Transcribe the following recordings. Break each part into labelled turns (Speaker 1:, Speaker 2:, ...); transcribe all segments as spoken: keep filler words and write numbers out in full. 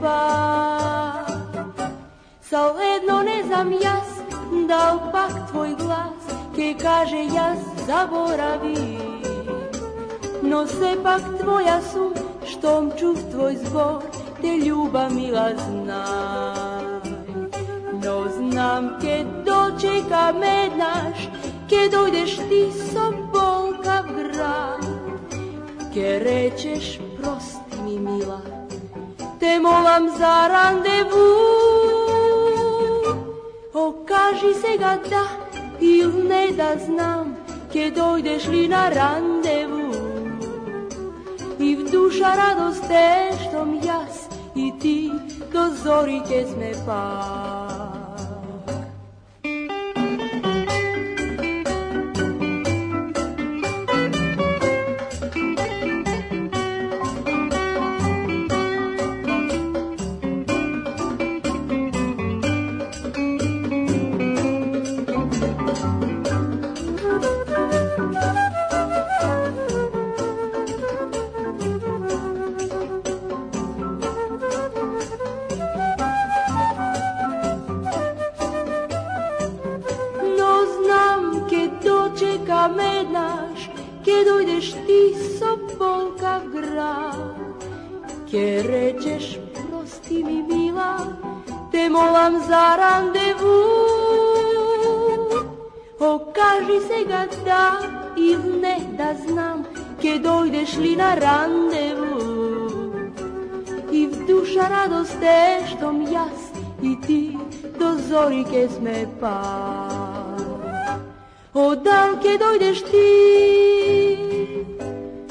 Speaker 1: Pa, saledno ne znam jas, da li pak tvoj glas, ke kaže jas zaboravi. No se pak tvoja su, štom čuv tvoj zbor, te ljuba mila znaj. No znam ke dočeka me naš, ke dojdeš ti sobol kav grad, ke rečeš prosti mi mila, te molam za randevu. Okaži se ga da ili ne da znam, ke dojdeš li na randevu. I v duša radost te štom jas i ti do zori ke sme pak. Me naš, ke dojdeš ti sobol kav grad, ke rečeš prosti mi mila, te molam za randevu. Okaži se ga da ili ne da znam, ke dojdeš li na randevu. I v duša radost te štom jas i ti do zori ke sme pak. O dal ke dojdeš ti,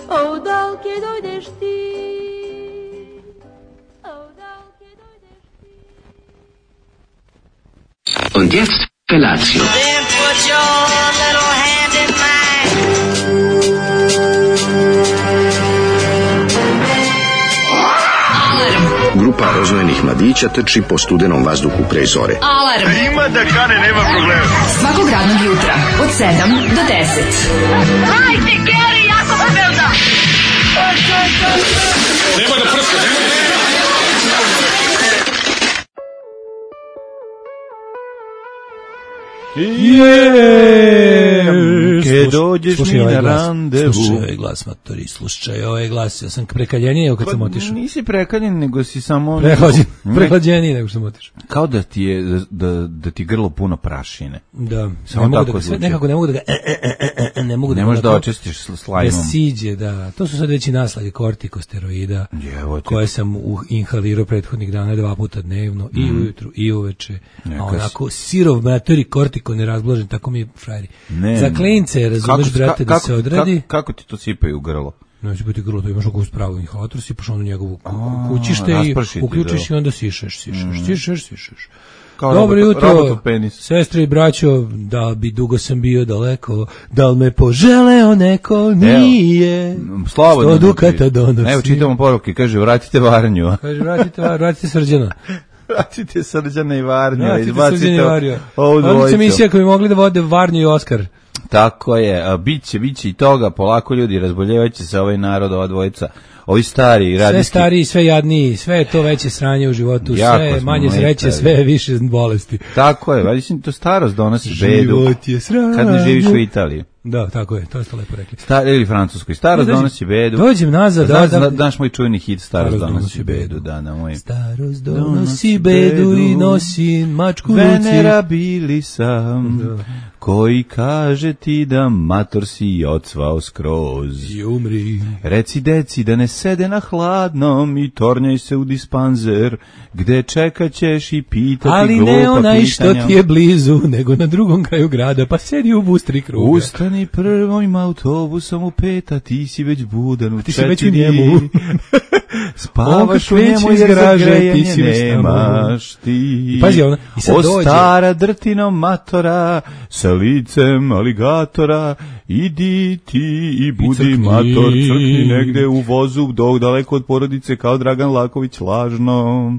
Speaker 1: o dal ke dojdeš ti, o dal ke dojdeš ti.
Speaker 2: Und jetzt Felatio.
Speaker 3: Then put your little hand in mine.
Speaker 2: Grupa rozvojenih mladića trči po studenom vazduhu pre zore.
Speaker 4: Alarm!
Speaker 5: Ima da kane, nema problema.
Speaker 4: Svakog radnog jutra, od sedam do deset.
Speaker 3: Hajde, Geri, jako se velda!
Speaker 5: Nema da prska, nema da prska.
Speaker 6: Jem, ke dođeš mi na randevu.
Speaker 7: Slušaj ovaj glas, matori, slušaj ovaj glas. Ja sam prekaljeniji kad sam otišao.
Speaker 6: Nisi prekaljen, nego si samo...
Speaker 7: Prehlađen, prehlađeniji nego što sam otišao.
Speaker 6: Kao da ti je, da, da, da ti grlo puno prašine.
Speaker 7: Da,
Speaker 6: samo
Speaker 7: ne
Speaker 6: tako
Speaker 7: da
Speaker 6: zvuči.
Speaker 7: Nekako ne mogu da ga, e, e, e, e, ne mogu da...
Speaker 6: Ne možeš da očistiš slajmom.
Speaker 7: Da siđe, da. To su sad veći naslage kortikosteroida,
Speaker 6: Jevo,
Speaker 7: koje sam uh, inhalirao prethodnih dana dva puta dnevno, mm. i ujutru, i uveče. A onako, sirov matori kortiko nerazblažen, tako mi je frajeri. Za klince, razumeš, brate, da se odradi.
Speaker 6: Kako, kako ti to sipaju u grlo?
Speaker 7: Ne, si biti grlo, to imaš oko spravu inhalator, sipaš ono njegovu kućište i uključiš i onda sišeš, sišeš, mm. sišeš, sišeš.
Speaker 6: Kao
Speaker 7: dobro
Speaker 6: robot,
Speaker 7: jutro, sestre i braćo, da bi dugo sam bio daleko, da li me poželeo neko, nije, sto dukata donosi.
Speaker 6: Evo, čitamo poruke, kaže, vratite Varnju.
Speaker 7: Kaže, vratite, vratite Srđana.
Speaker 6: Vratite Srđana i Varnju.
Speaker 7: Vratite Srđana i Varnju. Odlična emisija koja bi mogli da vode Varnju i Oskar.
Speaker 6: Tako je, biće, biće i toga, polako ljudi, razboljevaće se ovaj narod, ova dvojica, ovi stari, radijski.
Speaker 7: Sve stariji, sve jadniji, sve je to veće sranje u životu, sve manje sreće, sve više bolesti.
Speaker 6: Tako je, valjda to starost donosi bedu.
Speaker 7: Život je sranje.
Speaker 6: Kad ne živiš u Italiji.
Speaker 7: Da, tako je, to ste lepo rekli.
Speaker 6: Star, ili Francuskoj, starost
Speaker 7: dođem,
Speaker 6: donosi bedu.
Speaker 7: Dođem nazad, da, da, da.
Speaker 6: Daš moj čujni hit, starost donosi, donosi bedu, da, na moj.
Speaker 7: Starost donosi bedu i nosi mačku ruci.
Speaker 6: Venerabili sam, da. Koji kaže ti da mator si ocvao skroz.
Speaker 7: I umri.
Speaker 6: Reci deci da ne sede na hladnom i tornjaj se u dispanzer, gde čekat ćeš i pitati
Speaker 7: ali
Speaker 6: glupa pitanja.
Speaker 7: Ali ne onaj što ti je blizu, nego na drugom kraju grada, pa sedi u bustri kruga.
Speaker 6: Ustani prvim autobusom u pet, a ti si već budan u
Speaker 7: ti
Speaker 6: četiri.
Speaker 7: Ti si već u njemu.
Speaker 6: Spavaš u njemu jer za grejanje nemaš ti.
Speaker 7: Pazi, ona, i sad
Speaker 6: o
Speaker 7: dođe.
Speaker 6: Stara drtino matora, sa licem aligatora, idi ti i budi I mator, crkni negde u vozu, dok daleko od porodice kao Dragan Laković lažno.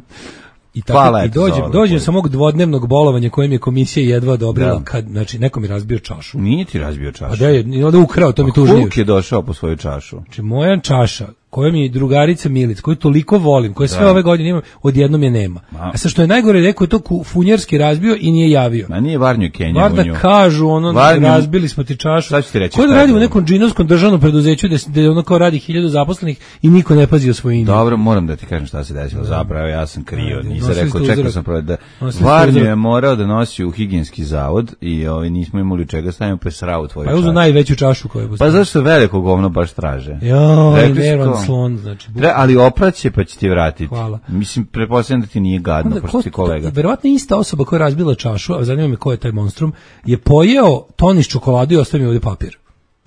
Speaker 7: I tako i dođem, dođem sa mog dvodnevnog bolovanja kojem je komisija jedva odobrila, da. Kad, znači, neko mi razbio čašu.
Speaker 6: Nije ti razbio čašu.
Speaker 7: A da je, onda ukrao, to mi tužnije.
Speaker 6: Kuk je došao po svoju čašu.
Speaker 7: Znači, moja čaša, koja mi je drugarica Milica, koju toliko volim, koje sve ove godine imam, odjednom je nema. A sad što je najgore, rekao je to funjerski razbio i nije javio.
Speaker 6: Ma nije Varnju Kenja
Speaker 7: Bar da kažu, ono,
Speaker 6: Varnju...
Speaker 7: razbili smo ti čašu.
Speaker 6: Sad ću ti reći.
Speaker 7: Ko da radi u nekom džinovskom državnom preduzeću da, da ono kao radi hiljadu zaposlenih i niko ne pazi o svojini.
Speaker 6: Dobro, moram da ti kažem šta se desilo. Zapravo ja sam krio, nisam rekao, čekao sam prvo da Varnju je morao da nosi u higijenski zavod i ovaj nismo imali čega stavimo pa srao tvoju čašu.
Speaker 7: Pa uzeo najveću čašu koju je postavio.
Speaker 6: Pa zašto veliko govno baš traže?
Speaker 7: Joj, nervan slon, znači.
Speaker 6: Tre, ali opraće pa će ti vratiti.
Speaker 7: Hvala.
Speaker 6: Mislim, pretpostavljam da ti nije gadno, onda, pošto ti kolega.
Speaker 7: Verovatno ista osoba koja je razbila čašu, a zanima me ko je taj monstrum, je pojeo toniš čokoladu i ostavio mi ovdje papir.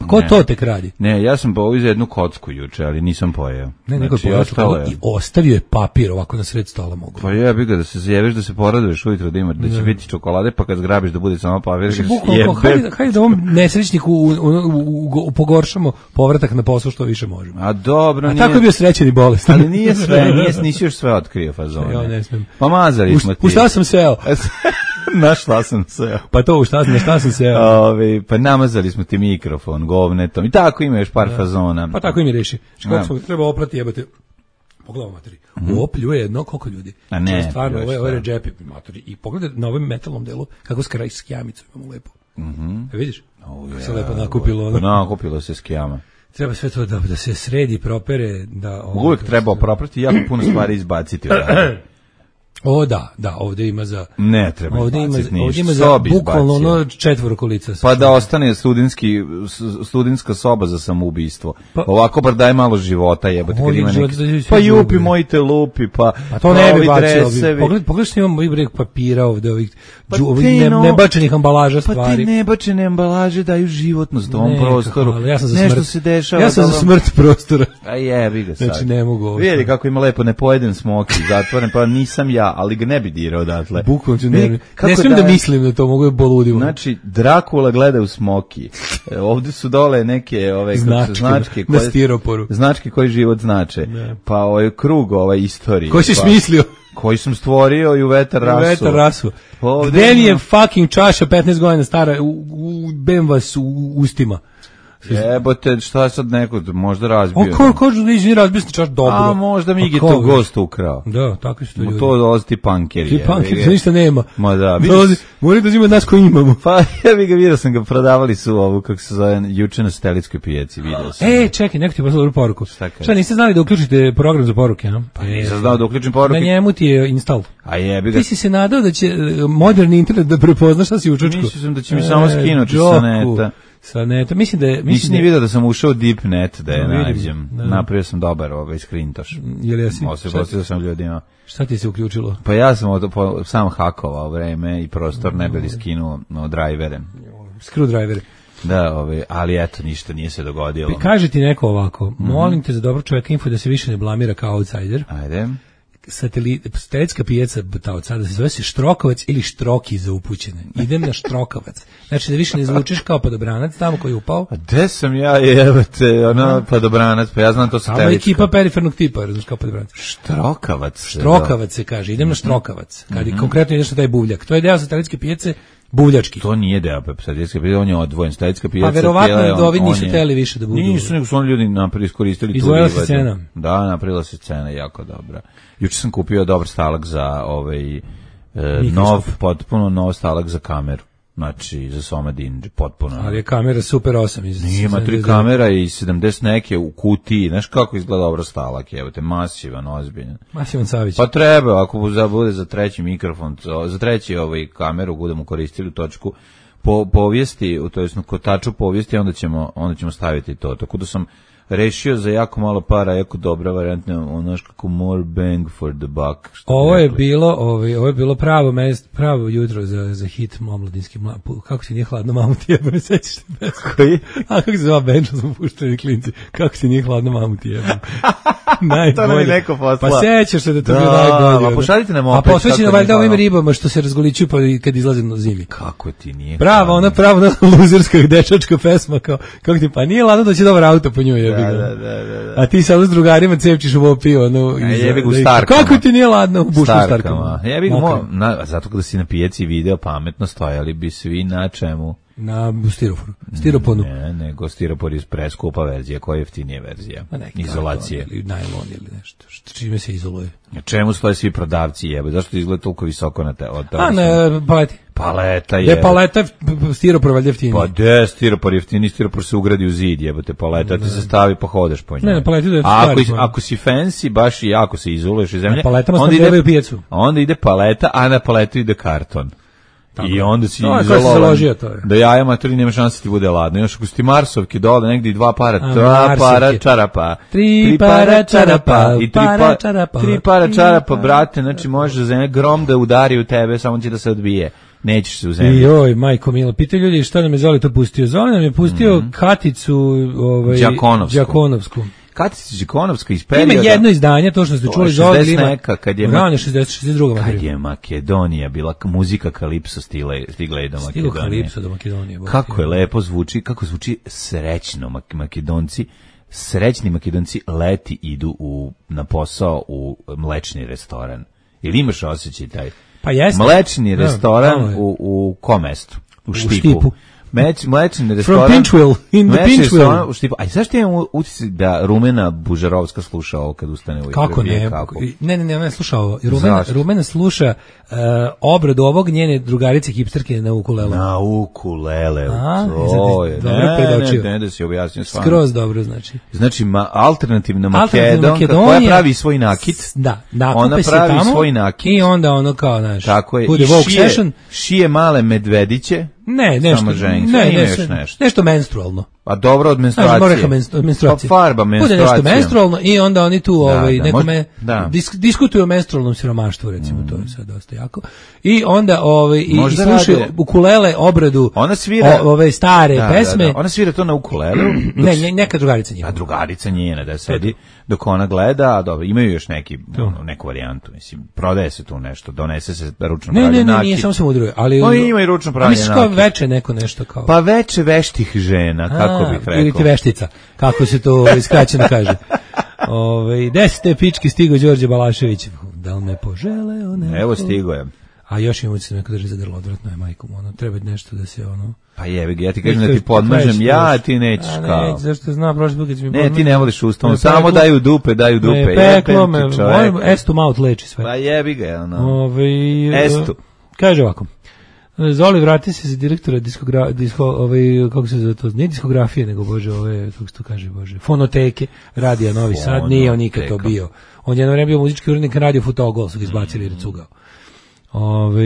Speaker 7: Ko ne, to tek radi?
Speaker 6: Ne, ja sam poveo za jednu kocku juče, ali nisam pojeo. Ne, nego
Speaker 7: znači, je pojeo je... i ostavio je papir ovako na sred stola mogu.
Speaker 6: Pa jebi ga da se zjeveš, da se poraduješ ujutro da ima, da će ne. biti čokolade, pa kad zgrabiš da bude samo papir.
Speaker 7: Znači, bukvalno, hajde, hajde da ovom nesrećniku u, u, u, u, pogoršamo povratak na posao što više možemo.
Speaker 6: A dobro,
Speaker 7: a
Speaker 6: nije...
Speaker 7: tako je bio srećan i bolestan.
Speaker 6: Ali nije sve, nije, nisi još sve otkrio fazone.
Speaker 7: Ja ne smijem.
Speaker 6: Pa mazali smo ti.
Speaker 7: U šta sam seo?
Speaker 6: Na šta sam seo?
Speaker 7: Pa to u šta, na šta sam seo?
Speaker 6: Ove, pa namazali smo ti mikrofon, govnetom i tako ima još par da. fazona.
Speaker 7: Pa tako i mi reši. Kako smo treba oprati jebate. Pogledaj materi. Mm-hmm. Opljuje jedno koliko ljudi.
Speaker 6: A ne.
Speaker 7: Če stvarno ovo je ovo je džepi materi i pogledaj na ovom metalnom delu kako skraj skijamicu imamo lepo. Mhm. E vidiš? Oh, kako se ja, lepo nakupilo.
Speaker 6: Ono. Nakupilo se skijama.
Speaker 7: Treba sve to da, da se sredi, propere, da ovo,
Speaker 6: uvijek treba oproprati jako puno stvari izbaciti.
Speaker 7: O da, da, ovdje ima za
Speaker 6: ne treba
Speaker 7: ovdje ima,
Speaker 6: ništa.
Speaker 7: Ovdje ima za bukvalno ono četvoro kolica.
Speaker 6: Pa da ostane studentski studentska soba za samoubistvo. Pa, ovako bar daj malo života, jebote, kad ima neki. Pa jupi moji te lupi, pa
Speaker 7: a to ne bi bacio. Pogled, pogledaj što imamo i breg papira ovdje, ovih pa ne, no, nebačenih ambalaža stvari.
Speaker 6: Pa ti nebačene ambalaže daju životnost tom prostoru.
Speaker 7: Ali ja sam za
Speaker 6: nešto
Speaker 7: smrt.
Speaker 6: Se dešava.
Speaker 7: Ja sam za smrt prostora.
Speaker 6: A jebi ga sad.
Speaker 7: Znači ne mogu.
Speaker 6: Vidi kako ima lepo, ne pojedem smoki, zatvoren, pa nisam ja, ali ga ne bi dirao odatle.
Speaker 7: Bukvalno ne, ne, ne smijem da, da mislim da to mogu boludimo.
Speaker 6: Znači, Drakula gleda u smoki. E, ovdje su dole neke ove
Speaker 7: značke,
Speaker 6: značke
Speaker 7: koje, na stiroporu.
Speaker 6: Značke koji život znače. Ne. Pa ovaj krug ovaj istorije.
Speaker 7: Koji si
Speaker 6: pa,
Speaker 7: smislio?
Speaker 6: Koji sam stvorio i u vetar rasu.
Speaker 7: U vetar rasu. Gde mi je fucking čaša petnaest godina stara u, u bem vas u, u ustima.
Speaker 6: Jebote, šta je sad neko, možda razbio.
Speaker 7: O, ko, ko, nisi razbio si čaš dobro.
Speaker 6: A, možda mi je to gost ukrao.
Speaker 7: Da, tako su to ljudi.
Speaker 6: To dolazi ti punkeri.
Speaker 7: Ti punkeri, ništa nema.
Speaker 6: Ma da,
Speaker 7: vidiš. Mori da zima nas koji imamo.
Speaker 6: Pa, ja bih ga vidio, sam ga prodavali su ovu, kako se zove, juče na Stelitskoj pijaci, vidio sam.
Speaker 7: E, čekaj, neko ti je poslao poruku. Šta, šta, niste znali da uključite program za poruke, a?
Speaker 6: Pa nisam znao da uključim poruke.
Speaker 7: Na njemu ti je install.
Speaker 6: A jebi ga.
Speaker 7: Ti si se nadao da će moderni internet da prepozna šta si u čučku.
Speaker 6: Mislim da će mi samo skinuti sa neta.
Speaker 7: Sa neta, mislim da je...
Speaker 6: Nisi ni vidio da sam ušao u deep net da je no, nađem. Da. Napravio sam dobar ovaj screentoš.
Speaker 7: Jel jesi?
Speaker 6: Osim sam ljudima.
Speaker 7: Šta ti se uključilo?
Speaker 6: Pa ja sam od, po, sam hakovao vreme i prostor ne bili skinuo no, drajvere.
Speaker 7: Screwdrivere.
Speaker 6: Da, ovaj, ali eto, ništa nije se dogodilo.
Speaker 7: Pa kaže ti neko ovako, mm-hmm. molim te za dobro čovjeka info da se više ne blamira kao outsider.
Speaker 6: Ajde.
Speaker 7: Satelitska pijaca ta od sada se zove se Štrokovac ili Štroki za upućene. Idem na Štrokovac. Znači da više ne zvučiš kao padobranac tamo koji je upao.
Speaker 6: A gde sam ja jebate, ono padobranac, pa ja znam to satelitska.
Speaker 7: Tamo je ekipa perifernog tipa, razumiješ kao padobranac.
Speaker 6: Štrokavac.
Speaker 7: Štrokavac se kaže, idem na Štrokavac. Kad mm-hmm. konkretno ideš na taj buvljak. To je deo satelitske pijace buvljački.
Speaker 6: To nije deo satelitske pijace, on je odvojen. Satelitska pijaca.
Speaker 7: Pa verovatno da ovi nisu hteli više da budu.
Speaker 6: Nisu, nego su oni ljudi napravili, iskoristili tu.
Speaker 7: Izvojila se cena.
Speaker 6: Da, napravila se cena jako dobra. Juče sam kupio dobar stalak za ovaj e, nov, potpuno nov stalak za kameru. Znači, za Soma Dinđe, potpuno.
Speaker 7: Ali je kamera Super osam. Iz
Speaker 6: ima tri kamera i sedamdeset neke u kutiji. Znaš kako izgleda dobro stalak, evo te, masivan, ozbiljan.
Speaker 7: Masivan Savić.
Speaker 6: Pa treba, ako bude za treći mikrofon, za treći ovaj kameru budemo koristili točku po povijesti, to jest kotaču povijesti, onda ćemo, onda ćemo staviti to. Tako da sam rešio za jako malo para, jako dobra varijantna, ono kako more bang for the buck.
Speaker 7: Ovo je bilo, ovaj, ovo je bilo pravo mest, pravo jutro za za hit omladinski mlad. Kako ti nije hladno, mamu ti jebe, sećaš se?
Speaker 6: Koji?
Speaker 7: A kako se zove bend, što smo puštali klinci. Kako ti nije hladno, mamu ti jebe.
Speaker 6: To nam je neko poslao.
Speaker 7: Pa sećaš se da to bio najbolje.
Speaker 6: Pa pošaljite nam opet.
Speaker 7: A posvećeno valjda ovim ribama što se razgoličuju pa kad izlaze na zimi.
Speaker 6: Kako ti nije?
Speaker 7: Prava, ona prava luzerska dečačka pesma kao kako ti pa nije ladno da će dobar auto po njoj jebi ga.
Speaker 6: Da, da, da, da.
Speaker 7: A ti sad s drugarima cepčiš u vopi, ono...
Speaker 6: Jebi ga u starkama.
Speaker 7: Kako ti nije ladno u bušu starkama?
Speaker 6: Jebi ga, mo, na, zato kada si na pijaci video pametno stojali bi svi na čemu.
Speaker 7: Na stiroforu, stiroponu.
Speaker 6: Ne, nego stiropor je preskupa verzija, koja je jeftinija verzija? Izolacije.
Speaker 7: Ili najlon ili nešto. Čime se izoluje?
Speaker 6: Čemu stoje svi prodavci jebe? Zašto izgleda toliko visoko na te? Od
Speaker 7: A ne, paleti.
Speaker 6: Paleta je.
Speaker 7: Je paleta stiropor valjda jeftiniji.
Speaker 6: Pa de, stiropor jeftiniji, stiropor se ugradi u zid, jebote, paleta ti se stavi pa hodeš po njoj.
Speaker 7: Ne, ne, paleti da je
Speaker 6: ako, ako si fancy, baš i jako se izoluješ iz zemlje,
Speaker 7: paletama onda ide pijecu.
Speaker 6: Onda ide paleta, a na paletu ide karton. Tako. I onda si
Speaker 7: no,
Speaker 6: izolovan, da jaja materi nema šanse ti bude ladno. Još ako si ti marsovki dole, negdje i dva para, a, dva para čarapa,
Speaker 7: tri, tri para čarapa,
Speaker 6: i tri para čarapa, tri para čarapa, brate, znači može za grom da udari u tebe, samo će da se odbije. Nećeš se u zemlji.
Speaker 7: Joj, majko milo, pitaju ljudi šta nam je Zoli to pustio. Zoli nam je pustio mm-hmm. Katicu ovaj,
Speaker 6: Đakonovsku.
Speaker 7: Đakonovsku.
Speaker 6: Katica Đakonovska iz perioda...
Speaker 7: Ima jedno izdanje, to što ste čuli Zoli ima...
Speaker 6: Neka, kad je...
Speaker 7: Rane šezdeset, šezdeset druga
Speaker 6: Kad je Makedonija bila, muzika Kalipso stigla, stigla je do Makedonije.
Speaker 7: Stigla Kalipso do Makedonije.
Speaker 6: Kako je lepo zvuči, kako zvuči srećno Makedonci. Srećni Makedonci leti idu u, na posao u mlečni restoran. Ili imaš osjećaj taj?
Speaker 7: Pa jeste.
Speaker 6: Mlečni restoran da, u, u kom mestu? U Štipu. U Štipu. Meć, mlečni restoran.
Speaker 7: From Pinchville, in the Pinchville.
Speaker 6: U Štipu. A zašto imam utisak da Rumena Bužarovska sluša ovo kad ustane u
Speaker 7: Kako ne? Kako? Ne, ne, ne, ona ne sluša ovo. Rumena, Rumena sluša uh, obradu ovog njene drugarice hipsterke na ukulele.
Speaker 6: Na ukulele. A, to je. Ne, ne, ne, da si objasnio stvarno.
Speaker 7: Skroz dobro, znači.
Speaker 6: Znači, ma, alternativna Makedonka koja pravi svoj nakit.
Speaker 7: Da, da,
Speaker 6: ona pravi tamo, svoj nakit.
Speaker 7: I onda ono kao, znaš,
Speaker 6: tako je.
Speaker 7: bude Vogue session.
Speaker 6: Šije male medvediće.
Speaker 7: Ne, nešto, ne, ne, nešto, nešto. nešto menstrualno.
Speaker 6: Pa dobro od menstruacije.
Speaker 7: Znaš, od menstruacije.
Speaker 6: Pa farba menstruacija.
Speaker 7: Bude nešto menstrualno i onda oni tu da, ovaj,
Speaker 6: da,
Speaker 7: nekome
Speaker 6: da.
Speaker 7: Disk, diskutuju o menstrualnom siromaštvu, recimo, mm. to je sad dosta jako. I onda ovaj, i, i slušaju rade. ukulele obradu
Speaker 6: ona svira,
Speaker 7: o, ove stare
Speaker 6: da,
Speaker 7: pesme.
Speaker 6: Da, da. Ona svira to na ukulelu.
Speaker 7: ne, ne, neka drugarica njena.
Speaker 6: A drugarica njena da sedi dok ona gleda, a dobro, imaju još neki, ono, neku varijantu, mislim, prodaje se tu nešto, donese se ručno
Speaker 7: ne,
Speaker 6: pravlje nakit.
Speaker 7: Ne, ne, nije, samo se mudruje, ali...
Speaker 6: No, ima i ručno pravlje nakit.
Speaker 7: Misliš kao veče neko nešto kao...
Speaker 6: Pa veče veštih žena, kako bih rekao.
Speaker 7: Ili ti veštica, kako se to iskraćeno kaže. Ove, desete pički stigo Đorđe Balašević. Da li me poželeo neko?
Speaker 6: Evo stigo je.
Speaker 7: A još imamo se neko drži za grlo, odvratno je majkom, ono, treba nešto da se, ono...
Speaker 6: Pa jebi, ja ti kažem da ti podmažem, ja ti nećeš kao. A
Speaker 7: neće, zašto zna, prošli put kad si mi
Speaker 6: podmažem. Ne, ti ne voliš ustavom, samo daju dupe, daju dupe.
Speaker 7: Me peklo, me, moj estu maut leči sve.
Speaker 6: Pa jebi ga, ono.
Speaker 7: Ove,
Speaker 6: estu.
Speaker 7: Kaže ovako, Zoli, vrati se za direktora diskogra, disko, ovaj, kako se zove to, nije diskografije, nego, bože, ove, kako se to kaže, bože, fonoteke, radija Novi Sad, nije on nikad to bio. On je jedno vreme bio muzički urednik radio Futogol, su ga izbacili jer je cugao. Ove,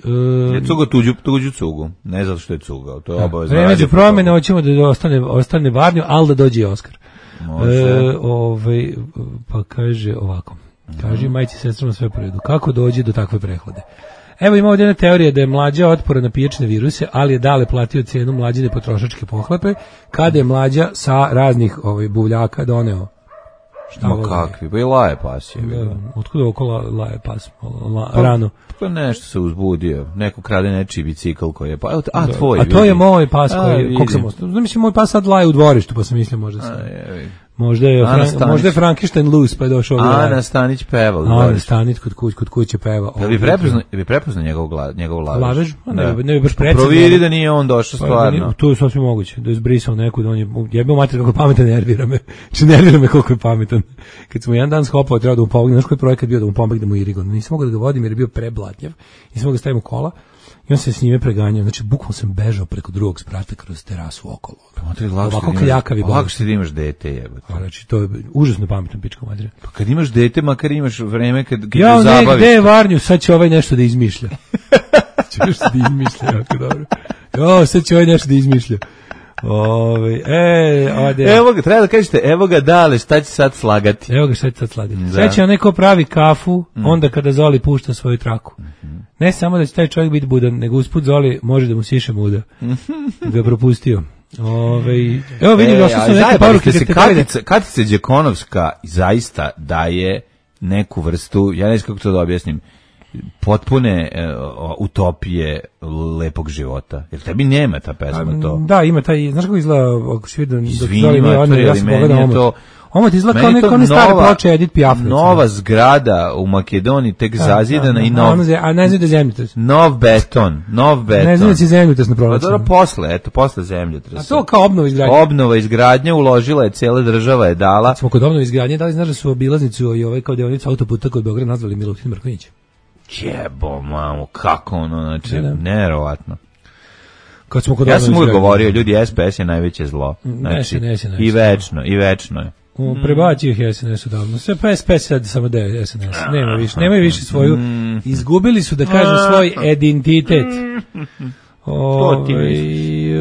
Speaker 7: um,
Speaker 6: je cugao tuđu, tuđu cugu, ne zato što je cugao, to je obavezno.
Speaker 7: Vreme za promjene, hoćemo da ostane, ostane Varnju, ali da dođe i Oskar. E, ove, pa kaže ovako, kaže majci sestrama sve po redu, kako dođe do takve prehlade? Evo ima ovdje jedna teorija da je Mlađa otpora na pijačne viruse, ali je Dale platio cijenu Mlađine potrošačke pohlepe, kada je Mlađa sa raznih ovaj, buvljaka doneo.
Speaker 6: Šta ma kakvi, pa i laje pas je bilo.
Speaker 7: Otkud oko la, laje pas, la, pa, rano?
Speaker 6: Pa nešto se uzbudio, neko krade nečiji bicikl koji je, pa, a, a tvoj.
Speaker 7: A to je moj pas koji, koliko sam ostao. Mislim, moj pas sad laje u dvorištu, pa sam mislio možda sam. Možda je, Fran, možda je Frankenstein Loose, pa je došao ovdje.
Speaker 6: Ana Stanić peva.
Speaker 7: Ana Stanić kod, kuć, kod kuće peva.
Speaker 6: Da bi prepoznao, bi prepoznao njegov, njegov lavež?
Speaker 7: Lavež? Ne, ne bi baš precizno.
Speaker 6: Proviri da nije on došao stvarno.
Speaker 7: To je sasvim moguće, da je zbrisao neku, da on je, je bio mater kako pametan, nervira me. Či nervira me koliko je pametan. Kad smo jedan dan skopao, treba da mu pomogne, znaš koji projekat bio da mu pomogne mu Irigon. Nisam mogao da ga vodim jer je bio preblatnjav. Nisam mogao da stavim u kola. I on se s njime preganjao, znači bukvalno sam bežao preko drugog sprata kroz terasu okolo.
Speaker 6: Ovako kaljakavi bolest. Ovako što ti imaš dete, jebote.
Speaker 7: Znači, to je užasno pametno pička madre.
Speaker 6: Pa kad imaš dete, makar imaš vreme kad, kad
Speaker 7: ja,
Speaker 6: te zabaviš. Ja, ne,
Speaker 7: gde je Varnju, sad će ovaj nešto da izmišlja. Će nešto da izmišlja, jako dobro. Jo, sad će ovaj nešto da izmišlja. Ove, e, ode.
Speaker 6: Evo ga, treba da kažete, evo ga Dale, šta će sad slagati?
Speaker 7: Evo ga, šta će sad slagati. Da. Sad će neko pravi kafu, mm. onda kada Zoli pušta svoju traku. Mm-hmm. Ne samo da će taj čovjek biti budan, nego usput Zoli može da mu siše muda. Da je propustio. Ove, evo vidim, e, došli su neke poruke.
Speaker 6: Katica, Katica Đakonovska zaista daje neku vrstu, ja ne znam kako to da objasnim, potpune e, utopije lepog života. Jer tebi nema ta pesma to.
Speaker 7: Da, ima taj, znaš kako izgleda, ako si vidio,
Speaker 6: Izvini, mater,
Speaker 7: ja
Speaker 6: ali
Speaker 7: sam
Speaker 6: meni
Speaker 7: pogledao
Speaker 6: je
Speaker 7: omot.
Speaker 6: to...
Speaker 7: Omot izgleda kao neka one stare ploče Edith Piaf.
Speaker 6: Nova zgrada u Makedoniji tek zazidana i nov...
Speaker 7: A ne znam da je zemljotres.
Speaker 6: Nov beton, nov beton.
Speaker 7: Ne znam da si zemljotres na prolazu.
Speaker 6: Pa dobro, posle, eto, posle zemljotresa.
Speaker 7: A to kao obnova izgradnje.
Speaker 6: Obnova izgradnje, uložila je, cijela država je dala.
Speaker 7: Smo kod obnova izgradnje, da li znaš da su obilaznicu i ovaj kao deonicu autoputa kod Beograda nazvali Milutin Mrkonjić?
Speaker 6: Jebo, mamo, kako ono, znači,
Speaker 7: Da, da.
Speaker 6: neverovatno.
Speaker 7: Kad smo kod
Speaker 6: Ja
Speaker 7: obnova
Speaker 6: sam uvijek
Speaker 7: izgradnje.
Speaker 6: govorio, ljudi, S P S je najveće zlo. Znači,
Speaker 7: S N S je najveće
Speaker 6: i
Speaker 7: zlo.
Speaker 6: večno, i večno je.
Speaker 7: Mm. Prebacio ih S N S odavno. Sve pa S P S sad samo da je S N S. Nema više, nemaju više svoju. Izgubili su, da kažem, svoj identitet. Ove,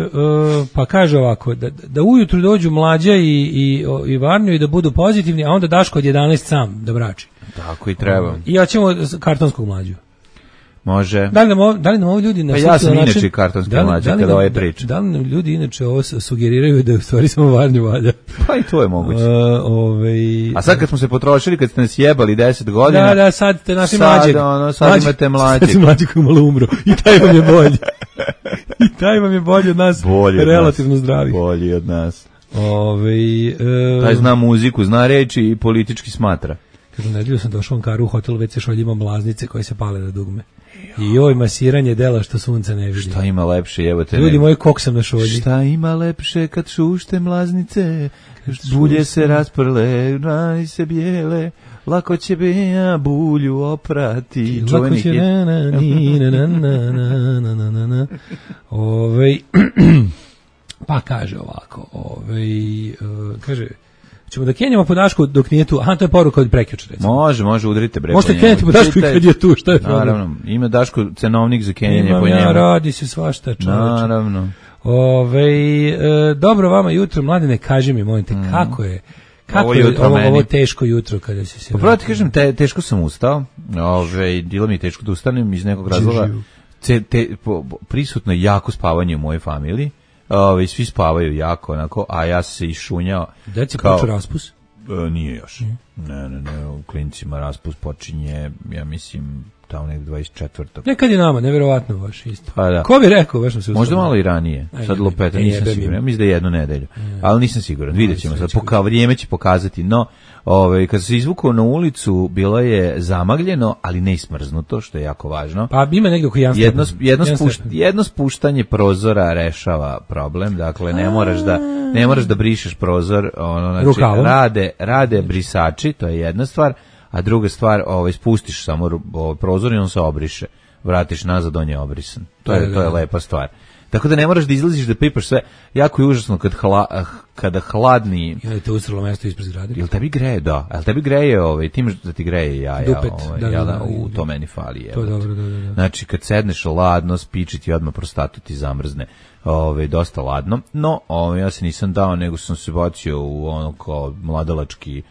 Speaker 7: uh, pa kaže ovako, da, da ujutru dođu Mlađa i, i, i Varnju i da budu pozitivni, a onda Daško od jedanaest sam da brači.
Speaker 6: Tako i treba.
Speaker 7: I ja ćemo kartonskog Mlađu.
Speaker 6: Može.
Speaker 7: Da li nam ovo, da li nam ovo ljudi na
Speaker 6: Pa ja sam inače kartonski Mlađa kada ovaj priča.
Speaker 7: Da li nam ljudi inače ovo sugeriraju da u stvari samo Varnju valja?
Speaker 6: Pa i to je moguće.
Speaker 7: Uh, ovaj,
Speaker 6: A sad kad smo se potrošili, kad ste nas jebali deset godina...
Speaker 7: Da, da, sad ste našli
Speaker 6: sad,
Speaker 7: mlađeg.
Speaker 6: Ono, sad mlađeg, imate mlađeg.
Speaker 7: Sad mlađeg koji malo umro. I taj vam je bolji. I taj vam je bolji od nas.
Speaker 6: Bolji od
Speaker 7: relativno
Speaker 6: nas.
Speaker 7: zdravi.
Speaker 6: Bolji od nas.
Speaker 7: Ove, e,
Speaker 6: taj zna muziku, zna reči i politički smatra.
Speaker 7: Kažu, nedelju sam došao u Ankaru u hotel, već se šoljima mlaznice koje se pale na dugme. I joj, masiranje dela što sunce ne vidi.
Speaker 6: Šta ima lepše, evo te...
Speaker 7: Ljudi moji, kok sam na šolji.
Speaker 6: Šta ima lepše kad šušte mlaznice, bulje se rasprle, rani se bijele, lako će beja bulju oprati.
Speaker 7: Lako će na na ni na na na na na na na. Ovej, pa kaže ovako, ovej, uh, kaže... Ćemo da kenjamo po Dašku dok nije tu. Aha, to je poruka od prekjuče, recimo.
Speaker 6: Može, može, udrite bre.
Speaker 7: Možete kenjati po Dašku kad je tu, šta je problem?
Speaker 6: Naravno, ima Daško cenovnik za kenjanje
Speaker 7: Imam
Speaker 6: po njemu.
Speaker 7: Ja, radi se svašta, čoveče.
Speaker 6: Naravno.
Speaker 7: Ove, e, dobro vama jutro, Mladine, kaži mi, molim te, mm. kako je, kako ovo je jutro ovo, ovo teško jutro kada si se...
Speaker 6: Pa prvo ti kažem, te, teško sam ustao, ove, bilo mi je teško da ustanem iz nekog razloga. Te, te, po, prisutno je jako spavanje u mojoj familiji. Ove, svi spavaju jako, onako, a ja se išunjao.
Speaker 7: Deci počeo raspus?
Speaker 6: E, nije još. Mm. Ne, ne, ne, u klinicima raspus počinje, ja mislim, tamo nekde dvadeset četvrtog
Speaker 7: Nekad je nama, nevjerovatno baš isto.
Speaker 6: Pa da.
Speaker 7: Ko bi rekao, baš sam se
Speaker 6: možda malo i ranije. Aj, sad lopeta, nisam siguran. Ja mislim da je jednu nedelju. Aj, ali nisam siguran. Vidjet ćemo sad. Poka, vrijeme će pokazati. No, ovaj, kad se izvukao na ulicu, bilo je zamagljeno, ali ne ismrznuto, što je jako važno.
Speaker 7: Pa ima negdje oko jedan
Speaker 6: jedno, jedno, spušt, jedno spuštanje prozora rešava problem. Dakle, ne moraš da, ne moraš da brišeš prozor. Ono, znači,
Speaker 7: rukavom.
Speaker 6: Rade, rade brisači, to je jedna stvar. A druga stvar, ovaj, spustiš samo ovaj, prozor i on se obriše. Vratiš nazad, on je obrisan. To je, to je lepa stvar. Tako da ne moraš da izlaziš da pipaš sve. Jako je užasno kad hla, kada hladni...
Speaker 7: Ja, te ustralo mesto ispred zgrade.
Speaker 6: Jel tebi greje, da. Jel tebi greje, ovaj, ti imaš da ti greje jaja.
Speaker 7: Dupet,
Speaker 6: ovaj,
Speaker 7: da, da,
Speaker 6: jel,
Speaker 7: da,
Speaker 6: u
Speaker 7: da,
Speaker 6: to meni fali. Je,
Speaker 7: to je dobro, da, da, da.
Speaker 6: Znači, kad sedneš ladno, spiči ti odmah prostatu ti zamrzne. Ovaj, dosta ladno. No, ovaj, ja se nisam dao, nego sam se bacio u ono kao mladalački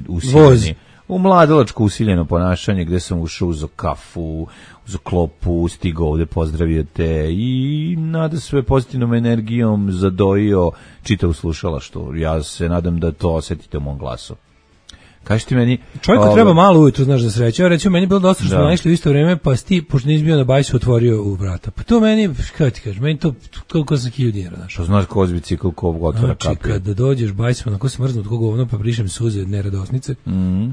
Speaker 6: usiljeni. U mladalačko usiljeno ponašanje gde sam ušao uzo kafu, uzo klopu, stigao ovde, pozdravio te i nada sve pozitivnom energijom zadojio čitavu slušalaštvo. Ja se nadam da to osetite u mom glasu. Kaži ti meni...
Speaker 7: Čovjeku ove... treba malo ujutru, znaš, da sreće. Recimo, meni je bilo dosta što smo naišli u isto vrijeme, pa si ti, pošto nisi bio na bajsu, otvorio u vrata. Pa to meni, kada ti kažeš, meni to koliko sam hiljadu dinara, znaš.
Speaker 6: Što znaš ko zbi cikl ko otvora
Speaker 7: znači,
Speaker 6: kapije.
Speaker 7: Znači, kada dođeš bajsima, onako se mrznu od koga ovno, pa brišem suze neradosnice.
Speaker 6: Mhm.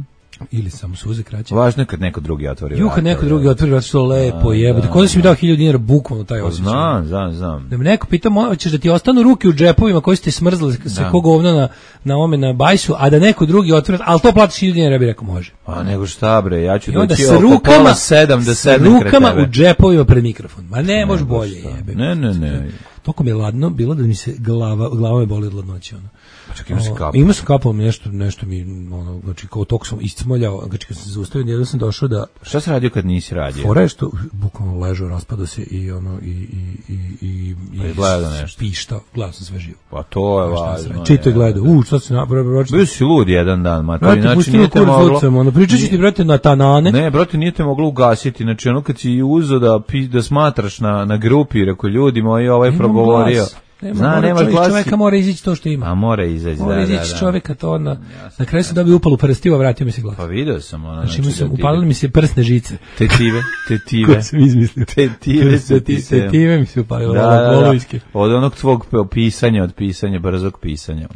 Speaker 7: Ili samo suze kraće.
Speaker 6: Važno je kad neko drugi otvori vrata.
Speaker 7: Ju, kad neko drugi otvori vrata, što lepo jebote. Ko da si mi dao hiljadu dinara bukvalno taj osjećaj.
Speaker 6: Znam, znam, znam.
Speaker 7: Da me neko pita, hoćeš da ti ostanu ruke u džepovima koji ste smrzli sve koga ovno na, na ome na bajsu, a da neko drugi otvori, ali to platiš hiljadu dinara, ja bih rekao može.
Speaker 6: A nego šta bre, ja ću
Speaker 7: doći
Speaker 6: oko pola sedam da sednem kraj tebe.
Speaker 7: Rukama u džepovima pred mikrofon. Ma ne, može bolje jebe.
Speaker 6: Ne, ne, ne.
Speaker 7: Toko mi je ladno bilo da mi se glava, glava me boli od ladnoće, ono.
Speaker 6: Čak ima se kapu.
Speaker 7: Ima se kapao mi nešto, nešto mi, ono, znači kao tok sam iscmoljao, znači kad sam se zaustavio, jedno sam došao da...
Speaker 6: Šta se radio kad nisi radio?
Speaker 7: Fora je što, bukvalno ležao, raspadao se i ono, i, i, i, i, i
Speaker 6: gledao nešto.
Speaker 7: Pištao, gledao sam sve živo.
Speaker 6: Pa to je važno.
Speaker 7: Čito je gledao, u, šta se napravio?
Speaker 6: Bio si lud jedan dan, matori, znači
Speaker 7: nije te moglo... Ono, pričat ću ti, brate, na tanane.
Speaker 6: Ne, brate, nije te moglo ugasiti, znači ono kad si uzo da, da smatraš na, na grupi, rekao ljudi moji, ovaj progovorio.
Speaker 7: Nema,
Speaker 6: Zna,
Speaker 7: mora,
Speaker 6: nema
Speaker 7: čovjek,
Speaker 6: glasi.
Speaker 7: čovjeka mora izići to što ima.
Speaker 6: A mora izaći,
Speaker 7: Mora
Speaker 6: da,
Speaker 7: izići
Speaker 6: da, da.
Speaker 7: čovjeka to na, na kraju se dobio upalu prstiju, vratio mi se glas.
Speaker 6: Pa vidio sam ono.
Speaker 7: Znači, mi sam,
Speaker 6: da ti-
Speaker 7: upalili mi se prsne žice.
Speaker 6: Tetive, tetive.
Speaker 7: Koje sam izmislio.
Speaker 6: Tetive su ti se.
Speaker 7: Tetive mi se upalilo.
Speaker 6: Da,
Speaker 7: Da,
Speaker 6: da, da.
Speaker 7: Golovijske.
Speaker 6: Od onog tvog pisanja, od pisanja, brzog pisanja.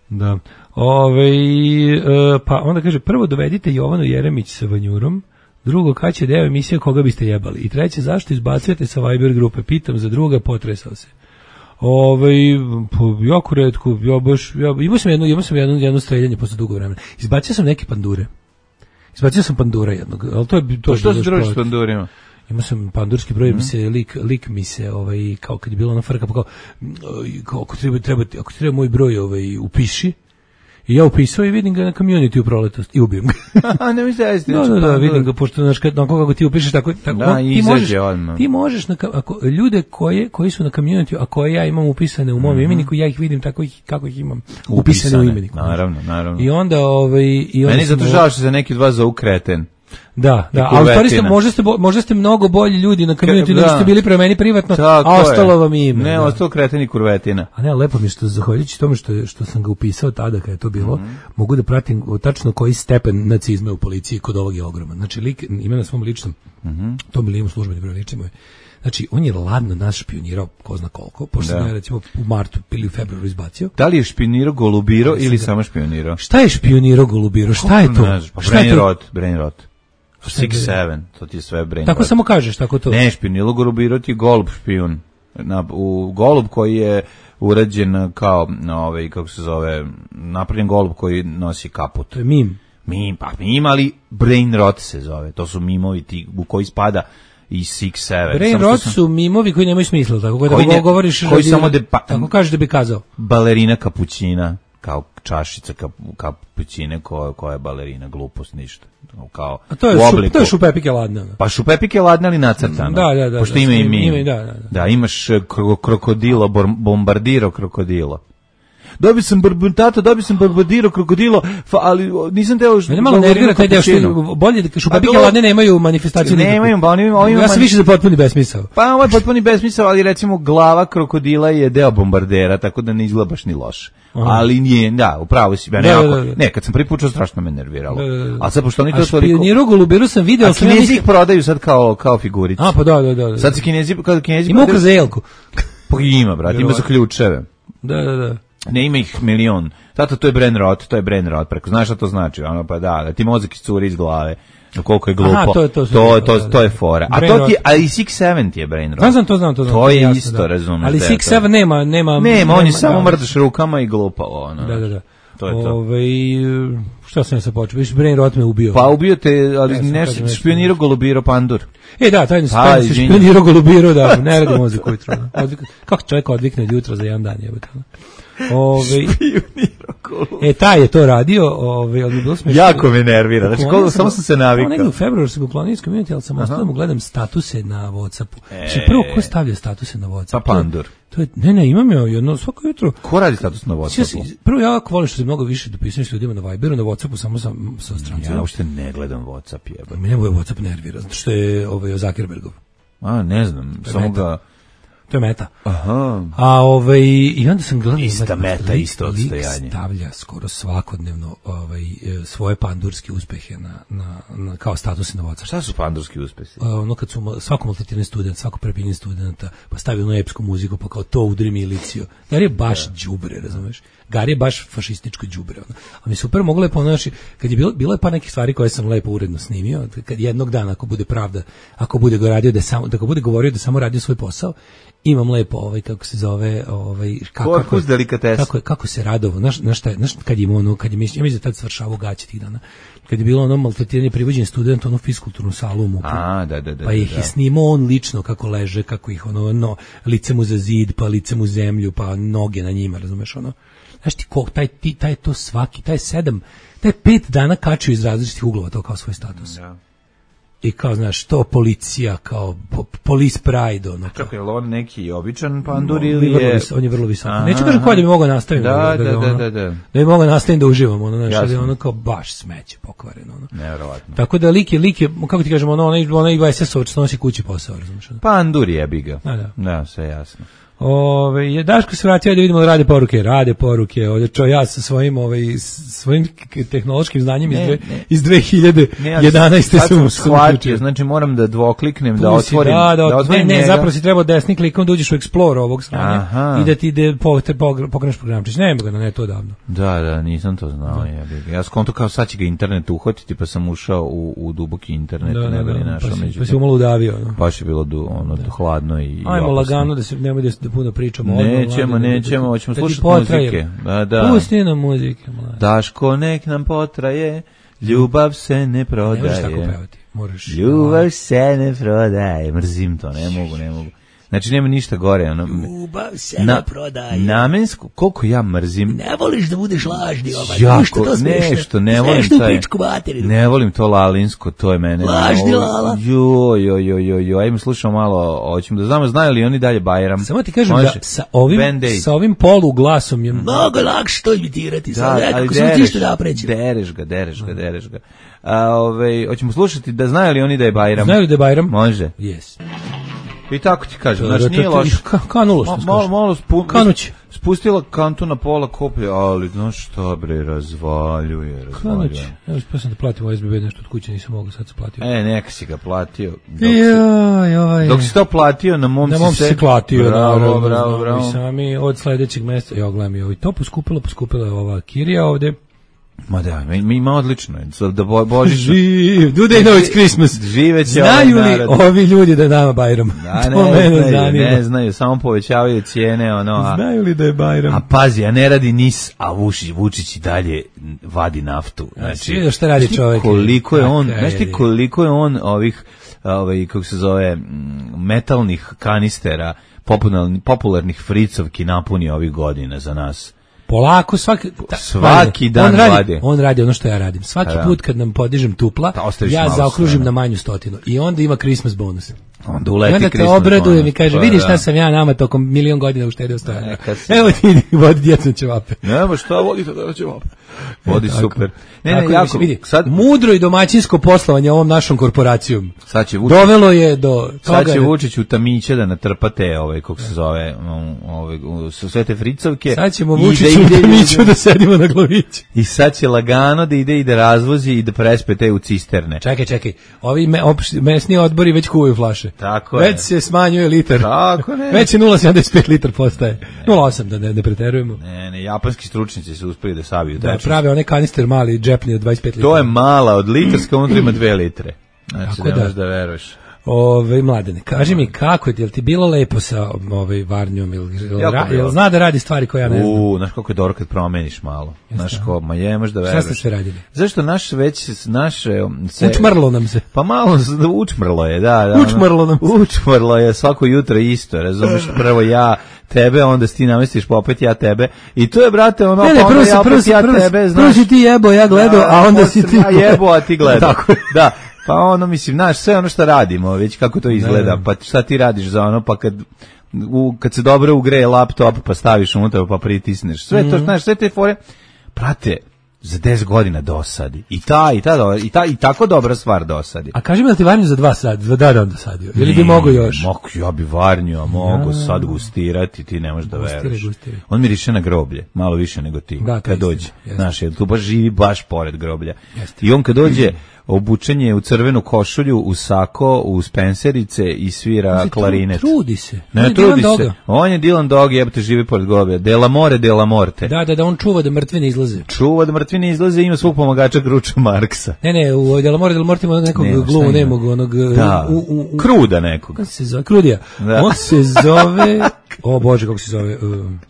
Speaker 7: Da. Ove, e, pa onda kaže, prvo dovedite Jovanu Jeremić sa Vanjurom, drugo, kad će deo emisije koga biste jebali, i treće, zašto izbacujete sa Viber grupe, pitam za druga, potresao se. Ove, po, jako redko, ja baš, ja, imao sam jedno, imao sam jedno, jedno streljanje posle dugo vremena. Izbacio sam neke pandure. Izbacio sam pandura jednog, ali to je to.
Speaker 6: To što se
Speaker 7: bilo
Speaker 6: družiš s
Speaker 7: šport.
Speaker 6: pandurima?
Speaker 7: Imao sam pandurski broj, mm. mi se lik, lik mi se, ovaj, kao kad je bilo ona frka, pa kao, kao ako treba, treba, ako treba moj broj, ovaj, upiši, i ja upisao i vidim ga na community u proletost i ubijem ga.
Speaker 6: A ne mi se jesti.
Speaker 7: Da, da, da, vidim ga, pošto, znaš, kad, onako kako ti upišeš, tako, tako
Speaker 6: Da,
Speaker 7: ti
Speaker 6: izađe
Speaker 7: možeš,
Speaker 6: odmah.
Speaker 7: ti možeš, na, ako, ljude koje, koji su na community, a koje ja imam upisane u mom mm-hmm. imeniku, ja ih vidim tako ih, kako ih imam upisane, upisane u imeniku.
Speaker 6: Naravno, naravno.
Speaker 7: I onda, ovaj, i onda
Speaker 6: Meni
Speaker 7: sam-
Speaker 6: zato žao što se neki od vas zovu kreten.
Speaker 7: Da, da,
Speaker 6: I
Speaker 7: ali u stvari ste,
Speaker 6: kurvetina.
Speaker 7: možda ste, bo- možda ste mnogo bolji ljudi na community
Speaker 6: Ka-
Speaker 7: nego
Speaker 6: da.
Speaker 7: ste bili prema meni privatno,
Speaker 6: Tako
Speaker 7: a
Speaker 6: je.
Speaker 7: ostalo vam ime.
Speaker 6: Ne,
Speaker 7: da.
Speaker 6: ostalo kreten i kurvetina.
Speaker 7: A ne, lepo mi je što, zahvaljujući tome što, je- što sam ga upisao tada kada je to bilo,
Speaker 6: Mhm.
Speaker 7: mogu da pratim tačno koji stepen nacizma u policiji kod ovog je ogroman. Znači, lik ima na svom ličnom,
Speaker 6: Mhm.
Speaker 7: to mi li imam službeni broj lični moj. Znači, on je ladno nas špionirao, ko zna koliko, pošto
Speaker 6: Da.
Speaker 7: sam ga, recimo, u martu ili u februaru izbacio.
Speaker 6: Da li je špionirao, golubirao ili
Speaker 7: da.
Speaker 6: samo špionirao?
Speaker 7: Šta je špionirao, golubiro? Šta je to?
Speaker 6: Ne znam, pa
Speaker 7: Šta je
Speaker 6: brain
Speaker 7: to?
Speaker 6: rot, brain rot.
Speaker 7: Šta je
Speaker 6: Six seven, to ti je sve brain
Speaker 7: Tako
Speaker 6: rot.
Speaker 7: samo kažeš, tako to.
Speaker 6: Ne, špionilo golubirao ti je golub špijun. Na, u golub koji je urađen kao, na ovaj, kako se zove, napravljen golub koji nosi kaput.
Speaker 7: To je mim.
Speaker 6: Mim, pa mim, ali brain rot se zove. To su mimovi ti, u koji spada i Six seven.
Speaker 7: Brain
Speaker 6: Samo što
Speaker 7: rot
Speaker 6: sam-
Speaker 7: su mimovi koji nemaju smisla, tako
Speaker 6: Koji
Speaker 7: da
Speaker 6: ne-
Speaker 7: govoriš,
Speaker 6: koji
Speaker 7: da bi-
Speaker 6: samo de- pa-
Speaker 7: tako kažeš da bi kazao.
Speaker 6: Balerina kapućina, kao čašica kap, kapućine koja, koja je balerina, glupost, ništa. Kao,
Speaker 7: A to je,
Speaker 6: u
Speaker 7: šup,
Speaker 6: obliku.
Speaker 7: to je šupepike ladne. ono.
Speaker 6: Pa šupepik je ladna ali nacrtano.
Speaker 7: Da, da, da,
Speaker 6: Pošto
Speaker 7: da,
Speaker 6: ima i
Speaker 7: ima-
Speaker 6: mi.
Speaker 7: ima i da, da, da.
Speaker 6: Da, imaš eh, kro, krokodilo, bor- bombardiro krokodilo. Dobio sam barbuntato, dobio sam barbardiro krokodilo, fa, ali o, nisam teo...
Speaker 7: Mene malo nervira taj deo što bolje da šupepike
Speaker 6: to-
Speaker 7: ladne nemaju manifestaciju.
Speaker 6: Nemaju,
Speaker 7: nikakvu.
Speaker 6: pa oni imaju- oni imaju
Speaker 7: Ja sam
Speaker 6: mani-
Speaker 7: više za potpuni besmisao.
Speaker 6: Pa ovo je potpuni besmisao, ali recimo glava krokodila je deo bombardera, tako da ne izgleda baš ni loše.
Speaker 7: Aha.
Speaker 6: Ali nije, da, upravo si, ja
Speaker 7: Da,
Speaker 6: nekako,
Speaker 7: da, da.
Speaker 6: ne, kad sam prvi put čuo, strašno me nerviralo.
Speaker 7: Da, da, da.
Speaker 6: A sad, pošto oni
Speaker 7: A
Speaker 6: to toliko...
Speaker 7: špioniru golubiru sam video,
Speaker 6: A
Speaker 7: ali sam ja
Speaker 6: Kinezi ih
Speaker 7: mislim...
Speaker 6: prodaju sad kao, kao figurice.
Speaker 7: A, pa da, da, da. da.
Speaker 6: Sad se Kinezi, kada Kinezi
Speaker 7: Ima
Speaker 6: prodaju-
Speaker 7: ukras za jelku.
Speaker 6: Pa ima, brate, ima za ključeve.
Speaker 7: Da, da, da.
Speaker 6: Ne, ima ih milion. Tato, to je brain rot, to je brain rot. Preko, znaš šta to znači? Ono, pa da, da ti mozak iscuri iz glave. Koliko je glupo.
Speaker 7: Aha, to je- to su-
Speaker 6: to, to,
Speaker 7: da, da.
Speaker 6: to je fora. A
Speaker 7: Brain
Speaker 6: to ti,
Speaker 7: rot.
Speaker 6: a i Six seven ti je brain rot.
Speaker 7: Znam, znam, to znam, to znam.
Speaker 6: To je
Speaker 7: jasno,
Speaker 6: isto,
Speaker 7: da.
Speaker 6: razumeš.
Speaker 7: Ali
Speaker 6: da je
Speaker 7: Six
Speaker 6: to.
Speaker 7: Seven nema, nema...
Speaker 6: Nema, on je samo
Speaker 7: da.
Speaker 6: mrdaš rukama i glupavo. Ono,
Speaker 7: Da, da, da.
Speaker 6: To je to.
Speaker 7: Ove, šta sam ja sad počeo? Viš, brain rot me ubio.
Speaker 6: Pa ubio te, ali
Speaker 7: Ja sam
Speaker 6: nešto,
Speaker 7: kažem nešto.
Speaker 6: špionirao golubiro pandur.
Speaker 7: E da, taj
Speaker 6: Pa,
Speaker 7: taj se
Speaker 6: izvinjam.
Speaker 7: špionirao golubiro, da, ne radi mozak ujutro. ono. Odvik- Kako čovjek odvikne od jutra za jedan dan, jebote. ono. Ove, e, taj je to radio, ove, ali bilo smešno.
Speaker 6: Jako me nervira, znači,
Speaker 7: Uklonio
Speaker 6: koliko,
Speaker 7: sam
Speaker 6: samo
Speaker 7: ga-
Speaker 6: sam se
Speaker 7: ono
Speaker 6: navikao.
Speaker 7: negdje u februaru sam ga uklonio iz community, ali sam ostao da mu gledam statuse na Whatsappu.
Speaker 6: E.
Speaker 7: Znači, prvo, ko stavlja statuse na Whatsapp?
Speaker 6: Pa pandur.
Speaker 7: To je, ne, ne, imam ja jedno, svako jutro.
Speaker 6: Ko radi status na
Speaker 7: Ja
Speaker 6: Whatsappu?
Speaker 7: se- prvo, ja jako volim što se mnogo više dopisujem s ljudima na Viberu, na Whatsappu samo sa, sa strancima.
Speaker 6: Ja uopšte ne gledam Whatsapp, jeba.
Speaker 7: Mene moj Whatsapp nervira, zato što je ovaj, Zuckerbergov.
Speaker 6: A, ne znam, samo
Speaker 7: meta.
Speaker 6: ga...
Speaker 7: To je meta.
Speaker 6: Aha.
Speaker 7: A ovaj i onda sam gledao
Speaker 6: Ista
Speaker 7: znači,
Speaker 6: meta,
Speaker 7: lik-
Speaker 6: isto
Speaker 7: lik
Speaker 6: odstojanje.
Speaker 7: stavlja skoro svakodnevno ovaj e, svoje pandurske uspehe na, na, na kao statuse na Whatsapp.
Speaker 6: Šta su pandurski uspesi?
Speaker 7: A, ono kad su ma- svako maltretirani student, svako prepinjen studenta, pa stavi ono epsku muziku, pa kao to udri miliciju. Gari je baš đubre, razumeš? Gari je baš fašističko đubre. Ono. A mi super moglo je ponaši, kad je bilo, bilo je pa nekih stvari koje sam lepo uredno snimio, kad jednog dana, ako bude pravda, ako bude go radio da samo, da ako bude govorio da samo radio svoj posao, imam lepo ovaj kako se zove ovaj kako
Speaker 6: Korpus delikatesa.
Speaker 7: kako je- kako se radovo znaš znaš šta je, znaš kad je imao ono kad je mislim ja mislim da tad svršavao gaće tih dana kad je bilo ono maltretiranje privođenje studenta ono fiskulturnu salu u MUP-u.
Speaker 6: A, da, da, da.
Speaker 7: Pa ih
Speaker 6: da.
Speaker 7: je snimao on lično kako leže, kako ih ono, no, lice mu za zid, pa lice mu zemlju, pa noge na njima, razumeš ono. Znaš ti ko, taj, ti, taj to svaki, taj sedam, taj pet dana kačio iz različitih uglova to kao svoj status.
Speaker 6: Da.
Speaker 7: I kao, znaš, to policija, kao po, police pride, ono.
Speaker 6: Kako je li on neki običan pandur
Speaker 7: On je
Speaker 6: ili
Speaker 7: vrlo
Speaker 6: je...
Speaker 7: vis- on je vrlo visok.
Speaker 6: Aha,
Speaker 7: Neću kažem
Speaker 6: aha.
Speaker 7: ko da bi mogao nastaviti.
Speaker 6: Da, da,
Speaker 7: ga,
Speaker 6: da,
Speaker 7: ono,
Speaker 6: da, da.
Speaker 7: Da bi mogao nastaviti da uživam, ono, znaš, ali
Speaker 6: Jasno.
Speaker 7: ono kao baš smeće pokvareno, ono.
Speaker 6: Nevjerovatno.
Speaker 7: Tako da lik je, lik je, kako ti kažem, ono, onaj, onaj V S S-ovac što nosi kući posao, razumiješ? ono.
Speaker 6: Pandur jebi ga.
Speaker 7: Da, da.
Speaker 6: Da, sve jasno.
Speaker 7: Ove, je Daško se vratio da vidimo da rade poruke, rade poruke, ovdje čo ja sa svojim, ovaj, svojim tehnološkim znanjem ne, iz, dve, ne. iz dve hiljade jedanaeste
Speaker 6: ne,
Speaker 7: sam
Speaker 6: shvatio, znači moram da dvokliknem, da otvorim,
Speaker 7: da, da,
Speaker 6: da otvorim
Speaker 7: ne, ne,
Speaker 6: njega.
Speaker 7: zapravo si trebao desni klikom da uđeš u Explorer ovog stranja i da ti ide pokreneš programčić, nema ga na netu odavno.
Speaker 6: Da, da, nisam to znao. Ja, ja skonto kao sad će ga internet uhvatiti, pa sam ušao u, u duboki internet,
Speaker 7: da,
Speaker 6: ne bi
Speaker 7: da,
Speaker 6: li našao
Speaker 7: pa si,
Speaker 6: među.
Speaker 7: Pa si umalo udavio. No.
Speaker 6: Baš je bilo du, ono, da. hladno i
Speaker 7: Ajmo
Speaker 6: opasno.
Speaker 7: Lagano da se nemoj da, da puno pričamo.
Speaker 6: Nećemo,
Speaker 7: odmah,
Speaker 6: nećemo,
Speaker 7: da,
Speaker 6: hoćemo
Speaker 7: da
Speaker 6: slušati muzike. Da, da.
Speaker 7: Pusti nam muzike, mlade.
Speaker 6: Daško, nek nam potraje, ljubav se ne prodaje.
Speaker 7: Ne možeš tako pevati. Moraš.
Speaker 6: Ljubav se ne prodaje. Mrzim to, ne mogu, ne mogu. Znači nema ništa gore, ono.
Speaker 7: Ljubav se
Speaker 6: na,
Speaker 7: ne prodaje.
Speaker 6: Namensko, koliko ja mrzim.
Speaker 7: Ne voliš da budeš lažni, ovaj.
Speaker 6: Jako,
Speaker 7: ništa to smešno.
Speaker 6: Nešto, ne volim taj. Ne volim to lalinsko, to je mene.
Speaker 7: Lažni lala.
Speaker 6: Jo, jo, jo, jo, jo. Ajmo slušamo malo, hoćemo da znamo znaju li oni dalje Bajram.
Speaker 7: Samo ti kažem Može. da sa ovim sa ovim polu glasom je mnogo lakše to imitirati. Da, sad, ali dereš, da
Speaker 6: dereš ga, dereš ga, dereš ga. A, ovaj, hoćemo slušati da znaju li oni da je Bajram.
Speaker 7: Znaju li da je Bajram?
Speaker 6: Može.
Speaker 7: Yes.
Speaker 6: I tako ti kažem, znači nije loš.
Speaker 7: Kanulo što
Speaker 6: malo, malo spu,
Speaker 7: Kanuć.
Speaker 6: Spustila kantu na pola koplje, ali znaš šta bre, razvaljuje, razvaljuje.
Speaker 7: Kanuć. Evo, pa sam da platim o S B B nešto od kuće, nisam mogao, sad sam platio.
Speaker 6: E, neka si ga platio. Dok,
Speaker 7: joj, joj.
Speaker 6: si, dok si to platio, na mom,
Speaker 7: na mom si se platio.
Speaker 6: Bravo,
Speaker 7: naravno,
Speaker 6: bravo, bravo.
Speaker 7: I sami od sledećeg mjeseca, ja gledam i ovo, to poskupilo, poskupila je ova kirija ovde.
Speaker 6: Ma da, mi ima odlično. Da bo, božić.
Speaker 7: Živ, do they know it's Christmas.
Speaker 6: Živeće
Speaker 7: znaju
Speaker 6: ovaj
Speaker 7: li ovi ljudi da je nama Bajram?
Speaker 6: Da, to ne mene znaju, zanima. Ne znaju, samo povećavaju cijene. Ono, a,
Speaker 7: znaju li da je Bajram?
Speaker 6: A pazi, a ne radi nis, a Vučić, Vučić i dalje vadi naftu. Znači,
Speaker 7: a šta radi čovjek?
Speaker 6: Koliko je on, znaš ti koliko je on ovih, ovaj, kako se zove, metalnih kanistera, popularnih, popularnih fricovki napuni ovih godina za nas.
Speaker 7: Polako, svaki, ta,
Speaker 6: svaki dan
Speaker 7: on radi,
Speaker 6: vade.
Speaker 7: On radi ono što ja radim. Svaki da. put kad nam podižem tupla, ja zaokružim sve, na manju stotinu. I onda ima Christmas bonus.
Speaker 6: Onda uleti
Speaker 7: I onda te obradujem i kaže, pa, vidiš šta sam ja nama tokom milion godina uštedio stojanja. Evo ti vodi djecom ćevape.
Speaker 6: Nema šta vodi to ćevape. Vodi e, super. Ne, ne,
Speaker 7: tako,
Speaker 6: jako,
Speaker 7: vidi,
Speaker 6: sad,
Speaker 7: mudro i domaćinsko poslovanje ovom našom korporacijom
Speaker 6: sad će Vučić,
Speaker 7: dovelo je do toga.
Speaker 6: Sad će Vučić u tamiće da natrpate ove, kako se zove, ove, sve te fricovke.
Speaker 7: Sad ćemo Vučić da u tamiću da sedimo na glaviću.
Speaker 6: I sad će lagano da ide i da razvozi i da prespe te u cisterne.
Speaker 7: Čekaj, čekaj, ovi me, opš, mesni odbori već kuvaju flaše.
Speaker 6: Tako
Speaker 7: već
Speaker 6: je.
Speaker 7: se smanjuje litar.
Speaker 6: Tako ne.
Speaker 7: Već je nula zarez sedamdeset pet litar postaje. nula zarez osam da ne, ne preterujemo.
Speaker 6: Ne, ne, japanski stručnjaci su uspeli da sabiju.
Speaker 7: Da, prave one kanister mali džepni od dvadeset pet litara.
Speaker 6: To je mala od litarska, unutra ima dve litre. Znači, ne možeš da veruješ.
Speaker 7: Ove, Mladene, kaži mi kako je, jel ti bilo lepo sa ovaj Varnjom, jel, jel, ra, jel zna da radi stvari koje ja ne znam?
Speaker 6: U, znaš kako je dobro kad promeniš malo. Znaš ko, ma je, možeš da veruješ.
Speaker 7: Šta ste sve radili?
Speaker 6: Zašto naš već, naše... Se,
Speaker 7: učmrlo nam se.
Speaker 6: Pa malo, učmrlo je, da. da
Speaker 7: učmrlo nam se.
Speaker 6: Učmrlo je, svako jutro isto, razumiješ, prvo ja tebe, onda ti namestiš pa opet ja tebe. I to je, brate, ono,
Speaker 7: ne, ne,
Speaker 6: pa onda
Speaker 7: si,
Speaker 6: ja opet
Speaker 7: si,
Speaker 6: ja
Speaker 7: prvo,
Speaker 6: tebe, znaš.
Speaker 7: Prvo si ti jebo, ja gledao, a onda si ti...
Speaker 6: Ja jebo, a ti gledao. Da. Pa ono, mislim, znaš, sve ono što radimo, već kako to izgleda, pa šta ti radiš za ono, pa kad, u, kad se dobro ugreje laptop, pa staviš unutra, pa pritisneš, sve mm-hmm. to, znaš, sve te fore, prate, za deset godina dosadi. I ta, i ta, i ta, i tako dobra stvar dosadi.
Speaker 7: A kaži mi da ti Varnju za dva sad, za da dan dosadio, ili bi mogo još?
Speaker 6: Mogu, ja bi Varnju, a mogu ja. sad gustirati, ti ne možeš da veruješ. On miriše na groblje, malo više nego ti, da, kad dođe. Znaš, tu baš živi baš pored groblja. Jeste. I on kad dođe, obučen je u crvenu košulju, u sako, u spenserice i svira klarinet.
Speaker 7: Trudi se.
Speaker 6: Ne, on trudi se. Doga. On je Dylan Dog, jebate, živi pored groblja. Dela more, dela morte.
Speaker 7: Da, da, da, on čuva da mrtvi ne izlaze.
Speaker 6: Čuva da mrtvi ne izlaze, ima svog pomagača Gruča Marksa.
Speaker 7: Ne, ne, u Dela more, dela morte ima nekog ne, glumu, nemog onog...
Speaker 6: Da,
Speaker 7: u, u, u,
Speaker 6: Kruda nekog.
Speaker 7: Kako se zove? Krudija. Da. On se zove... O Bože, kako se zove... Um,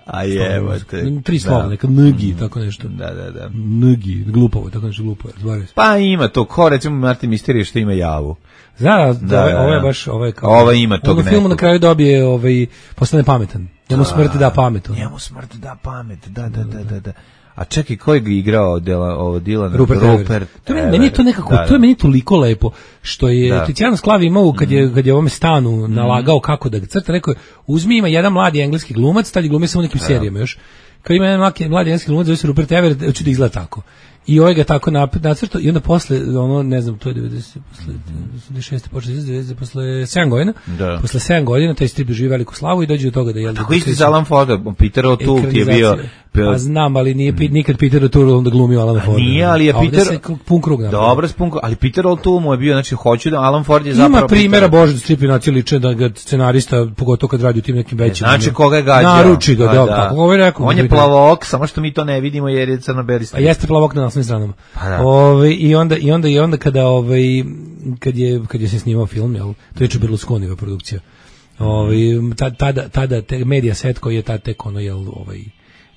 Speaker 6: A jebate.
Speaker 7: Tri slova, neka ngi, tako nešto.
Speaker 6: Da, da, da.
Speaker 7: Ngi, glupovo, tako nešto glupovo.
Speaker 6: Pa ima to, ko recimo Martin Misterije što ima javu.
Speaker 7: Zna, da, ovaj, ovaj je baš, ovaj kao...
Speaker 6: Ovaj ima tog nekog.
Speaker 7: U filmu na kraju dobije, ovaj, postane pametan. Njemu smrt da pamet.
Speaker 6: Njemu smrt da pamet, da, da, da, da, da. A čekaj, ko je igrao dela, ovo Dylan?
Speaker 7: Rupert, Rupert to je meni to nekako, da, to je meni toliko lepo, što je Tiziano Sclavi imao, kad je, kad je ovome stanu nalagao kako da ga crta, rekao je, uzmi, ima jedan mladi engleski glumac, tad je glumio samo nekim serijama još, kao ima jedan mladi engleski glumac, zove se Rupert Everett, hoću da izgleda tako. I ovaj ga tako nacrtao i onda posle, ono, ne znam, to je devedeset, posle devedeset šeste počeo devedeset posle sedam godina,
Speaker 6: da.
Speaker 7: Posle sedam godina taj strip doživi veliku slavu i dođe do toga da je...
Speaker 6: Tako isti za Alan Forda, Peter O'Toole ti je bio...
Speaker 7: Pa znam, ali nije mm. nikad Peter O'Toole onda glumio Alan Forda.
Speaker 6: Nije, ali je Peter...
Speaker 7: Se pun krug napravio.
Speaker 6: Dobro, pun krug, ali Peter O'Toole mu je bio, znači, hoću da Alan Ford je zapravo...
Speaker 7: Ima primjera, Bože, da stripi naci liče da ga scenarista, pogotovo kad radi u tim nekim većim...
Speaker 6: Znači, koga je gađao?
Speaker 7: Naruči ga, da, kako ovo je rekao.
Speaker 6: On je plavok, samo što mi to ne vidimo jer je crno-beli strip.
Speaker 7: A jeste plavok na naslovnim stranama.
Speaker 6: Pa da.
Speaker 7: Ove, i onda i onda i onda kada ovaj kad je kad je se snimao film, jel, to je Berlusconiva produkcija. Ovaj tada tada te Mediaset koji je tad tek ono jel ovaj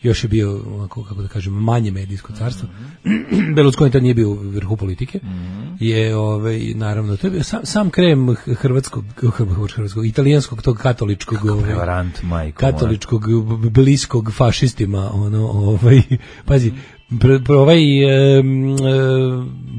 Speaker 7: još je bio onako, kako da kažem, manje medijsko carstvo. Mm-hmm. Berlusconi tad nije bio u vrhu politike. Mm-hmm. Je ovaj naravno to je bio sam, sam krem hrvatskog hrvatskog italijanskog tog katoličkog
Speaker 6: prevarant majko
Speaker 7: katoličkog bliskog fašistima ono ovaj pazi Pre, pre ovaj e,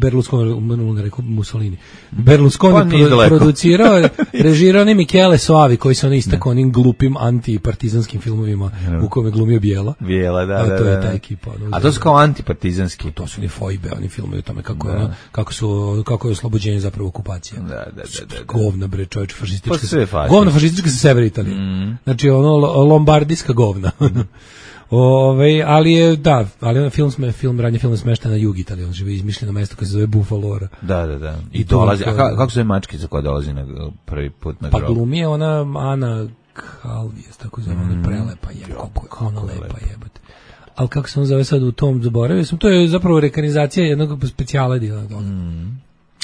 Speaker 7: Berlusconi, ne rekao Mussolini, Berlusconi pa pro, producirao, režirao ne Michele Soavi koji se on istakao onim glupim antipartizanskim filmovima no. U kome glumio Bijela.
Speaker 6: Bijela, da,
Speaker 7: a
Speaker 6: da,
Speaker 7: to je
Speaker 6: da.
Speaker 7: ta ekipa. No,
Speaker 6: a to su kao antipartizanski.
Speaker 7: To su ni fojbe, oni filmovi o tome kako, da. Ono, kako, su, kako je oslobođenje zapravo okupacija.
Speaker 6: Da, da, da, da, da.
Speaker 7: Govna, bre, čovječ, fašistička.
Speaker 6: Pa sve fašistička.
Speaker 7: Govna fašistička sa severa Italije. Mm. Znači, ono, lombardijska govna. Ove, ali je, da, ali on film, sme, film, radnje film smešta na jug Italije, on živi izmišljeno mesto koje se zove Buffalora.
Speaker 6: Da, da, da. I, I dolazi, a ka, kako se zove mačkica koja dolazi na prvi put na grob?
Speaker 7: Pa glumi je ona Ana Calvijes, tako zove, mm. ona prelepa je, kako je ona lepa, lepa jebate. Ali kako se on zove sad u tom, zaboravio sam, to je zapravo rekranizacija jednog specijala Dylan Dog. Mm.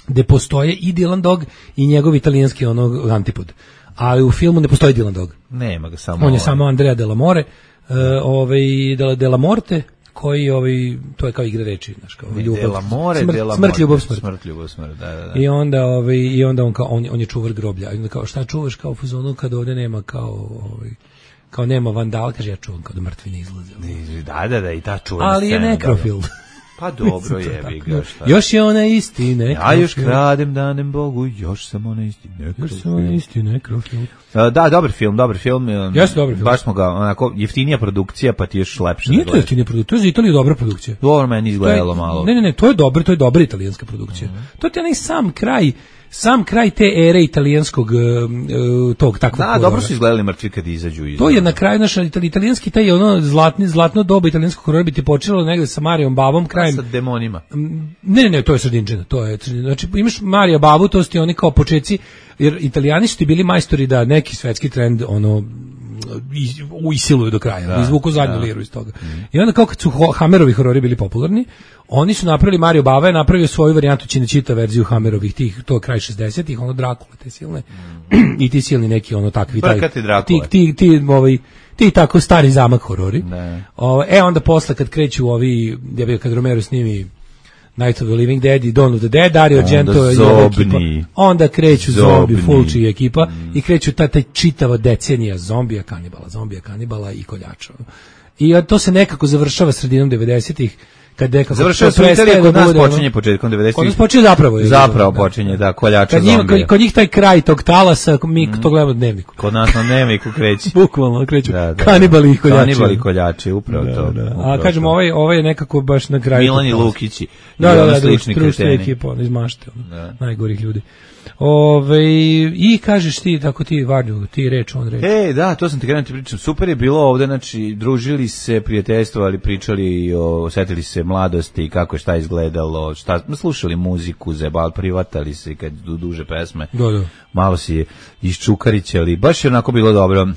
Speaker 7: Gde postoje i Dylan Dog i njegov italijanski onog antipod. Ali u filmu ne postoji Dylan Dog.
Speaker 6: Nema ga samo.
Speaker 7: On je samo Andrea Delamore. Uh, ovaj Della Morte koji ovaj to je kao igra reči, znači kao ljubav.
Speaker 6: Della More,
Speaker 7: smrt,
Speaker 6: Della
Speaker 7: smrt, ljubav, smrt.
Speaker 6: Smrt, ljubav, smrt, da, da, da.
Speaker 7: I onda ovaj i onda on kao on, on je čuvar groblja. I onda kao šta čuvaš kao u fazonu kad ovde nema kao ovaj kao nema vandal, kaže ja čuvam kao da mrtvi ne izlaze.
Speaker 6: Da, da, da, i ta čuvena
Speaker 7: ali je nekrofil.
Speaker 6: Pa dobro je, ga šta.
Speaker 7: Još je ona isti nekrofil.
Speaker 6: Ja još kradem danem Bogu, još sam ona isti nekrofil.
Speaker 7: Još sam ona isti nekrofil.
Speaker 6: Da, dobar film, dobar film.
Speaker 7: Jeste dobar film.
Speaker 6: Baš smo ga, onako, jeftinija produkcija, pa ti još lepše.
Speaker 7: Nije to jeftinija produkcija, to je za Italiju dobra produkcija.
Speaker 6: Dobro meni izgledalo malo.
Speaker 7: Ne, ne, ne, to je dobro, to je dobra italijanska produkcija. Mm-hmm. To je onaj sam kraj, sam kraj te ere italijanskog uh, tog takvog.
Speaker 6: Da, dobro su izgledali mrtvi kad izađu iz.
Speaker 7: To je na kraju naš italijanski taj ono zlatni zlatno doba italijanskog horora bi ti počelo negde sa Marijom Babom krajem.
Speaker 6: Sa demonima.
Speaker 7: Ne, ne, ne, to je sredinčina, to je znači imaš Marija Babu, to su ti oni kao počeci, jer Italijani su ti bili majstori da neki svetski trend ono uisiluju do kraja, da, izvuku zadnju da. liru iz toga. Mm. I onda kao kad su Hammerovi horori bili popularni, oni su napravili, Mario Bava je napravio svoju varijantu Cinecittà verziju Hammerovih, tih, to je kraj šezdesetih, ono Drakule, te silne, mm. i ti silni neki ono takvi, taj, ti, ti, ti, ovaj, ti tako stari zamak horori. O, e onda posle kad kreću ovi, ja bih kad Romero snimi Night of the Living Dead i Dawn of the Dead, Dario Argento je ekipa. Onda kreću zombi, Fulci i ekipa mm. i kreću ta, ta čitava decenija zombija, kanibala, zombija, kanibala i koljača. I to se nekako završava sredinom devedesetih, kad nekako
Speaker 6: završava se Italija, kod nas počinje početkom devedesetih.
Speaker 7: Kod nas počinje zapravo. Je,
Speaker 6: zapravo da, počinje, da, koljača
Speaker 7: kad
Speaker 6: zombija.
Speaker 7: Kod, kod njih taj kraj tog talasa, mi mm. to gledamo u dnevniku.
Speaker 6: Kod nas na dnevniku kreće.
Speaker 7: Bukvalno kreću da, da, kanibali i koljači.
Speaker 6: Kanibali i koljači, upravo
Speaker 7: da,
Speaker 6: to.
Speaker 7: Da.
Speaker 6: Upravo
Speaker 7: a kažemo, ovaj, ovaj je nekako baš na kraju.
Speaker 6: Milan i Lukići.
Speaker 7: Da, da, da, slični kreteni. Ekipa, on izmašte, ono, najgorih ljudi. Ove, i kažeš ti, tako ti Varnju, ti reč, on reč.
Speaker 6: E, da, to sam ti krenuo ti pričam. Super je bilo ovde, znači, družili se, prijateljstvovali, pričali, o, setili se mladosti, kako je šta izgledalo, šta, slušali muziku, zebal, privatali se kad du, duže pesme.
Speaker 7: Da, da.
Speaker 6: Malo si iščukarićali, baš je onako bilo dobro.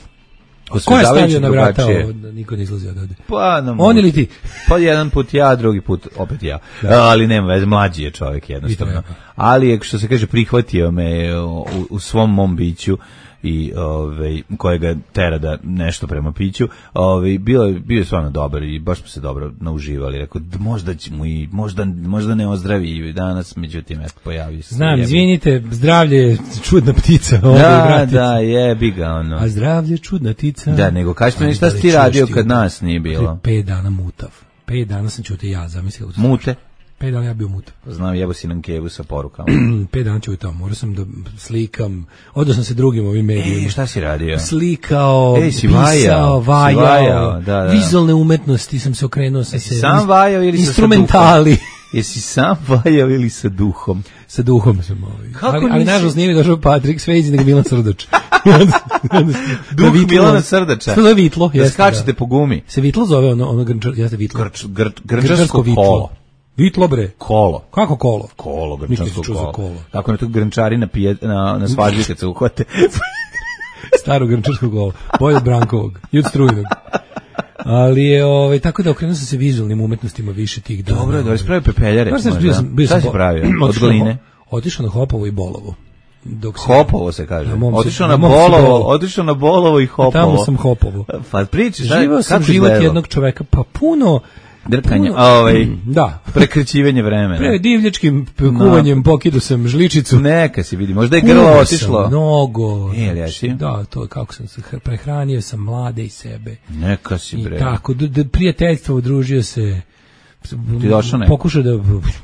Speaker 7: Ko je stavio na vrata ovo, da niko ne izlazi od ovde?
Speaker 6: Pa, no,
Speaker 7: on ili ti?
Speaker 6: Pa jedan put ja, drugi put opet ja. Da. Ali nema veze, mlađi je čovjek jednostavno. Ali je, što se kaže, prihvatio me u, u svom mom biću i ovaj kojega tera da nešto prema piću, ovaj bio je bio je stvarno dobar i baš smo se dobro nauživali. Rekao možda ćemo i možda možda ne ozdravi i danas, međutim eto pojavi se.
Speaker 7: Znam, izvinite, zdravlje je čudna ptica,
Speaker 6: ovaj da, da, jebi ga ono.
Speaker 7: A zdravlje je čudna ptica.
Speaker 6: Da, nego kažete mi šta si ti radio kad nas nije bilo?
Speaker 7: Pet dana mutav. Pet dana sam ćutio ja, zamislio.
Speaker 6: Mute?
Speaker 7: Pet dana ja bio mutav.
Speaker 6: Znam, jebo si nam kevu sa porukama.
Speaker 7: Pet dana ću tamo, morao sam da slikam, odao sam se drugim ovim medijima.
Speaker 6: E, šta si radio?
Speaker 7: Slikao,
Speaker 6: e, si
Speaker 7: pisao, vajao,
Speaker 6: vajao da, da.
Speaker 7: vizualne umetnosti sam se okrenuo. Sam
Speaker 6: e,
Speaker 7: se,
Speaker 6: sam vajao ili
Speaker 7: instrumentali.
Speaker 6: Jesi sam valjao ili sa duhom?
Speaker 7: Sa duhom sam ovaj.
Speaker 6: Kako
Speaker 7: ali, ali
Speaker 6: nisi-
Speaker 7: nažalost nije mi došao Patrik Svejzi nego Milan Srdač.
Speaker 6: Duh Milana Srdača.
Speaker 7: To je vitlo,
Speaker 6: Da
Speaker 7: jeste.
Speaker 6: skačete po gumi.
Speaker 7: Se vitlo zove ono, ono grnčar, jeste vitlo.
Speaker 6: Grč, gr, grčarsko
Speaker 7: vitlo.
Speaker 6: kolo.
Speaker 7: Vitlo bre.
Speaker 6: Kolo.
Speaker 7: Kako kolo?
Speaker 6: Kolo,
Speaker 7: Nikad
Speaker 6: grčarsko
Speaker 7: nisam čuo za
Speaker 6: kolo.
Speaker 7: kolo.
Speaker 6: Tako na to grnčari na, pije, na, na svađi kad se uhvate.
Speaker 7: Staro grnčarsko kolo. Bolje od Brankovog i od Strujinog. Ali je, ovaj, tako da okrenuo sam se vizualnim umetnostima više tih dana.
Speaker 6: Dobro, da ispravi pepeljare.
Speaker 7: Znaš, znaš, bio sam, bio
Speaker 6: Šta
Speaker 7: sam
Speaker 6: si
Speaker 7: bo-
Speaker 6: pravio? Od
Speaker 7: otišao na
Speaker 6: gline?
Speaker 7: Ho- Otišao na Hopovo i Bolovo. Dok sam-
Speaker 6: Hopovo se kaže.
Speaker 7: Na mom se-
Speaker 6: Otišao
Speaker 7: na
Speaker 6: na
Speaker 7: mom se
Speaker 6: Bolovo,
Speaker 7: Bolovo.
Speaker 6: otišao na Bolovo i Hopovo.
Speaker 7: Tamo sam Hopovo.
Speaker 6: Pa priči, šta,
Speaker 7: Živao sam
Speaker 6: kako
Speaker 7: život
Speaker 6: izgledalo?
Speaker 7: jednog čoveka, pa puno...
Speaker 6: Drkanje,
Speaker 7: puno-
Speaker 6: ovaj,
Speaker 7: Da.
Speaker 6: prekrećivanje vremena.
Speaker 7: Pre divljačkim p- kuvanjem pokidu sam žličicu.
Speaker 6: Neka se vidi, možda je
Speaker 7: Kuvao
Speaker 6: grlo
Speaker 7: sam
Speaker 6: otišlo.
Speaker 7: Mnogo.
Speaker 6: E, jel jesi?
Speaker 7: Da, to je kako sam se hr- prehranio sam mlade i sebe.
Speaker 6: Neka si
Speaker 7: I
Speaker 6: bre.
Speaker 7: tako, d- d- prijateljstvo, udružio se.
Speaker 6: Ti došao neko?
Speaker 7: Pokušao da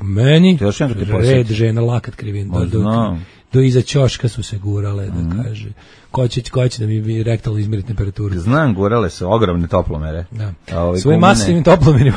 Speaker 7: meni
Speaker 6: Ti došao neko te
Speaker 7: red
Speaker 6: posjeti?
Speaker 7: žena lakat krivin
Speaker 6: Ma,
Speaker 7: do, do,
Speaker 6: znam.
Speaker 7: do iza ćoška su se gurale da kaže ko će, ko će da mi mi rektalno izmeri temperaturu.
Speaker 6: Znam, gorale su ogromne toplomere.
Speaker 7: Da.
Speaker 6: A ove
Speaker 7: Svojim
Speaker 6: gumene-
Speaker 7: masivnim toplomerima.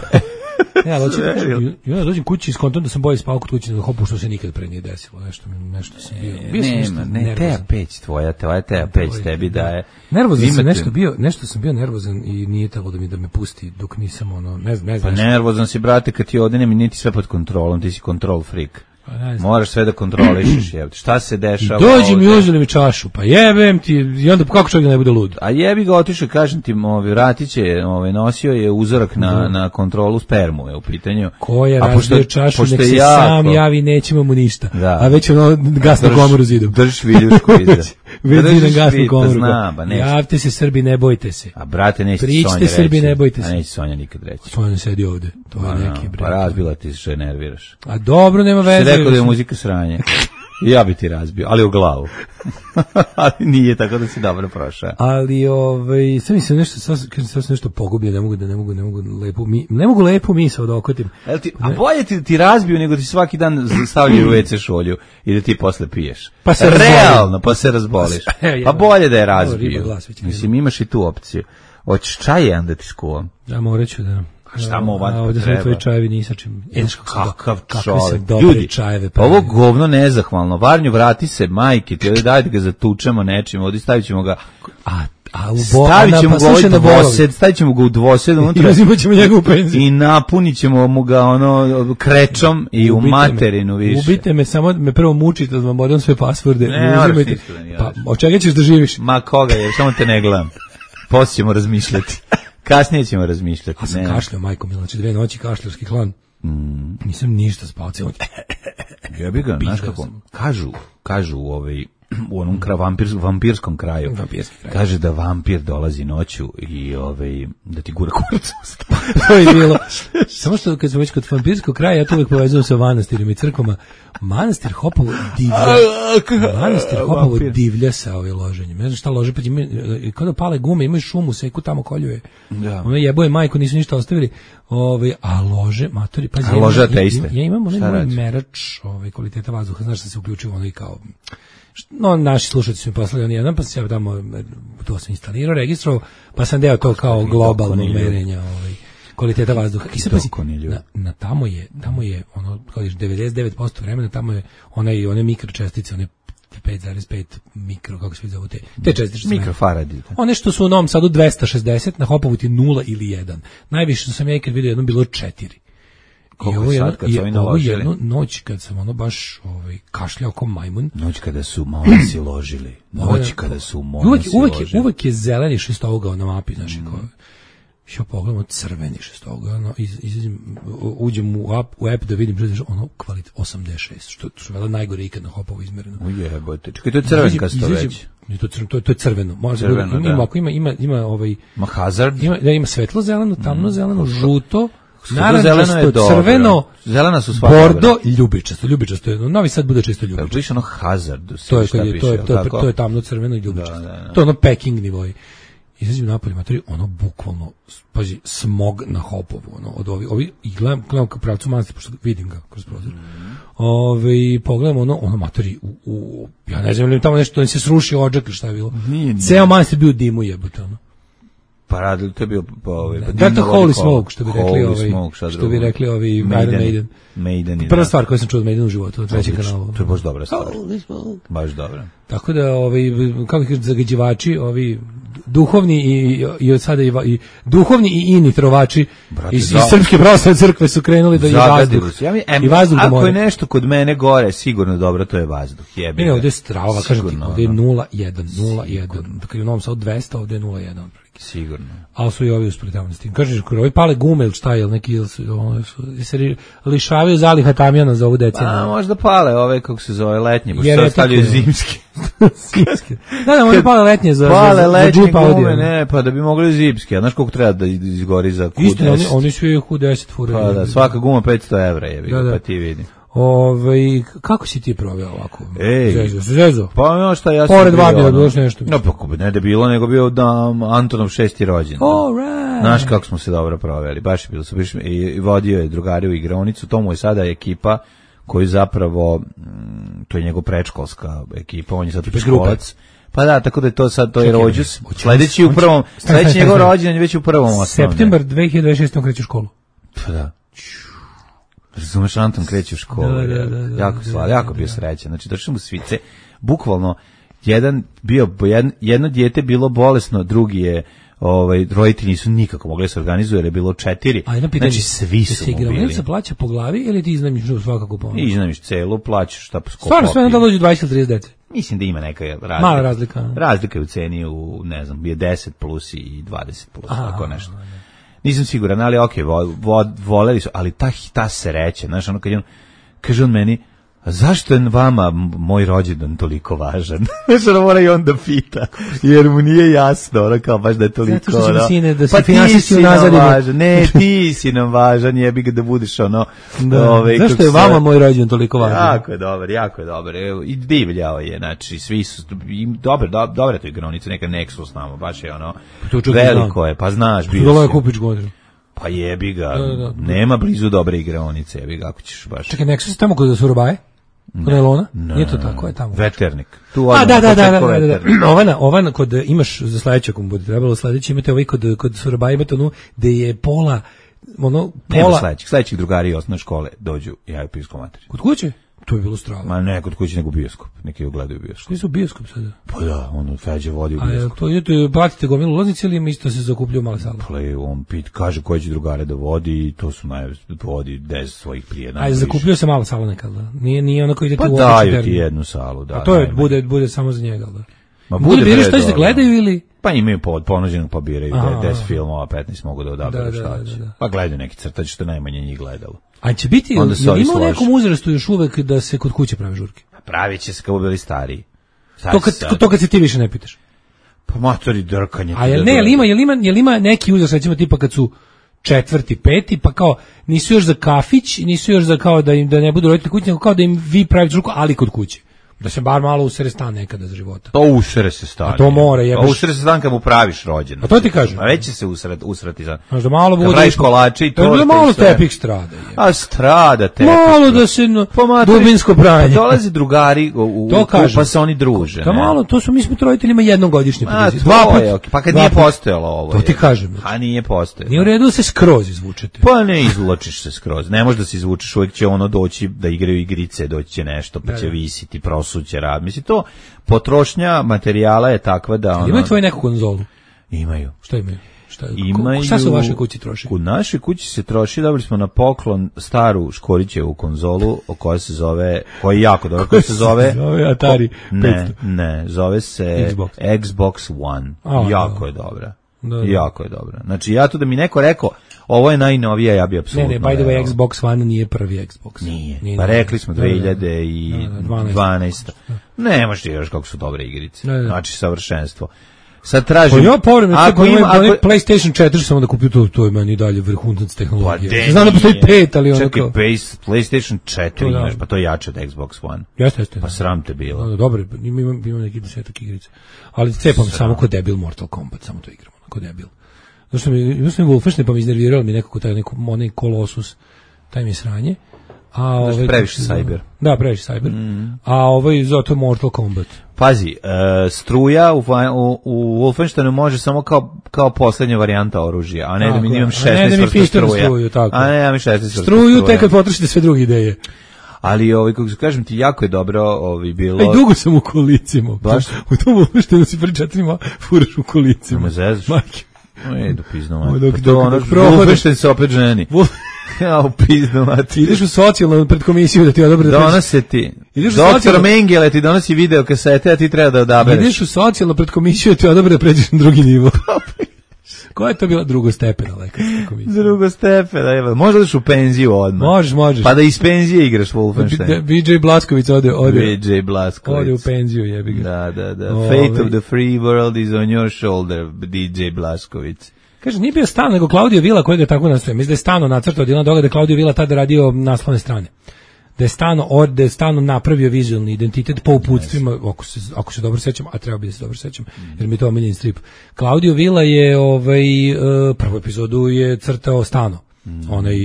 Speaker 7: Ja, dođem,
Speaker 6: Sve,
Speaker 7: i onda dođem kući i skontam da sam bolje spao kod kuće nego hopu što se nikad pre nije desilo. Nešto, mi- nešto sam bio. Bio sam nešto
Speaker 6: Nema, ne,
Speaker 7: nervozan.
Speaker 6: Teja Peć tvoja, tvoja Teja Peć tebi daje.
Speaker 7: Nervozan sam
Speaker 6: Imate-
Speaker 7: nešto bio, nešto sam bio nervozan i nije trebalo da mi da me pusti dok nisam ono, ne znam, ne
Speaker 6: Pa
Speaker 7: znam. nešto.
Speaker 6: nervozan si, brate, kad ti ode, nemi niti sve pod kontrolom, ti si control freak.
Speaker 7: Pa ne znam.
Speaker 6: Moraš sve da kontrolišeš, jebote. Šta se dešava?
Speaker 7: Dođi mi
Speaker 6: ovde?
Speaker 7: uzeli mi čašu, pa jebem ti, i onda kako čovjek da ne bude lud?
Speaker 6: A jebi ga otišao, kažem ti, ovaj vratić je, ovaj nosio je uzorak na na kontrolu spermu je u pitanju.
Speaker 7: Ko je
Speaker 6: A
Speaker 7: razbio
Speaker 6: pošto-
Speaker 7: čašu,
Speaker 6: pošto
Speaker 7: nek
Speaker 6: je
Speaker 7: se
Speaker 6: jako-
Speaker 7: sam javi, nećemo mu ništa.
Speaker 6: Da.
Speaker 7: A već ono gasnu
Speaker 6: Drž-
Speaker 7: komoru zidom.
Speaker 6: Držiš viljušku iza.
Speaker 7: Već
Speaker 6: Držiš
Speaker 7: zidom gasnu
Speaker 6: vid, pa
Speaker 7: komoru.
Speaker 6: znam, ba, neće.
Speaker 7: Javte se Srbi, ne bojte se.
Speaker 6: A brate, neće ti
Speaker 7: Pričite,
Speaker 6: Sonja reći.
Speaker 7: Srbi, ne bojte se.
Speaker 6: A neće Sonja nikad reći.
Speaker 7: Sonja sedi ovde, to je
Speaker 6: Pa,
Speaker 7: neki bre.
Speaker 6: pa razbila ti se, što je nerviraš.
Speaker 7: A dobro, nema
Speaker 6: Ti
Speaker 7: veze.
Speaker 6: rekao da je muzika sranje. I ja bi ti razbio, ali u glavu. Ali nije, tako da si dobro prošao.
Speaker 7: Ali ovaj sve mi se nešto sad kažem sad sam nešto pogubljen, ne mogu da ne mogu ne mogu lepo mi ne mogu lepo misao da okotim.
Speaker 6: Jel ti, a bolje ti, ti razbiju nego ti svaki dan stavljaju u ve ce šolju i da ti posle piješ.
Speaker 7: Pa se
Speaker 6: realno,
Speaker 7: razbolim.
Speaker 6: pa se razboliš.
Speaker 7: Pa se-
Speaker 6: Pa bolje da je
Speaker 7: Ovo,
Speaker 6: razbiju.
Speaker 7: riba glas već
Speaker 6: Mislim, imaš i tu opciju. Hoćeš čaj jedan da ti skuvam?
Speaker 7: Ja morat ću da
Speaker 6: A šta mu ovako
Speaker 7: A ovde su
Speaker 6: treba?
Speaker 7: tvoji čajevi ni sa čim. E, znaš kako sam do-
Speaker 6: Kakav
Speaker 7: kakve
Speaker 6: čovjek.
Speaker 7: sam dobre
Speaker 6: Ljudi,
Speaker 7: čajeve
Speaker 6: ovo
Speaker 7: pravio.
Speaker 6: govno nezahvalno. Varnju, vrati se, majke, ti ovdje dajte ga zatučemo nečim, ovdje stavit ćemo ga,
Speaker 7: A a u bo,
Speaker 6: stavit
Speaker 7: a na-
Speaker 6: ćemo
Speaker 7: pa
Speaker 6: ga ovaj
Speaker 7: slušaj na borovi.
Speaker 6: dvosed, stavit ćemo ga u dvosed
Speaker 7: I
Speaker 6: unutra
Speaker 7: uzimat ćemo njegovu penziju.
Speaker 6: i napunit ćemo mu ga ono krečom i u
Speaker 7: Ubite me.
Speaker 6: materinu više.
Speaker 7: Ubite me, samo me prvo mučite da vam odam sve pasvorde.
Speaker 6: Ne,
Speaker 7: Ne
Speaker 6: moraš
Speaker 7: uzimajte.
Speaker 6: ništa da mi
Speaker 7: Pa
Speaker 6: radiš.
Speaker 7: od čega ćeš da živiš?
Speaker 6: Ma koga je, samo te ne gledam. Poslije ćemo razmišljati. Kasnije ćemo razmišljati.
Speaker 7: Ja sam
Speaker 6: ne.
Speaker 7: kašljao, majko Mila, znači dve noći kašljarski klan. Nisam ništa spao, cijelo.
Speaker 6: Jebi ga, znaš
Speaker 7: Pizda
Speaker 6: kako,
Speaker 7: sam.
Speaker 6: kažu, kažu u ovaj, u onom kra, vampir, vampirskom kraju,
Speaker 7: Vampirski kraj.
Speaker 6: kaže da vampir dolazi noću i ovaj, da ti gura kurac u usta.
Speaker 7: To je bilo. Samo što kad smo već kod vampirskog kraja, ja to uvek povezujem sa manastirima i crkvama. Manastir Hopovo divlja. Manastir Hopovo
Speaker 6: Vampir.
Speaker 7: divlja sa ovim loženjem. Ne znam šta lože, pa ima, kao da pale gume, imaju šumu, seku tamo koljuje.
Speaker 6: Da.
Speaker 7: Ono jeboje majko, nisu ništa ostavili. Ovaj, a lože, matori, pa
Speaker 6: A lože ateiste.
Speaker 7: Ja imam onaj
Speaker 6: Šta
Speaker 7: moj
Speaker 6: radiš?
Speaker 7: merač ovaj, kvaliteta vazduha, znaš da se uključio ono i kao no, naši slušatelji su mi poslali on jedan, pa sam ja tamo, to sam instalirao, registrovao, pa sam deo to kao globalnog
Speaker 6: dokoni ljudi.
Speaker 7: merenja ovaj, kvaliteta vazduha. I sad pazi,
Speaker 6: dokoni ljudi.
Speaker 7: na, na tamo je, tamo je, ono, kao viš, devedeset devet posto vremena, tamo je one, one mikročestice, one pet zarez pet mikro, kako se vidi zovu te, te čestice. što su
Speaker 6: Mikrofaradi.
Speaker 7: one što su u Novom Sadu dvesta šezdeset, na Hopovu ti nula ili jedan. Najviše što sam ja ikad vidio jedno bilo četiri.
Speaker 6: Koliko
Speaker 7: I ovo
Speaker 6: je
Speaker 7: jedno-
Speaker 6: sad kad
Speaker 7: i
Speaker 6: su ovi
Speaker 7: ovo
Speaker 6: naložili?
Speaker 7: jednu noć kad sam ono baš ovaj, kašljao kao majmun.
Speaker 6: Noć kada su monasi ložili. Noć kada su
Speaker 7: Uvek,
Speaker 6: monasi
Speaker 7: uvek, je,
Speaker 6: ložili.
Speaker 7: uvek je zeleni šestougao na mapi, znači kao što pogledamo crveni šestougao, no, iz, izim, uđem u app, u app da vidim što je ono kvalitet osamdeset šest, što, što je vela najgore ikad na Hopovu izmereno.
Speaker 6: Ujebote. Čekaj, to je crvenkasto
Speaker 7: Izađem-
Speaker 6: već.
Speaker 7: nije to, crveno, to, je- to je crveno. Može
Speaker 6: Crveno,
Speaker 7: ima, ima,
Speaker 6: da.
Speaker 7: ako ima, ima, ima ovaj,
Speaker 6: Ma hazard.
Speaker 7: ima, da ima svetlo zeleno, tamno zeleno, žuto,
Speaker 6: zeleno je
Speaker 7: narančasto,
Speaker 6: dobro.
Speaker 7: crveno,
Speaker 6: Zelena su sva
Speaker 7: bordo,
Speaker 6: dobra.
Speaker 7: ljubičasto, ljubičasto je. Novi Sad bude čisto
Speaker 6: Jel
Speaker 7: ljubičasto.
Speaker 6: piše ono hazard?
Speaker 7: To je
Speaker 6: šta
Speaker 7: kad je,
Speaker 6: piše,
Speaker 7: to je,
Speaker 6: jel
Speaker 7: to je,
Speaker 6: tako?
Speaker 7: to je tamno crveno i ljubičasto.
Speaker 6: Da, da, da.
Speaker 7: To je ono packing nivoj. Izađem napolje, matori, ono bukvalno, pazi, smog na Hopovu, ono, od ovi, ovi, i gledam, gledam ka pravcu manastira, pošto vidim ga kroz prozor. Ove, i pogledam ono, ono, matori, u, u, ja ne znam, ili tamo nešto, ne se sruši odžak ili šta je bilo.
Speaker 6: Nije, nije.
Speaker 7: Ceo manastir bio u dimu jebote, ono.
Speaker 6: Pa radili, to je bio pa, ovaj, pa
Speaker 7: Da, to
Speaker 6: dimno
Speaker 7: Holy
Speaker 6: vodi
Speaker 7: Smoke, što bi rekli
Speaker 6: Holy
Speaker 7: ovi,
Speaker 6: Smoke, šta
Speaker 7: što
Speaker 6: drugo?
Speaker 7: bi rekli ovi Iron
Speaker 6: Maideni.
Speaker 7: Maiden.
Speaker 6: Maideni,
Speaker 7: Prva
Speaker 6: da.
Speaker 7: stvar koju sam čuo od Maidena u životu, na trećem
Speaker 6: Odlično,
Speaker 7: kanalu.
Speaker 6: to je baš dobra stvar.
Speaker 7: Holy Smoke.
Speaker 6: Baš dobra.
Speaker 7: Tako da, ovi, kako kažu, zagađivači, ovi duhovni i, i od sada i, va- i duhovni i ini trovači
Speaker 6: Brate,
Speaker 7: iz, iz
Speaker 6: da.
Speaker 7: Srpske pravoslavne crkve su krenuli da i
Speaker 6: Zagadili
Speaker 7: vazduh,
Speaker 6: su. Ja mi, em,
Speaker 7: i vazduh da
Speaker 6: ako je
Speaker 7: more.
Speaker 6: nešto kod mene gore, sigurno dobro, to je vazduh. Jebi
Speaker 7: Ne,
Speaker 6: ga.
Speaker 7: ovdje je strava, kažem ti,
Speaker 6: Sigurno,
Speaker 7: ovdje je
Speaker 6: ono.
Speaker 7: nula jedan, nula jedan. Dakle, u Novom Sadu dvesta, ovdje je nula jedan.
Speaker 6: Sigurno.
Speaker 7: Ali su i ovi uspretavani s tim. Kažeš, koji ovi pale gume ili šta, ili neki, ili su, ono, su, se ri- lišavaju zaliha tamjana za ovu decenu.
Speaker 6: A, možda pale ove, kako se zove, letnje, pošto
Speaker 7: Jer
Speaker 6: se
Speaker 7: je
Speaker 6: ostavljaju
Speaker 7: tako-
Speaker 6: zimski.
Speaker 7: Da, da, možda pale letnje za,
Speaker 6: Pale
Speaker 7: za, za, za
Speaker 6: letnje
Speaker 7: Jeep Audi.
Speaker 6: gume, ne, pa da bi mogli zimski. A znaš koliko treba da izgori za Q deset?
Speaker 7: Istina, oni, oni su i Q deset fure.
Speaker 6: Pa da, svaka guma petsto evra, jebi ga,
Speaker 7: Da, da.
Speaker 6: pa ti vidi.
Speaker 7: Ove, kako si ti proveo ovako?
Speaker 6: Ej.
Speaker 7: Zezo, zezo.
Speaker 6: Pa ono šta ja sam
Speaker 7: Pored
Speaker 6: bio,
Speaker 7: Vabija,
Speaker 6: ono-
Speaker 7: bilo još nešto.
Speaker 6: No, pa ne da bilo, nego bio da Antonov šesti rođen.
Speaker 7: All right.
Speaker 6: Znaš kako smo se dobro proveli, baš je bilo su baš, i, i vodio je drugari u igraonicu, to mu je sada ekipa koju zapravo, mm, to je njegov predškolska ekipa, on je sad
Speaker 7: Tipa iz grupe.
Speaker 6: školac. Pa da, tako da je to sad, to je
Speaker 7: Čekaj,
Speaker 6: rođus,
Speaker 7: hoće-
Speaker 6: sledeći u
Speaker 7: hoće-
Speaker 6: prvom,
Speaker 7: Stani, stani,
Speaker 6: sledeći njegov
Speaker 7: stani.
Speaker 6: rođendan je već u prvom osnovne.
Speaker 7: Septembar dve hiljade dvadeset šeste on kreće u školu.
Speaker 6: Pa da. Razumeš, Anton kreće u školu.
Speaker 7: Da, da,
Speaker 6: je.
Speaker 7: da, da,
Speaker 6: jako
Speaker 7: da,
Speaker 6: sla,
Speaker 7: da,
Speaker 6: jako
Speaker 7: da.
Speaker 6: bio srećan. Znači, došli mu svice, bukvalno, jedan bio, jedno, jedno dijete bilo bolesno, drugi je, ovaj, roditelji nisu nikako mogli se organizuju, jer je bilo četiri.
Speaker 7: A jedno pitanje,
Speaker 6: Znači, svi su
Speaker 7: se
Speaker 6: mu bili.
Speaker 7: igraonica plaća po glavi ili ti iznajmiš svakako po?
Speaker 6: I iznajmiš celu, plaćaš šta po skopu.
Speaker 7: Stvarno sve da dođe dvadeset ili trideset dece.
Speaker 6: Mislim da ima neka razlika.
Speaker 7: Mala razlika.
Speaker 6: Razlika je u ceni u, ne znam, je deset plus i dvadeset plus,
Speaker 7: Aha,
Speaker 6: tako nešto. Nisam siguran, ali okej, vo, vo, voleli su, ali ta, ta sreća, znaš, ono kad je on, kaže on meni, a zašto je vama m- moj rođendan toliko važan? Znaš, ono mora i on da pita, jer mu nije jasno, ono kao baš da je toliko,
Speaker 7: Zato što ćemo,
Speaker 6: ono,
Speaker 7: sine, da se
Speaker 6: pa ti
Speaker 7: finansijski
Speaker 6: si nam
Speaker 7: unazadimo.
Speaker 6: važan, ne, ti si nam važan, jebi ga da budeš ono,
Speaker 7: Da.
Speaker 6: ovaj,
Speaker 7: Zašto
Speaker 6: kako
Speaker 7: je
Speaker 6: se-
Speaker 7: vama moj rođendan toliko važan?
Speaker 6: Jako je dobar, jako je dobar. Evo, i divljao je, znači, svi su, i, dobar, do, dobra je to igraonica, neka Nexus tamo, baš je ono,
Speaker 7: to čudo
Speaker 6: veliko
Speaker 7: znam.
Speaker 6: je, pa znaš, bio
Speaker 7: Dolo je
Speaker 6: si.
Speaker 7: kupić godinu.
Speaker 6: Pa jebi ga,
Speaker 7: Da, da, da.
Speaker 6: nema blizu dobre igraonice, jebi ga, ako ćeš baš.
Speaker 7: Čekaj, Nexus je tamo kod Surobaje? Kod Elona? Nije to tako, je tamo.
Speaker 6: Veternik. Tu
Speaker 7: A,
Speaker 6: odmah
Speaker 7: da, da, da, da,
Speaker 6: početko
Speaker 7: da, da.
Speaker 6: Veternik.
Speaker 7: Ovana, ovana, kod, imaš za sledeće, ako mu bude trebalo sledeće, imate ovaj kod, kod Surobaje, imate onu, gde je pola, ono,
Speaker 6: Nema
Speaker 7: pola,
Speaker 6: sledećih, sledećih drugari osnovne škole dođu, ja je pisao materi.
Speaker 7: kod kuće? To je bilo strava.
Speaker 6: Ma ne, kod kuće nego bioskop, neki ogledaju bioskop.
Speaker 7: Koji su bioskop sada?
Speaker 6: Pa da, ono, Feđe vodi u
Speaker 7: A je,
Speaker 6: bioskop.
Speaker 7: to idete, platite gomilu ulaznice ili im isto se zakupljaju male sale?
Speaker 6: Play, on pit, kaže koje će drugare da vodi i to su naj, vodi deset svojih prijatelja.
Speaker 7: Ajde, zakupljuje se mala sala nekad, da? Nije, nije ono koji idete
Speaker 6: Pa
Speaker 7: u
Speaker 6: daju
Speaker 7: obični
Speaker 6: ti
Speaker 7: termin.
Speaker 6: jednu salu, da.
Speaker 7: A to je,
Speaker 6: najmanje.
Speaker 7: bude, bude samo za njega, da?
Speaker 6: Ma
Speaker 7: Bude biraš
Speaker 6: bre,
Speaker 7: što se
Speaker 6: dobro.
Speaker 7: gledaju ili?
Speaker 6: Pa imaju pod ponuđenog pa biraju
Speaker 7: Aha.
Speaker 6: deset filmova, petnaest mogu da odaberu
Speaker 7: Da, da,
Speaker 6: šta
Speaker 7: da,
Speaker 6: će.
Speaker 7: da.
Speaker 6: Pa gledaju neki crtač što je najmanje njih gledalo.
Speaker 7: A će biti,
Speaker 6: Onda se
Speaker 7: je li
Speaker 6: ovi
Speaker 7: ima u
Speaker 6: slože.
Speaker 7: nekom uzrastu još uvek da se kod kuće prave žurke?
Speaker 6: Pravit će se kao bili stariji. Sad
Speaker 7: To kad,
Speaker 6: sad.
Speaker 7: to kad se ti više ne pitaš.
Speaker 6: Pa matori drkanje.
Speaker 7: A
Speaker 6: ti
Speaker 7: jel
Speaker 6: da
Speaker 7: ne, jel
Speaker 6: dođe.
Speaker 7: ima, jel ima, jel ima neki uzrast, recimo tipa kad su četvrti, peti, pa kao nisu još za kafić, nisu još za kao da im da ne budu roditelji kući, nego kao da im vi pravite žurku, ali kod kuće. Da se bar malo usere stan nekada za života.
Speaker 6: To usere se stari.
Speaker 7: A to mora,
Speaker 6: jebeš.
Speaker 7: jebeš.
Speaker 6: A usere se stan kad mu praviš rođendan.
Speaker 7: A to ti kažem.
Speaker 6: A već će se usret, usrati za...
Speaker 7: Znaš, da malo
Speaker 6: Kad
Speaker 7: bude...
Speaker 6: praviš kolače i
Speaker 7: Da
Speaker 6: torte
Speaker 7: malo
Speaker 6: i sve.
Speaker 7: tepih strada. Je.
Speaker 6: A strada te.
Speaker 7: Malo da se no,
Speaker 6: Pa matori,
Speaker 7: dubinsko
Speaker 6: pa
Speaker 7: pranje.
Speaker 6: dolaze drugari u, u,
Speaker 7: To
Speaker 6: u-
Speaker 7: kažem.
Speaker 6: pa se oni druže.
Speaker 7: Da
Speaker 6: ne?
Speaker 7: malo, to su mi smo roditeljima jednom godišnje.
Speaker 6: A,
Speaker 7: put.
Speaker 6: to je, okej. Pa kad
Speaker 7: dva
Speaker 6: nije
Speaker 7: put.
Speaker 6: postojalo ovo.
Speaker 7: To ti
Speaker 6: je.
Speaker 7: kažem.
Speaker 6: A nije postojalo.
Speaker 7: Nije u redu da se skroz izvučete.
Speaker 6: Pa ne izvlačiš se skroz. Ne možeš da se izvučeš, uvijek će ono doći da igraju igrice, doći će nešto, pa
Speaker 7: Da,
Speaker 6: će
Speaker 7: da.
Speaker 6: visiti, prosuće rad. Mislim, to potrošnja materijala je takva da ono...
Speaker 7: Imaju tvoje neku konzolu?
Speaker 6: Imaju.
Speaker 7: Šta imaju? Šta,
Speaker 6: Imaju...
Speaker 7: šta se u vašoj kući troši?
Speaker 6: U našoj kući se troši, dobili smo na poklon staru Škorićevu konzolu, o koja se zove, koja je jako dobro, koja se zove...
Speaker 7: Zove Atari
Speaker 6: Ne,
Speaker 7: petsto.
Speaker 6: ne, zove se
Speaker 7: Xbox.
Speaker 6: Xbox One.
Speaker 7: A,
Speaker 6: jako
Speaker 7: da.
Speaker 6: je dobra.
Speaker 7: Da, da.
Speaker 6: Jako je dobra. Znači, ja tu da mi neko rekao, ovo je najnovija, ja bi
Speaker 7: Ne,
Speaker 6: apsolutno...
Speaker 7: ne, by the way,
Speaker 6: verovao.
Speaker 7: Xbox One nije prvi Xbox.
Speaker 6: Nije. Pa rekli smo
Speaker 7: Da, da, da.
Speaker 6: dve
Speaker 7: Da,
Speaker 6: hiljade dvanaeste.
Speaker 7: da,
Speaker 6: Ne, možeš ti još kako su dobre igrice.
Speaker 7: Da, da.
Speaker 6: Znači, savršenstvo. Sad
Speaker 7: Pa
Speaker 6: tražim...
Speaker 7: ja povremeno,
Speaker 6: ako
Speaker 7: ako
Speaker 6: ima,
Speaker 7: ima,
Speaker 6: ako,
Speaker 7: PlayStation četiri sam onda kupio, to, to je meni dalje vrhunac
Speaker 6: pa
Speaker 7: tehnologije.
Speaker 6: de
Speaker 7: Znam da postoji
Speaker 6: nije.
Speaker 7: pet, ali ono
Speaker 6: Čekaj,
Speaker 7: kao...
Speaker 6: base, PlayStation četiri
Speaker 7: To da.
Speaker 6: imaš, pa to je jače od Xbox One.
Speaker 7: Jeste, jeste.
Speaker 6: Pa
Speaker 7: da.
Speaker 6: sram te bilo.
Speaker 7: Da, da, dobro, imam, imam, imam neki desetak igrica. Ali cepam samo kod debil Mortal Kombat, samo to igram, kod debil. Zašto mi, imam sam Wolfenstein, pa mi iznervirao mi nekako taj neko, onaj Colossus, taj mi je sranje. A
Speaker 6: Znaš,
Speaker 7: ovaj,
Speaker 6: previše
Speaker 7: kako se zove?
Speaker 6: cyber.
Speaker 7: Da, previše cyber. A ovaj zato Mortal Kombat.
Speaker 6: Pazi, uh, struja u, u, u Wolfensteinu može samo kao, kao poslednja varijanta oružja, a ne tako, da mi imam šesnaest vrsta struja. Struju, tako. A ne, ja mi šesnaest vrsta struja.
Speaker 7: Struju tek kad potrošite sve druge ideje.
Speaker 6: Ali ovaj kako kažem ti jako je dobro ovaj bilo.
Speaker 7: Ej, dugo sam u kolicima. Baš u tom Wolfensteinu si pri četirima furaš u kolicima.
Speaker 6: Ma zezaš.
Speaker 7: Majke.
Speaker 6: Ej, do pizno mati. To ono Wolfenstein se opet ženi. Ja u pizdu mati.
Speaker 7: Ideš u socijalnu pred komisiju da ti odobre da
Speaker 6: donose ti. Doktor Mengele ti donosi video kasete, a ti treba da odabereš.
Speaker 7: Ideš u socijalnu pred komisiju da ti odobre da pređeš na drugi nivo. Koja je to bila drugostepena lekarska komisija?
Speaker 6: Drugostepena, evo. Možda daš u penziju odmah.
Speaker 7: Možeš, možeš.
Speaker 6: Pa da iz penzije igraš Wolfenstein.
Speaker 7: B J Blasković ode, ode.
Speaker 6: B J Blasković.
Speaker 7: Ode u penziju, jebi ga.
Speaker 6: Da, da, da. Ove. Fate of the free world is on your shoulder, D J Blasković.
Speaker 7: Kaže, nije bio Stano, nego Claudio Villa koji ga tako nastoje. Mislim da je Stano nacrtao od jednog doga da je Claudio Villa tada radio naslovne strane. Da je Stano, od, da je Stano napravio vizualni identitet po uputstvima, ako se, ako se dobro sećam, a treba bi da se dobro sećam, jer mi je to omiljeni strip. Claudio Villa je, ovaj, prvu epizodu je crtao Stano. Mm. Onaj,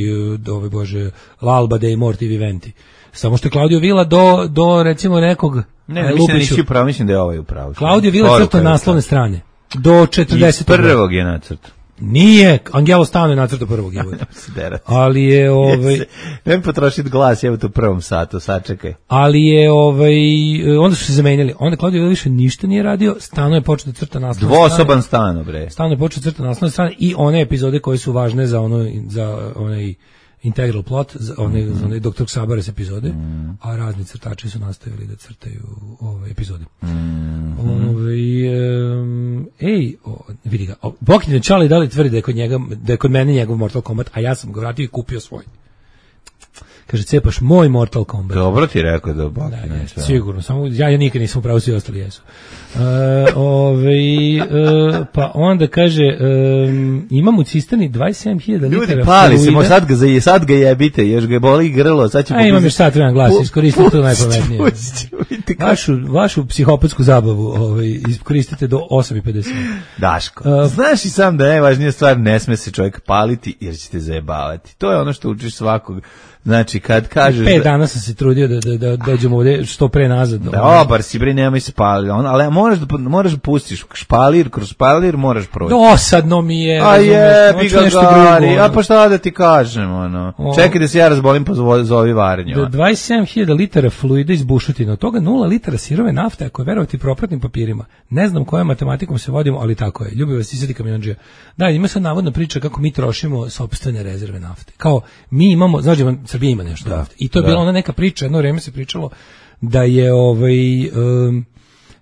Speaker 7: ovaj, bože, L'Alba dei Morti Viventi. Samo što je Claudio Villa do, do recimo nekog...
Speaker 6: Ne, ne mislim da nisi upravo, mislim da je ovaj upravo.
Speaker 7: Claudio Villa crtao naslovne strane. Do četrdeset.
Speaker 6: Prvog je nacrt.
Speaker 7: Nije, Angelo Stano je nacrtao prvog jebote. Ali je ovaj
Speaker 6: ne mi potrošiti glas, evo to u prvom satu, sačekaj.
Speaker 7: Ali je ovaj onda su se zamenjali. Onda Claudio više ništa nije radio, Stano je počeo da crta naslovne strane.
Speaker 6: Dvosoban Stano, bre.
Speaker 7: Stano je počeo da crta naslovne strane i one epizode koje su važne za ono za onaj integral plot, za one, mm-hmm. za one doktor Sabares epizode, mm-hmm. a razni crtači su nastavili da crtaju ove epizode. Mm-hmm. Ove, um, ej, o, vidi ga, Bokinje Čali da li tvrdi da je kod njega, da je kod mene njegov Mortal Kombat, a ja sam ga vratio i kupio svoj. Kaže, cepaš moj Mortal Kombat.
Speaker 6: Dobro ti rekao da Bokinje.
Speaker 7: Da, da, sigurno, samo ja, ja nikad nisam upravo, svi ostali jesu. Uh, ove, uh, pa onda kaže um, imam u cisterni dvadeset sedam hiljada litara.
Speaker 6: Ljudi pali se, mo sad ga, sad ga jebite, još ga boli grlo, sad će...
Speaker 7: A imam još sad jedan glas, iskoristite to najpametnije. Vašu, vašu psihopatsku zabavu ovaj, iskoristite do osam i pedeset.
Speaker 6: Daško, uh, znaš i sam da najvažnija stvar, ne sme se čovjek paliti jer će te zajebavati. To je ono što učiš svakog. Znači, kad kažeš...
Speaker 7: Pet dana sam se trudio da, da, da dođemo ovdje što pre nazad.
Speaker 6: Da, obar si, bre, nemoj se paliti. Ali moraš da, moraš da pustiš špalir, kroz špalir moraš proći.
Speaker 7: Dosadno mi je.
Speaker 6: A je, bi ga gari. A pa šta da ti kažem, ono. O. Čekaj da se ja razbolim, pa zovi varenju.
Speaker 7: Do dvadeset sedam hiljada litara fluida iz bušotina, od toga nula litara sirove nafte, ako je verovati propratnim papirima. Ne znam kojom matematikom se vodimo, ali tako je. Ljubi vas Isadi kamionđija. Da, ima sad navodna priča kako mi trošimo sopstvene rezerve nafte. Kao, mi imamo, znači, Srbija ima nešto da, nafte. I to je da. bila ona neka priča, jedno vreme se pričalo da je ovaj um,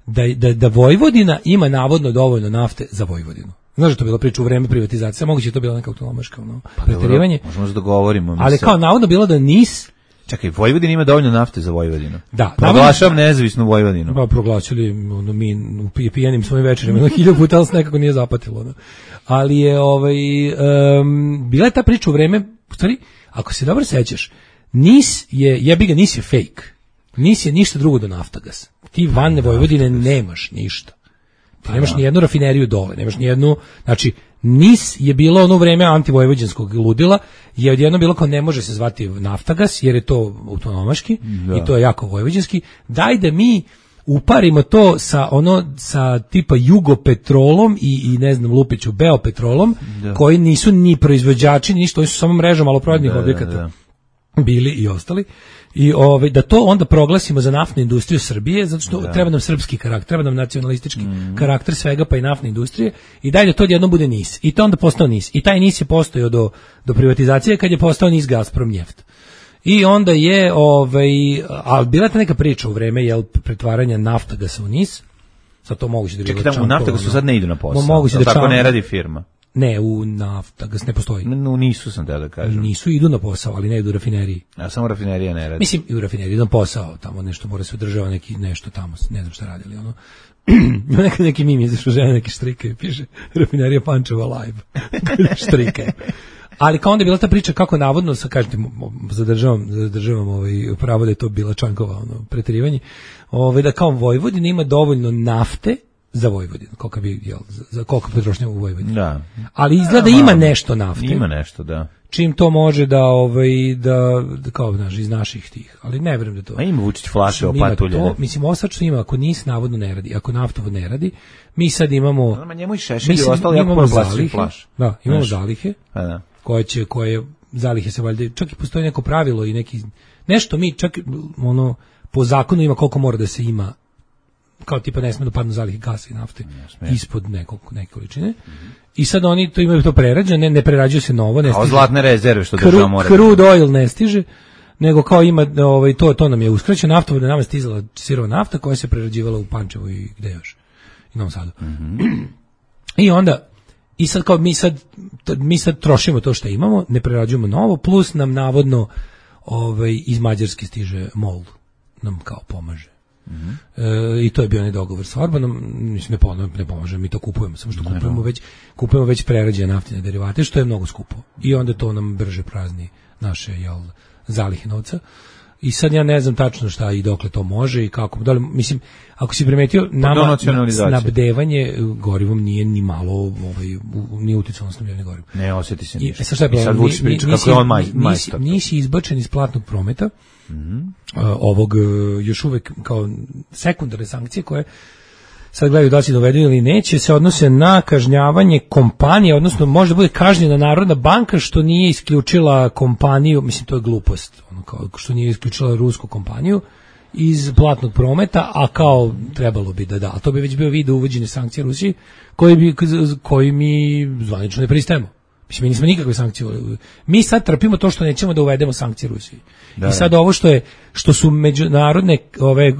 Speaker 7: da, da, da Vojvodina ima navodno dovoljno nafte za Vojvodinu. Znaš da to bila priča u vreme privatizacije, moguće je to bila neka autonomaška ono, pa preterivanje.
Speaker 6: Možemo se dogovorimo.
Speaker 7: Ali kao navodno bilo da Nis
Speaker 6: Čekaj, Vojvodina ima dovoljno nafte za Vojvodinu.
Speaker 7: Da,
Speaker 6: proglašavam nezavisnu Vojvodinu.
Speaker 7: Pa proglašili ono, mi u pijenim svojim večerima, jedno hiljadu puta, ali se nekako nije zapatilo. No. Ali je ovaj um, bila je ta priča u vreme, u stvari, ako se dobro sećaš, Nis je, jebi ga, Nis je fake. Nis je ništa drugo do Naftagas. Ti van Vojvodine nemaš ništa. Ti nemaš ni jednu rafineriju dole, nemaš ni jednu, znači, Nis je bilo ono vreme antivojvođanskog ludila, je odjedno bilo kao ne može se zvati Naftagas, jer je to autonomaški da. I to je jako vojvođanski. Daj da mi uparimo to sa ono sa tipa Jugopetrolom i, i ne znam Lupiću Beopetrolom, da. Koji nisu ni proizvođači, ni ništa, oni su samo mreža maloprodajnih objekata. Da, da. Bili i ostali. I ovaj da to onda proglasimo za naftnu industriju Srbije, zato što da. Treba nam srpski karakter, treba nam nacionalistički mm. karakter svega pa i naftne industrije i dalje to jedno bude Nis. I to onda postao Nis. I taj Nis je postojao do do privatizacije kad je postao Nis Gazprom Njeft. I onda je ovaj al bila ta neka priča u vreme jel pretvaranja Naftagasa u Nis. Sad to moguće da
Speaker 6: bilo. Čekaj, u Naftagasu sad ne idu na posao.
Speaker 7: Moguće da
Speaker 6: tako ne radi firma.
Speaker 7: Ne, u Naftagas ne postoji.
Speaker 6: No, nisu sam te da kažem.
Speaker 7: Nisu, idu na posao, ali ne idu u rafineriji.
Speaker 6: A samo rafinerija ne radi.
Speaker 7: Mislim, i u rafineriji idu na posao, tamo nešto mora se održava neki nešto tamo, ne znam šta radili, ono. neki, neki mim izašao žena, neki štrike, piše rafinerija Pančeva live. Štrike. Ali kao onda je bila ta priča kako navodno, sa kažete, zadržavam, zadržavam ovaj, pravo da je to bila Čankova ono, preterivanje, ovaj, da kao Vojvodina ima dovoljno nafte za Vojvodinu, koliko bi, jel, za, za koliko potrošnja u Vojvodini.
Speaker 6: Da.
Speaker 7: Ali izgleda da ima nešto nafte.
Speaker 6: Ima nešto, da.
Speaker 7: čim to može da ovaj da, da kao znaš iz naših tih, ali ne verujem da to.
Speaker 6: A ima Vučić flaše opatuljene.
Speaker 7: Mislim osačno ima, ako NIS navodno ne radi, ako naftovod ne radi, mi sad imamo
Speaker 6: no, njemu i Šešelj i ostalo jako puno plastičnih flaša.
Speaker 7: Da, imamo zalihe.
Speaker 6: A da.
Speaker 7: Koje će koje zalihe se valjda čak i postoji neko pravilo i neki nešto mi čak ono po zakonu ima koliko mora da se ima, kao tipa ne sme da padnu zalihe gasa i nafte ispod nekog neke količine. Mm-hmm. I sad oni to imaju to prerađeno, ne, ne prerađuje se novo, ne stiže.
Speaker 6: A zlatne rezerve što država mora.
Speaker 7: Crude oil ne stiže, nego kao ima ovaj to to nam je uskraćeno, naftovod nam je stizala sirova nafta koja se prerađivala u Pančevu i gde još. I Novom Sadu. Mm-hmm. I onda i sad kao mi sad mi sad trošimo to što imamo, ne prerađujemo novo, plus nam navodno ovaj iz Mađarske stiže MOL nam kao pomaže. Mm-hmm. E, i to je bio onaj dogovor sa Orbanom, mislim ne pomože, ne pomože, mi to kupujemo, samo što kupujemo već kupujemo već prerađene naftne derivate, što je mnogo skupo. I onda to nam brže prazni naše jel zalihe novca. I sad ja ne znam tačno šta i dokle to može i kako. Da li, mislim, ako si primetio, nama snabdevanje gorivom nije ni malo ovaj, nije uticalo na snabdevanje gorivom.
Speaker 6: Ne osjeti se ništa.
Speaker 7: I, sad šta je
Speaker 6: I sad Vučić priča kako je on maj, majstor.
Speaker 7: Nisi, nisi izbačen iz platnog prometa mm-hmm. uh, ovog uh, još uvek kao sekundarne sankcije koje sad gledaju da će dovedu ili neće, se odnose na kažnjavanje kompanije, odnosno možda bude kažnjena Narodna banka što nije isključila kompaniju, mislim to je glupost, ono kao što nije isključila rusku kompaniju iz platnog prometa, a kao trebalo bi da da, a to bi već bio vid uvođenja sankcija Rusiji koji bi koji mi zvanično ne pristajemo. Mislim, mi nismo nikakve sankcije. Mi sad trpimo to što nećemo da uvedemo sankcije Rusiji. Da, I sad ovo što je što su međunarodne ove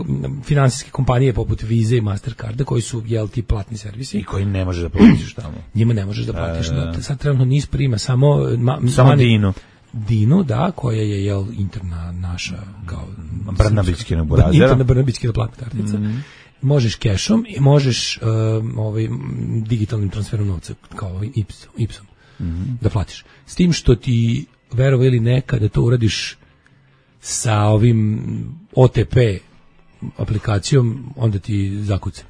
Speaker 7: finansijske kompanije poput Visa i Mastercarda koji su jel ti platni servisi
Speaker 6: i koji ne možeš da platiš tamo.
Speaker 7: Njima ne možeš da platiš. Da, da. Sad trenutno NIS prima samo ma,
Speaker 6: samo mani, Dinu.
Speaker 7: Dinu, da, koja je jel interna naša kao
Speaker 6: Brnabićki na burazera.
Speaker 7: Interna Brnabićki na platna kartica. Mm-hmm. Možeš kešom i možeš um, ovaj digitalnim transferom novca kao ovaj Ipsom. Mm-hmm. Da platiš. S tim što ti verovo ili ne kada to uradiš sa ovim O T P aplikacijom, onda ti zakuca.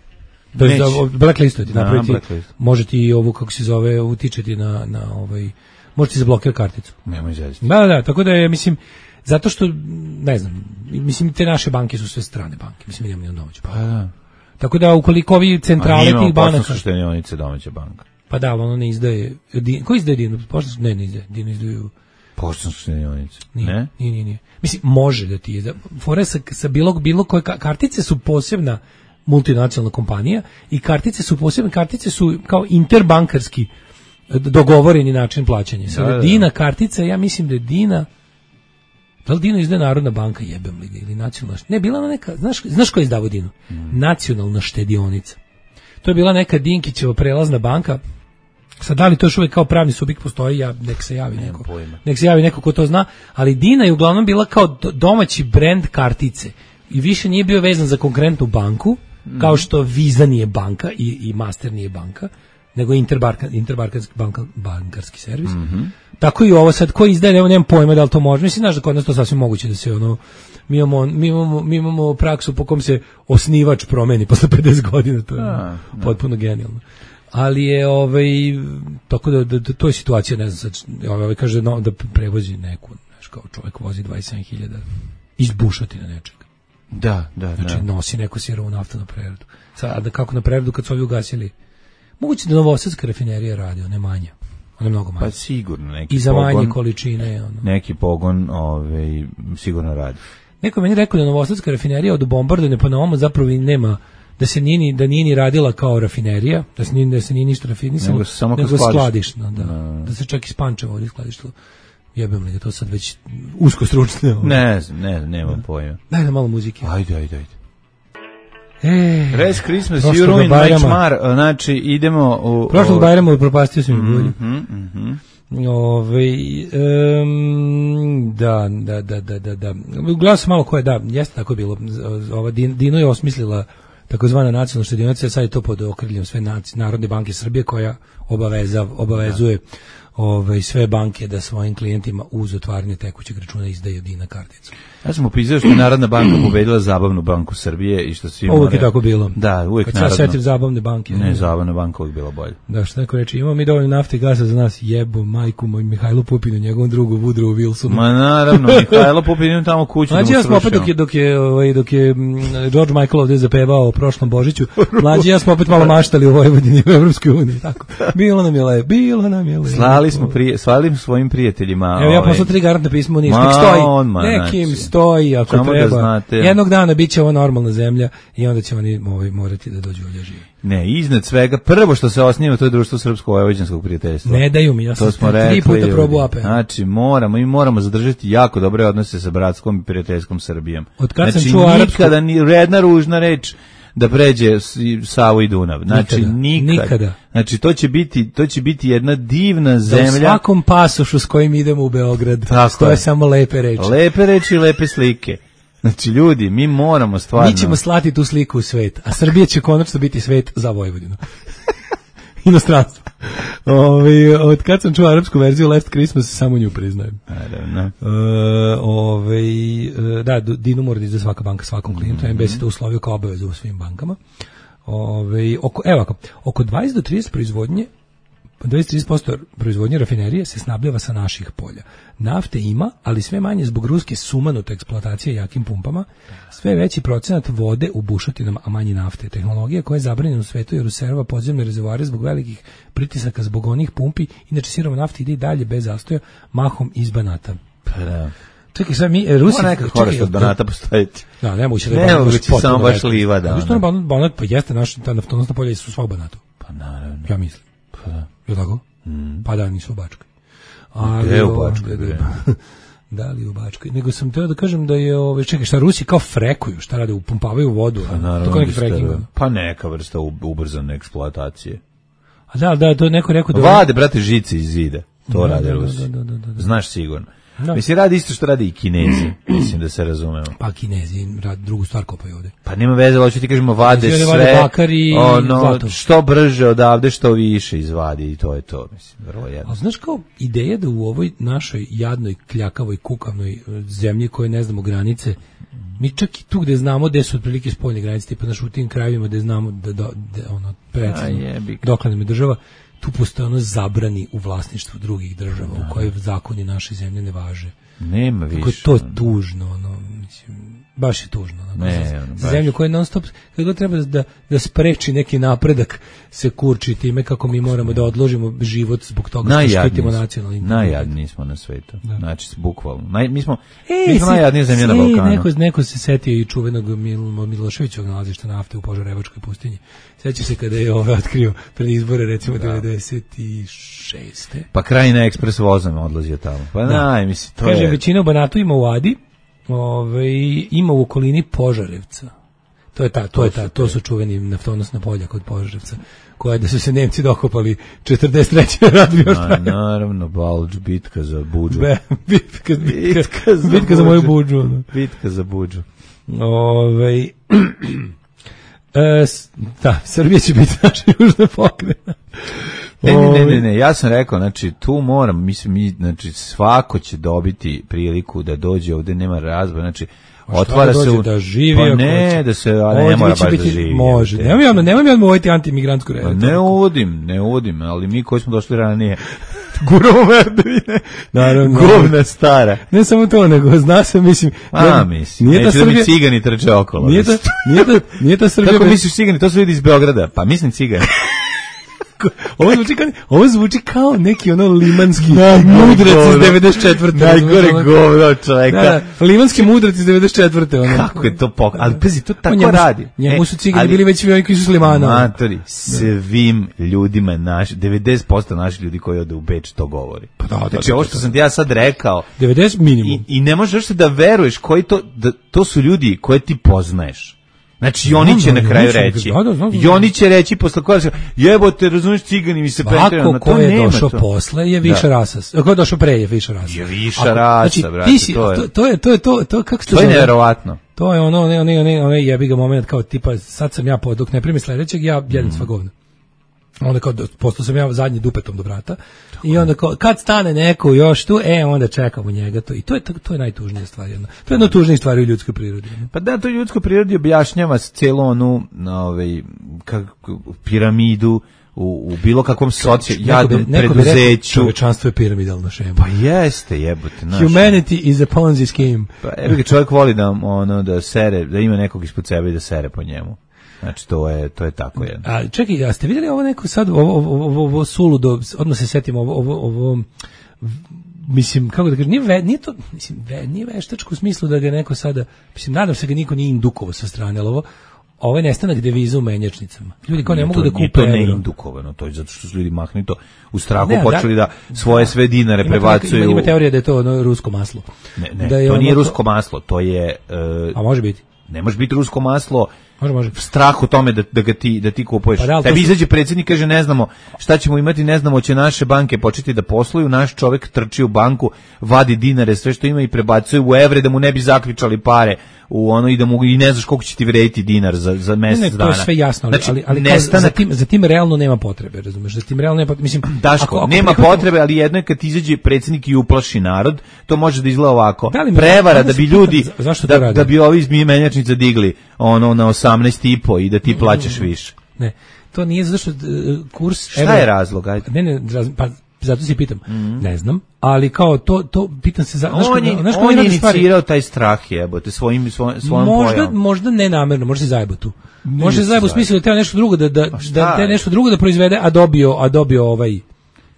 Speaker 7: To je blacklist ti napraviti. Može ti ovo kako se zove utičeti na na ovaj može ti zablokirati karticu.
Speaker 6: Nemoj zezati.
Speaker 7: Da, da, tako da je mislim zato što ne znam, mislim te naše banke su sve strane banke. Mislim nemamo ni domaće.
Speaker 6: Pa da.
Speaker 7: Tako da ukoliko ovi centrale tih banaka
Speaker 6: su štedionice domaća banka.
Speaker 7: Pa da, ono ne izdaje. Din, ko izdaje Dinu? Poštansko ne, ne izdaje. Dinu izdaju
Speaker 6: poštansko štedionice.
Speaker 7: Ne?
Speaker 6: Ne,
Speaker 7: nije, nije. Mislim, može da ti izda. Fore sa, sa bilo, bilo koje kartice su posebna multinacionalna kompanija i kartice su posebne, kartice su kao interbankarski dogovoreni način plaćanja. Sada da, da, da. Dina kartica, ja mislim da je Dina, da li Dina izdaje Narodna banka, jebem li ga, ili nacionalna, ne, bila ona neka, znaš, znaš ko je izdavao Dinu? Mm. Nacionalna štedionica. To je bila neka Dinkićeva prelazna banka. Sad da li to još uvijek kao pravni subjekt postoji, ja nek se javi neko. Nek se javi neko ko to zna, ali Dina je uglavnom bila kao domaći brend kartice i više nije bio vezan za konkretnu banku, mm. kao što Visa nije banka i, i Master nije banka, nego interbankarski interbankarski banka, bankarski servis. Mm-hmm. Tako i ovo sad ko izdaje, nemam, nemam pojma da li to može. Mislim, znaš da kod nas to sasvim moguće da se ono mi imamo, mi imamo, mi imamo praksu po kom se osnivač promeni posle pedeset godina, to je a, potpuno genijalno. Ali je ovaj tako da, da, da to je situacija, ne znam, sad ovaj kaže no, da prevozi neku, znaš, kao čovjek vozi dvadeset sedam hiljada iz bušotina nečega.
Speaker 6: Da, da,
Speaker 7: znači
Speaker 6: da.
Speaker 7: Nosi neku sirovu naftu na preradu. Sad da kako na preradu kad su ovi ugasili? Moguće da Novosadska rafinerija radi, ona je manja. Ona je mnogo manja.
Speaker 6: Pa sigurno neki
Speaker 7: i za
Speaker 6: pogon,
Speaker 7: manje količine ono.
Speaker 6: Neki pogon ovaj sigurno radi.
Speaker 7: Neko meni rekao da Novosadska rafinerija od bombardovanja pa na ovom zapravo i nema, da se nije ni, da nije ni radila kao rafinerija, da se nije, da se nije ništa rafinisalo,
Speaker 6: nego, samo
Speaker 7: nego
Speaker 6: skladišno,
Speaker 7: da, no. Da se čak iz Pančeva ovdje skladištilo. Jebem li da to sad već usko stručno.
Speaker 6: Ne, ne, nema da. Pojma.
Speaker 7: Daj nam malo muzike.
Speaker 6: Ajde, ajde, ajde.
Speaker 7: E,
Speaker 6: Res Christmas, you ruin my čmar, znači idemo u...
Speaker 7: Prošlog Bajrama propastio sam mi bolje.
Speaker 6: Mhm, mhm.
Speaker 7: Ove, um, da, da, da, da, da, da. Gledao sam malo ko je, da, jeste tako bilo. Ova Dino je osmislila takozvana nacionalna štedionica, sad je to pod okriljem sve naci, Narodne banke Srbije koja obaveza, obavezuje ovaj, sve banke da svojim klijentima uz otvaranje tekućeg računa izdaju dina karticu.
Speaker 6: Ja sam upisao što je Narodna banka pobedila Zabavnu banku Srbije i što svi
Speaker 7: uvijek je tako bilo.
Speaker 6: Da, uvijek
Speaker 7: Kad
Speaker 6: Narodna.
Speaker 7: Kad se setim Zabavne banke.
Speaker 6: Ne, Zabavna banka uvijek bila bolja.
Speaker 7: Da, što neko reći, imamo mi dovoljno nafte i gasa za nas, jebo majku moj Mihajlu Pupinu, njegovom drugu Woodrow Wilsonu.
Speaker 6: Ma naravno, Mihajlo Pupin ima tamo kuću
Speaker 7: Mlađi
Speaker 6: da mu
Speaker 7: ja smo opet
Speaker 6: srušio.
Speaker 7: dok je, dok je, ovaj, dok je mm, George Michael ovdje zapevao o prošlom Božiću, mlađi ja smo opet malo maštali u Vojvodini u Evropskoj uniji. Tako. Bilo nam je lepo, bilo nam je lepo.
Speaker 6: Slali smo, prije, slali smo svojim prijateljima.
Speaker 7: Evo ja
Speaker 6: ovaj,
Speaker 7: poslao tri garantna pisma u Niš,
Speaker 6: Ma,
Speaker 7: nek stoji,
Speaker 6: on, ma,
Speaker 7: nekim
Speaker 6: znači,
Speaker 7: stoji ako
Speaker 6: samo da
Speaker 7: treba.
Speaker 6: znate.
Speaker 7: Jednog dana bit će ovo normalna zemlja i onda će oni ovaj, morati da dođu ovdje živi.
Speaker 6: Ne, iznad svega, prvo što se osniva to je društvo srpsko-vojvođanskog prijateljstva.
Speaker 7: Ne daju mi, ja sam
Speaker 6: to smo
Speaker 7: tri
Speaker 6: rekli,
Speaker 7: puta
Speaker 6: ljudi.
Speaker 7: probao A P.
Speaker 6: Znači, moramo, mi moramo zadržati jako dobre odnose sa bratskom i prijateljskom Srbijom.
Speaker 7: Od kad
Speaker 6: znači,
Speaker 7: sam čuo arapsku...
Speaker 6: nikada ni jedna ružna reč da pređe Savu i Dunav. Znači,
Speaker 7: Nikada,
Speaker 6: nikada.
Speaker 7: nikada.
Speaker 6: Znači, to će biti, to će biti jedna divna zemlja.
Speaker 7: Da u svakom pasošu s kojim idemo u Beograd,
Speaker 6: Tako
Speaker 7: stoje
Speaker 6: je.
Speaker 7: samo lepe reči.
Speaker 6: Lepe reči i lepe slike. Znači, ljudi, mi moramo stvarno...
Speaker 7: Mi ćemo slati tu sliku u svet, a Srbija će konačno biti svet za Vojvodinu. Inostranstvo. Ove, od kad sam čuo arapsku verziju Last Christmas, samo nju priznajem.
Speaker 6: Naravno.
Speaker 7: E, ove, da, Dinu mora da izda svaka banka svakom klijentu, mm-hmm. M B S je to uslovio kao obavezu u svim bankama. Ove, oko, evo ako, oko dvadeset do trideset proizvodnje dvadeset do trideset posto proizvodnje rafinerije se snabljava sa naših polja. Nafte ima, ali sve manje zbog ruske sumanute eksploatacije jakim pumpama, sve veći procenat vode u bušotinama, a manje nafte. Tehnologija koja je zabranjena u svetu jer userva podzemne rezervoare zbog velikih pritisaka zbog onih pumpi, inače sirova nafta ide i dalje bez zastoja, mahom iz Banata.
Speaker 6: Pa da.
Speaker 7: Čekaj, sad mi, Rusi...
Speaker 6: Mora neka horasta od Banata postojiti.
Speaker 7: Da, ne moguće da
Speaker 6: je
Speaker 7: Banat
Speaker 6: Banat
Speaker 7: baš potpuno
Speaker 6: samo baš
Speaker 7: veliki.
Speaker 6: livada.
Speaker 7: A što Banat, Banat, pa jeste, naša ta naftonosna polja su sva u Banatu.
Speaker 6: Pa naravno.
Speaker 7: Ja mislim.
Speaker 6: Pa da.
Speaker 7: Je tako?
Speaker 6: Mm.
Speaker 7: Pa da, nisu u Bačkoj.
Speaker 6: Gde u Bačkoj, bre?
Speaker 7: Da li u Bačkoj? Nego sam teo da kažem da je, ove, čekaj, šta Rusi kao frekuju, šta rade, upumpavaju vodu,
Speaker 6: Pa naravno.
Speaker 7: to kao neki fracking.
Speaker 6: Pa neka vrsta ubrzane eksploatacije.
Speaker 7: A da, da, to je neko rekao da...
Speaker 6: Vade, brate, žice iz zida. To
Speaker 7: Da,
Speaker 6: rade
Speaker 7: da,
Speaker 6: Rusi.
Speaker 7: da, da, da, da.
Speaker 6: Znaš sigurno.
Speaker 7: Da.
Speaker 6: Mislim, radi isto što radi i Kinezi. Mislim da se razumemo.
Speaker 7: Pa Kinezi rad, drugu stvar kopaju ovde.
Speaker 6: Pa nema veze, hoću ti kažemo, vade
Speaker 7: Kinezi
Speaker 6: sve,
Speaker 7: vade bakar i
Speaker 6: ono,
Speaker 7: zlato.
Speaker 6: što brže odavde, što više izvadi i to je to, mislim, vrlo jedno.
Speaker 7: A znaš kao ideja da u ovoj našoj jadnoj, kljakavoj, kukavnoj zemlji koje ne znamo granice, mi čak i tu gde znamo gde su otprilike spoljne granice, tipa naš u tim krajevima gde znamo da, da, da ono, precizno, dokle nam je država, tu postoje ono zabrani u vlasništvu drugih država, u kojoj zakoni naše zemlje ne važe.
Speaker 6: Nema više.
Speaker 7: Kako je to tužno, ono, mislim, baš je tužno. Ono,
Speaker 6: ne,
Speaker 7: za,
Speaker 6: ono,
Speaker 7: za zemlju koja non stop, kada god treba da, da spreči neki napredak, se kurči time kako mi moramo da odložimo život zbog toga što štitimo nacionalni integritet.
Speaker 6: Najjadniji smo na svetu. Da. Znači, bukvalno. Naj, mi smo,
Speaker 7: e,
Speaker 6: mi smo najjadnija zemlja na Balkanu.
Speaker 7: Neko, neko se setio i čuvenog Mil, Miloševićevog nalazišta nafte u Požarevačkoj pustinji. Seća se kada je ovaj otkrio pred izbore, recimo, da. devedeset šeste.
Speaker 6: Pa Krajina ekspres vozom odlazio tamo. Pa da. Naj, misli, to
Speaker 7: Kaže,
Speaker 6: je...
Speaker 7: većina u Banatu ima u Adi, ovaj, ima u okolini Požarevca. To je ta, to, to je ta, to su čuveni naftonosna polja kod Požarevca, koja da su se Nemci dokopali četrdeset treće rad bio
Speaker 6: Na, naravno, Balč, bitka za Budžu.
Speaker 7: Be, bitka, bitka,
Speaker 6: bitka, za,
Speaker 7: bitka za moju Budžu. No.
Speaker 6: Bitka za Budžu.
Speaker 7: Ove, e, da, Srbija će biti naša južna pokrena.
Speaker 6: Ne, ne, ne, ne, ne, ja sam rekao, znači, tu moram, mislim, mi, znači, svako će dobiti priliku da dođe ovde, nema razbora, znači, otvara
Speaker 7: da
Speaker 6: se u...
Speaker 7: da živi,
Speaker 6: pa ne, da se, a ne mora baš biti, da živi.
Speaker 7: Može, nemoj ja, nemoj ja odmoviti antimigrantsku redu.
Speaker 6: Pa ne uvodim, ne uvodim, ali mi koji smo došli ranije, guramo merdevine, naravno, govna stara.
Speaker 7: Ne samo to, nego zna se, mislim...
Speaker 6: A, mislim,
Speaker 7: nije
Speaker 6: neću
Speaker 7: Srbija,
Speaker 6: da mi cigani trče okolo.
Speaker 7: Nije ta, nije ta, nije ta Srbija...
Speaker 6: Kako misliš cigani, to su ljudi iz Beograda, pa mislim cigani.
Speaker 7: Ovo zvuči kao, ovo zvuči kao neki ono limanski mudrac iz devedeset četvrte
Speaker 6: Najgore govno čoveka.
Speaker 7: Da, da, limanski mudrac iz devedeset četvrte Ono.
Speaker 6: Kako je to pok... Ali pazi, to tako
Speaker 7: njemu,
Speaker 6: radi.
Speaker 7: Njemu su cigani bili već svi oni koji su s Limana.
Speaker 6: Matori, svim ljudima naši, devedeset posto naših ljudi koji ode u Beč to govori.
Speaker 7: Pa da, da,
Speaker 6: znači, ovo što sam ti ja sad rekao...
Speaker 7: devedeset minimum.
Speaker 6: I, i ne možeš da veruješ koji to... Da, to su ljudi koje ti poznaješ. Znači, i oni će na kraju reći. I oni će reći posle koja se, jebote, razumiješ, cigani mi se pretirano.
Speaker 7: Ako ko je došao posle je viša rasa. Ko je došao pre je viša rasa.
Speaker 6: Je viša rasa, brate.
Speaker 7: To je, to je, to je, to kako se
Speaker 6: to je nevjerovatno.
Speaker 7: To je ono, ne, ne, ne, ne, jebi ga moment kao tipa, sad sam ja pod, dok ne primi sledećeg, ja jedem sva govna. onda kao, postao sam ja zadnji dupetom do vrata, i onda kao, kad stane neko još tu, e, onda čekamo njega to, i to je, to je najtužnija stvar, jedna. To je jedna od tužnijih stvari u ljudskoj prirodi.
Speaker 6: Pa da, to je ljudskoj prirodi objašnjava cijelu onu, ovaj, kako, piramidu, U, u bilo kakvom socijalnom preduzeću.
Speaker 7: Čovečanstvo je piramidalna šema.
Speaker 6: Pa jeste, jebote. Naš.
Speaker 7: Humanity is a Ponzi scheme.
Speaker 6: Pa evo, čovjek voli da, ono, da sere, da ima nekog ispod sebe i da sere po njemu. Znači, to je, to je tako jedno.
Speaker 7: A čekaj, a ste vidjeli ovo neko sad, ovo, ovo, ovo, ovo suludo, odmah se setimo, ovo, ovo, ovo, mislim, kako da kažem, nije, ve, nije to, mislim, ve, nije veštačko u smislu da ga neko sada, mislim, nadam se ga niko nije indukovao sa strane, ali ovo, ovo je nestanak deviza u menjačnicama. Ljudi kao ne mogu da kupe
Speaker 6: euro. To ne indukovano, to je zato što su ljudi mahnito u strahu ne, počeli da, da svoje sve dinare
Speaker 7: ima,
Speaker 6: prebacuju.
Speaker 7: Ima, ima teorija da je to ono rusko maslo.
Speaker 6: Ne, ne,
Speaker 7: da je
Speaker 6: to
Speaker 7: ono,
Speaker 6: nije rusko maslo, to je... Uh,
Speaker 7: a može biti?
Speaker 6: Ne može biti rusko maslo.
Speaker 7: Može, može.
Speaker 6: Strah u tome da, da ga ti, da ti kupuješ.
Speaker 7: Pa da,
Speaker 6: tebi
Speaker 7: su...
Speaker 6: izađe predsjednik, kaže ne znamo šta ćemo imati, ne znamo će naše banke početi da posluju, naš čovjek trči u banku, vadi dinare, sve što ima i prebacuje u evre da mu ne bi zaključali pare u ono i da mu i ne znaš koliko će ti vrediti dinar za za mjesec
Speaker 7: ne, ne,
Speaker 6: dana.
Speaker 7: To je sve jasno, ali
Speaker 6: znači,
Speaker 7: ali, ali
Speaker 6: nestanak...
Speaker 7: za tim za tim realno nema potrebe, razumeš? Za tim realno nema potrebe, mislim,
Speaker 6: Daško, ako, ako nema prihvatimo... potrebe, ali jedno je kad izađe predsjednik i uplaši narod, to može da izgleda ovako. Da prevara da bi ljudi da, da bi ovi iz menjačnica digli ono na osamnaest i po i da ti plaćaš više.
Speaker 7: Ne, to nije zato što uh, kurs...
Speaker 6: Šta evra, je razlog? Ajde.
Speaker 7: Ne, ne, raz, pa zato se pitam. Mm. Ne znam, ali kao to, to pitam se... Za,
Speaker 6: on je, znaš on je inicirao taj strah, jebote, svojim, svoj, svojom
Speaker 7: možda,
Speaker 6: pojavom.
Speaker 7: Možda ne namerno, možda se zajebo tu. Možda se zajebo u smislu da treba nešto drugo da, da, da, da nešto drugo da proizvede, a dobio, a dobio ovaj...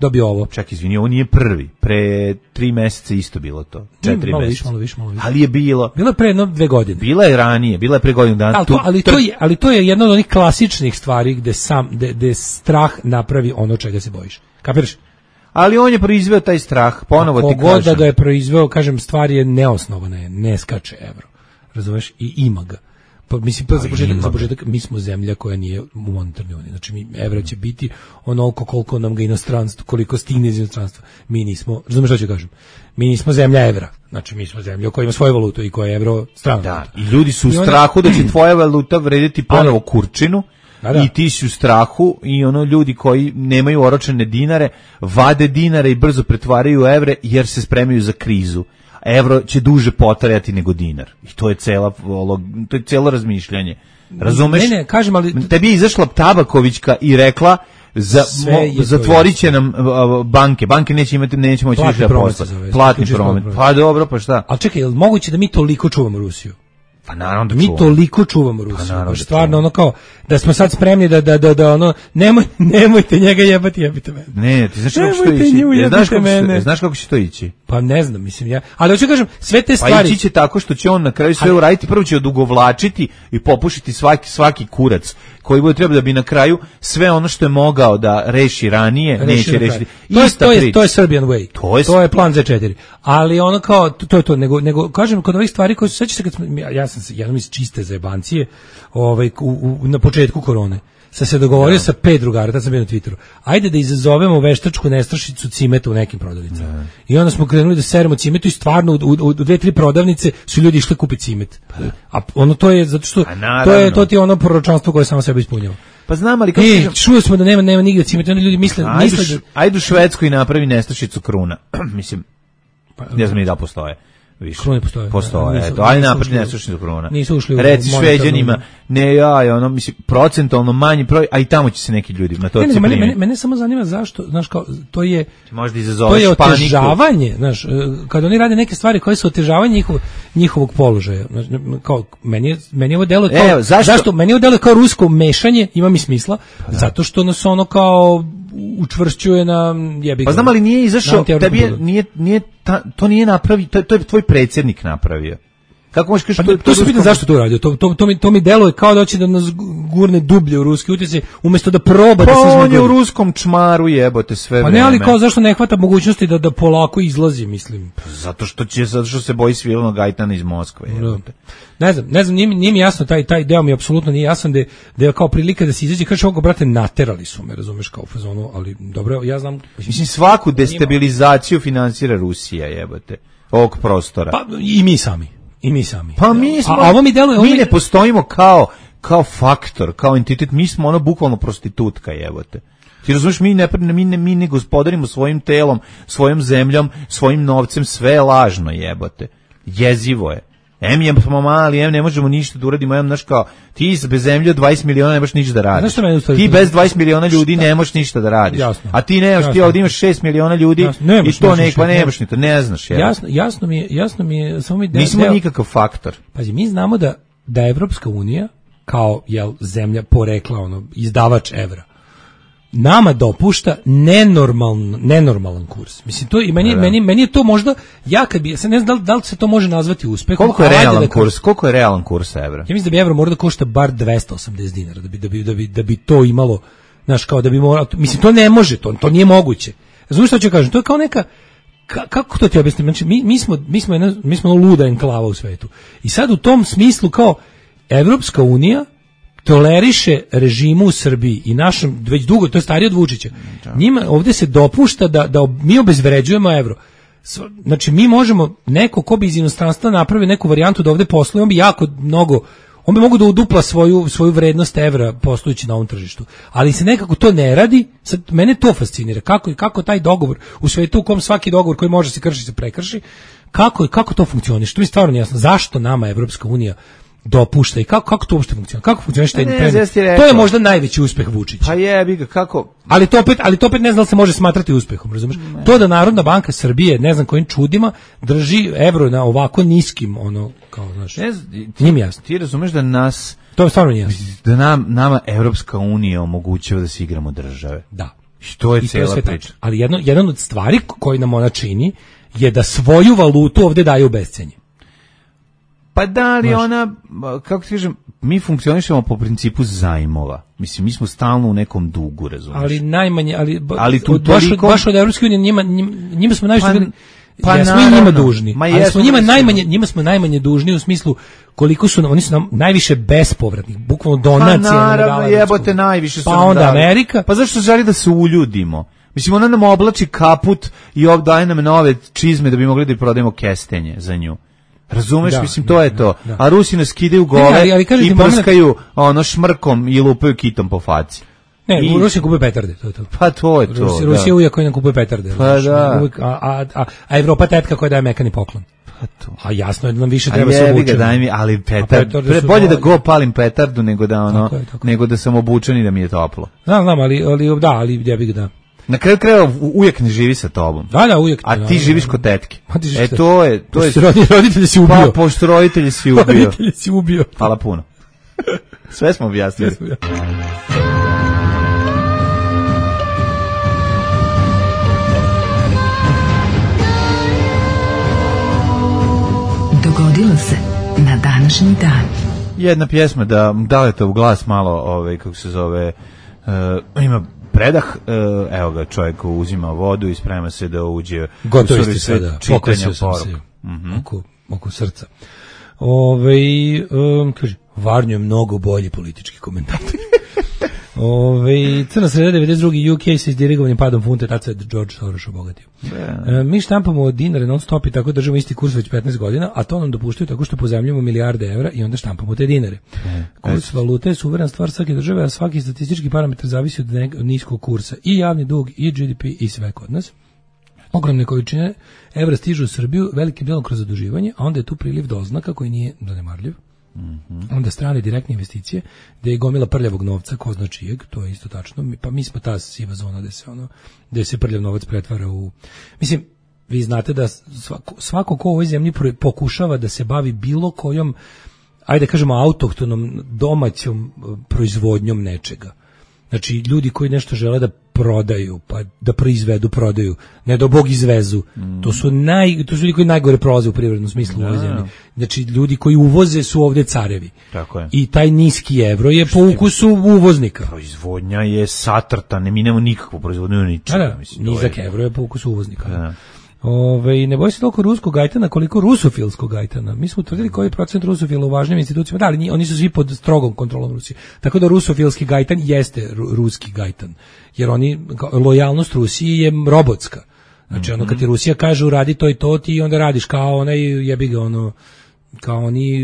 Speaker 7: dobio ovo.
Speaker 6: Čak, izvini, ovo nije prvi. Pre tri meseca isto bilo to. Četiri
Speaker 7: malo
Speaker 6: meseca.
Speaker 7: Više, malo više, malo više.
Speaker 6: Ali je bilo.
Speaker 7: Bilo je pre jedno dve godine.
Speaker 6: Bila je ranije, bila je pre godinu dana.
Speaker 7: Ali to, ali, to je, ali to je jedna od onih klasičnih stvari gde, sam, gde, gde strah napravi ono čega se bojiš. Kapiraš?
Speaker 6: Ali on je proizveo taj strah, ponovo ti kažem.
Speaker 7: Kogod da ga je proizveo, kažem, stvar je neosnovana, je, ne skače evro. Razumeš? I ima ga. Pa mislim pa za početak, za početak mi smo zemlja koja nije u monetarnoj uniji. Znači mi evro će biti onoliko koliko nam ga inostranstvo, koliko stigne iz inostranstva. Mi nismo, razumeš šta ću kažem? Mi nismo zemlja evra. Znači mi smo zemlja koja ima svoju valutu i koja je evro strana.
Speaker 6: Da, i ljudi su u onda... strahu da će tvoja valuta vrediti ponovo kurčinu. Da, da. I ti si u strahu i ono ljudi koji nemaju oročene dinare vade dinare i brzo pretvaraju u evre jer se spremaju za krizu. Evro će duže potrajati nego dinar. I to je cela to je celo razmišljanje. Razumeš?
Speaker 7: Ne, ne, kažem, ali
Speaker 6: tebi je izašla Tabakovićka i rekla za zatvorit će nam banke. Banke neće imati, neće moći više da posle. Platni promet. Pa dobro, pa šta?
Speaker 7: Ali čekaj, je li moguće da mi toliko čuvamo Rusiju?
Speaker 6: Pa naravno da
Speaker 7: mi
Speaker 6: čuvamo.
Speaker 7: toliko čuvamo Rusiju. Pa
Speaker 6: da
Speaker 7: stvarno ono kao da smo sad spremni da da da da ono nemoj nemojte njega jebati, jebite mene.
Speaker 6: Ne, ti znaš kako će to ići? Nju, znaš kako se, znaš kako će to ići?
Speaker 7: Pa ne znam, mislim ja. Ali hoću kažem sve te stvari.
Speaker 6: Pa ići će tako što će on na kraju sve uraditi, prvo će odugovlačiti i popušiti svaki svaki kurac koji bude treba da bi na kraju sve ono što je mogao da reši ranije, reši neće rešiti.
Speaker 7: To je to je to je Serbian way. To je, to je plan za četiri. Ali ono kao to je to nego nego kažem kod ovih stvari koje su sećaš se kad smo, ja sam se jednom iz čiste zajebancije ovaj u, u, na početku korone sam se dogovorio da. sa pet drugara, tad sam bio na Twitteru. Ajde da izazovemo veštačku nestašicu cimeta u nekim prodavnicama. Da. I onda smo krenuli da seremo cimetu i stvarno u, u, u dve, tri prodavnice su ljudi išli kupiti cimet. Da. A ono to je zato što to je to ti je ono proročanstvo koje samo sebe ispunjava.
Speaker 6: Pa znam, ali kako
Speaker 7: e, čuo smo da nema nema nigde cimeta, onda ljudi misle
Speaker 6: ajde,
Speaker 7: misle da
Speaker 6: ajde u Švedsku i napravi nestašicu kruna. Mislim, pa, ne znam ni da postoje. Više.
Speaker 7: Krune postoje.
Speaker 6: Postoje, nisu, eto, ajde napravi nestašicu kruna.
Speaker 7: Nisu ušli u
Speaker 6: reci Šveđanima, ne ja, ono, mislim, procentualno manji broj, a i tamo će se neki ljudi na to
Speaker 7: ne, ne, mene, mene, mene samo zanima zašto, znaš, kao, to je,
Speaker 6: možda
Speaker 7: to je otežavanje, znaš, kad oni rade neke stvari koje su otežavanje njihov, njihovog položaja, znaš, kao, meni je, meni je ovo delo kao,
Speaker 6: Evo, zašto?
Speaker 7: zašto, meni je ovo delo kao rusko mešanje, ima mi smisla, pa, zato što nas ono kao, učvršćuje na jebi ga.
Speaker 6: Pa znam, ali nije izašao, tebi je, nije, nije, ta, to nije napravi, to, to je tvoj predsjednik napravio. Kako možeš kažeš
Speaker 7: pa, to, to, to se pitam zašto to uradio? To, to, to, mi, to mi deluje kao da hoće da nas gurne dublje u ruski utjecaj, umjesto da proba
Speaker 6: pa
Speaker 7: da se izme.
Speaker 6: Pa on je u ruskom čmaru, jebote, sve
Speaker 7: pa
Speaker 6: vreme.
Speaker 7: Pa ne, ali kao zašto ne hvata mogućnosti da, da polako izlazi, mislim.
Speaker 6: Zato što će, zato što se boji Svilenog Gajtana iz Moskve, jebote.
Speaker 7: Ne znam, ne znam, nije, nije mi jasno, taj, taj deo mi apsolutno nije jasan, da je, da je kao prilika da se izađe, kaže ovo, brate, naterali su me, razumeš, kao u fazonu, ali dobro, ja znam.
Speaker 6: Mislim, svaku destabilizaciju finansira Rusija, jebote, ovog prostora.
Speaker 7: Pa i mi sami. I mi sami.
Speaker 6: Pa mi smo,
Speaker 7: a, a ovo mi deluje,
Speaker 6: mi ne postojimo kao kao faktor, kao entitet, mi smo ono bukvalno prostitutka, jebote. Ti razumiješ, mi ne, mi, ne, mi ne gospodarimo svojim telom, svojom zemljom, svojim novcem, sve je lažno, jebote. Jezivo je. Em je smo mali, em ne možemo ništa da uradimo, em, znaš kao, ti bez zemlje od dvadeset miliona ne možeš ništa da radiš. Ti bez dvadeset miliona ljudi ne možeš ništa da radiš. Jasno. A ti nemaš, ti ovdje imaš šest miliona ljudi i to ne, pa nemaš ni to, ne znaš.
Speaker 7: Jasno, jasno mi je, jasno mi je, samo mi
Speaker 6: de, nismo deo, nikakav faktor.
Speaker 7: Pazi, mi znamo da, da Evropska unija, kao jel, zemlja porekla, ono, izdavač evra, nama dopušta nenormalan nenormalan kurs. Mislim to i meni, meni meni je to možda ja kad bi ja se ne znam da li se to može nazvati uspehom.
Speaker 6: Koliko je realan da kurs? Koliko je realan kurs evra?
Speaker 7: Ja mislim da bi evro morao da košta bar dvesta osamdeset dinara da bi da bi da bi, da bi to imalo, znaš, kao da bi moralo, mislim to ne može, to to nije moguće. Razumiješ što ću kažem? To je kao neka ka, kako to ti objasnim? Znači mi mi smo mi smo jedna, mi smo luda enklava u svetu. I sad u tom smislu kao Evropska unija toleriše režimu u Srbiji i našem, već dugo, to je starije od Vučića. Njima ovdje se dopušta da, da mi obezvređujemo evro. Znači, mi možemo, neko ko bi iz inostranstva napravi neku varijantu da ovdje posluje, on bi jako mnogo, on bi mogu da udupla svoju, svoju vrednost evra poslujući na ovom tržištu. Ali se nekako to ne radi, sad mene to fascinira. Kako, kako taj dogovor, u svetu u kom svaki dogovor koji može se kršiti se prekrši, kako, kako to funkcioniše? To mi je stvarno jasno. Zašto nama Evropska unija dopušta i kako kako to uopšte funkcionira? Kako funkcioniše taj trend? To je možda najveći uspeh Vučića.
Speaker 6: Pa jebi ga, kako?
Speaker 7: Ali to opet, ali to opet ne znam da se može smatrati uspehom, razumeš? Ne. To da Narodna banka Srbije, ne znam kojim čudima, drži evro na ovako niskim, ono, kao, znaš, njim jasno.
Speaker 6: Ti razumeš da nas,
Speaker 7: to je stvarno jasno,
Speaker 6: da nam, nama Evropska unija omogućava da se igramo države.
Speaker 7: Da.
Speaker 6: Što je cijela priča.
Speaker 7: Ali jedno, jedan od stvari koji nam ona čini je da svoju valutu ovde daje u bescenje.
Speaker 6: Pa da li ona, kako ti kažem, mi funkcionišemo po principu zajmova. Mislim, mi smo stalno u nekom dugu, razumiješ?
Speaker 7: Ali najmanje, ali,
Speaker 6: ali tu
Speaker 7: baš,
Speaker 6: toliko...
Speaker 7: baš od Evropske unije njima, njima smo najviše...
Speaker 6: Pa, pa
Speaker 7: ja smo njima dužni, ma ali smo njima najmanje, njima smo najmanje dužni u smislu koliko su, oni su nam najviše bespovratnih, bukvalno donacija.
Speaker 6: Pa naravno, jebote, najviše su
Speaker 7: pa nam onda
Speaker 6: dali.
Speaker 7: Amerika.
Speaker 6: Pa zašto želi da se uljudimo? Mislim, ona nam oblači kaput i daje nam nove čizme da bi mogli da prodajemo kestenje za nju. Razumeš, da, mislim, to da, je to. Da, da. A Rusi nas skidaju gole ne, ali, ali i prskaju moment... ono šmrkom i lupaju kitom po faci.
Speaker 7: Ne, I... Rusi kupuje petarde, to je to.
Speaker 6: Pa to je to,
Speaker 7: Rusi, da. Rusija uvijek koji nam kupuje petarde.
Speaker 6: Pa znaš, da.
Speaker 7: Uvijek, a, a, a, a Evropa tetka koja daje mekani poklon.
Speaker 6: Pa to.
Speaker 7: A jasno je da nam više treba se obučiti.
Speaker 6: Daj mi, ali petard, pre, bolje da go palim petardu nego da ono, tako je, tako. nego da sam obučen i da mi je toplo.
Speaker 7: Znam, znam, ali, ali da, ali ja bih da.
Speaker 6: Na kraju krajeva uvijek ne živi sa tobom.
Speaker 7: Da, da, uvijek.
Speaker 6: A ti
Speaker 7: da,
Speaker 6: živiš
Speaker 7: da,
Speaker 6: kod tetke.
Speaker 7: E
Speaker 6: to je, to je.
Speaker 7: Roditelji si ubio.
Speaker 6: Pa pošto roditelji si ubio.
Speaker 7: Roditelji si ubio.
Speaker 6: Hvala puno. Sve smo objasnili.
Speaker 4: Dogodilo se na današnji dan.
Speaker 6: Jedna pjesma da dalete u glas malo, ovaj kako se zove, uh, ima predah, uh, evo ga, čovjek uzima vodu i sprema se da uđe
Speaker 7: gotovo isti sada, čitanja poruka mm-hmm. oko, oko srca. Ove, um, kaže, Varnjo je mnogo bolji politički komentator. Ove, Crna sreda devedeset drugi U K se izdirigovanim padom funte, tad se George Soros obogatio. E, mi štampamo dinare non stop i tako držimo isti kurs već petnaest godina, a to nam dopuštaju tako što pozajmljujemo milijarde evra i onda štampamo te dinare. E, kurs valute je suverena stvar svake države, a svaki statistički parametar zavisi od, ne, od niskog kursa. I javni dug, i G D P, i sve kod nas. Ogromne količine evra stižu u Srbiju velikim dijelom kroz zaduživanje, a onda je tu priliv doznaka koji nije zanemarljiv. Mm-hmm. Onda strane direktne investicije, gde je gomila prljavog novca, ko zna čijeg, to je isto tačno. Mi, pa mi smo ta siva zona gde se ono, gde se prljav novac pretvara u, mislim, vi znate da svako, svako ko u ovoj zemlji pokušava da se bavi bilo kojom, ajde kažemo, autohtonom domaćom proizvodnjom nečega. Znači, ljudi koji nešto žele da prodaju, pa da proizvedu, prodaju, ne da Bog izvezu. Mm. To su naj, to su ljudi koji najgore prolaze u privrednom smislu u ovoj zemlji. Znači, ljudi koji uvoze su ovdje carevi.
Speaker 6: Tako je.
Speaker 7: I taj niski evro je po ukusu uvoznika.
Speaker 6: Proizvodnja je satrta, ne mi nemamo nikakvu proizvodnju ničega.
Speaker 7: Da, da, mislim, nizak je... evro je po ukusu uvoznika. Da. Ove, ne boj se toliko ruskog gajtana koliko rusofilskog gajtana. Mi smo utvrdili koji je procent rusofila u važnim institucijama. Da, ali oni su svi pod strogom kontrolom Rusije. Tako da rusofilski gajtan jeste ru, ruski gajtan. Jer oni, lojalnost Rusiji je robotska. Znači, mm-hmm. ono kad ti Rusija kaže uradi to i to, ti onda radiš kao onaj jebi ga ono kao oni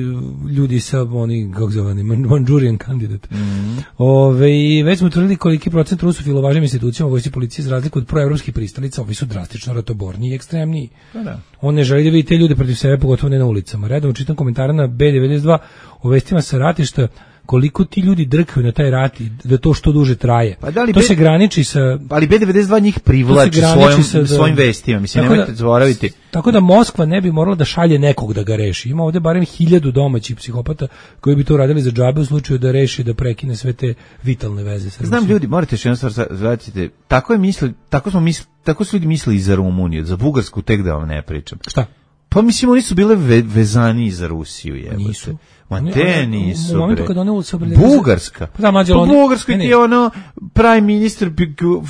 Speaker 7: ljudi sa oni kako zove Manchurian candidate. Mm. Ove, već smo tvrdili koliki procent rusofila u važnim institucijama vojsci policije za razliku od proevropskih pristalica, ovi su drastično ratoborniji i ekstremniji. Pa da. On ne želi da vidi te ljude protiv sebe, pogotovo ne na ulicama. Redom čitam komentare na B devedeset dva o vestima sa ratišta koliko ti ljudi drkaju na taj rat i da to što duže traje. Pa da li to B... se graniči sa...
Speaker 8: Ali B devedeset dva njih privlači svojim, sa, svojim vestima. Mislim, nemojte zaboraviti.
Speaker 7: Tako da Moskva ne bi morala da šalje nekog da ga reši. Ima ovde barem hiljadu domaćih psihopata koji bi to radili za džabe u slučaju da reši da prekine sve te vitalne veze. Sa
Speaker 8: Znam ljudi, morate još jednu stvar zvratiti. Tako je misli, tako smo misli, tako su ljudi mislili i za Rumuniju, za Bugarsku tek da vam ne pričam.
Speaker 7: Šta?
Speaker 8: Pa mislim, oni su bile ve, vezani za Rusiju, jebote. Nisu. Ma te nisu,
Speaker 7: u momentu kad one se
Speaker 8: Bugarska. Pa da, mlađe, pa Bugarska ti je ono prime minister,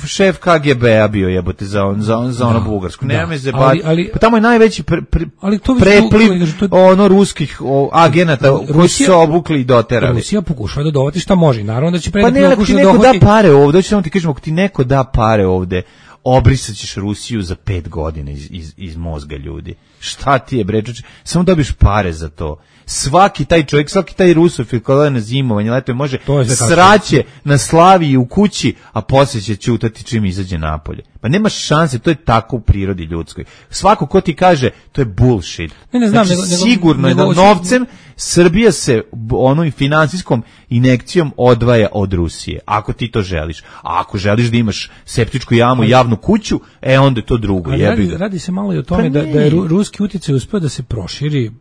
Speaker 8: šef K G B-a bio jebote za, on, za, on, za ono Bugarsku. Nema me zebati. Pa tamo je najveći pre, pre, ali to prepliv to, ono ruskih o, agenata koji su se obukli i doterali.
Speaker 7: Rusija pokušava da dovati šta može. Naravno da će
Speaker 8: predati. Pa ne, ako ti neko dohvati... da pare ovde, hoću samo ti kažem, ako ti neko da pare ovde, obrisat ćeš Rusiju za pet godina iz, iz, iz mozga ljudi. Šta ti je, bre, samo dobiš pare za to. Svaki taj čovjek, svaki taj rusofil kada je na zimovanje, leto može sraće na Slaviji u kući, a poslije će ćutati čim izađe napolje. Pa nema šanse, to je tako u prirodi ljudskoj. Svako ko ti kaže, to je bullshit. Ne, ne znam, znači, nego, sigurno nego, je da novcem Srbija se onom finansijskom injekcijom odvaja od Rusije, ako ti to želiš. A ako želiš da imaš septičku jamu i javnu kuću, e onda je to drugo.
Speaker 7: Radi, radi se malo i o tome pa da, da je ruski utjecaj uspio da se proširi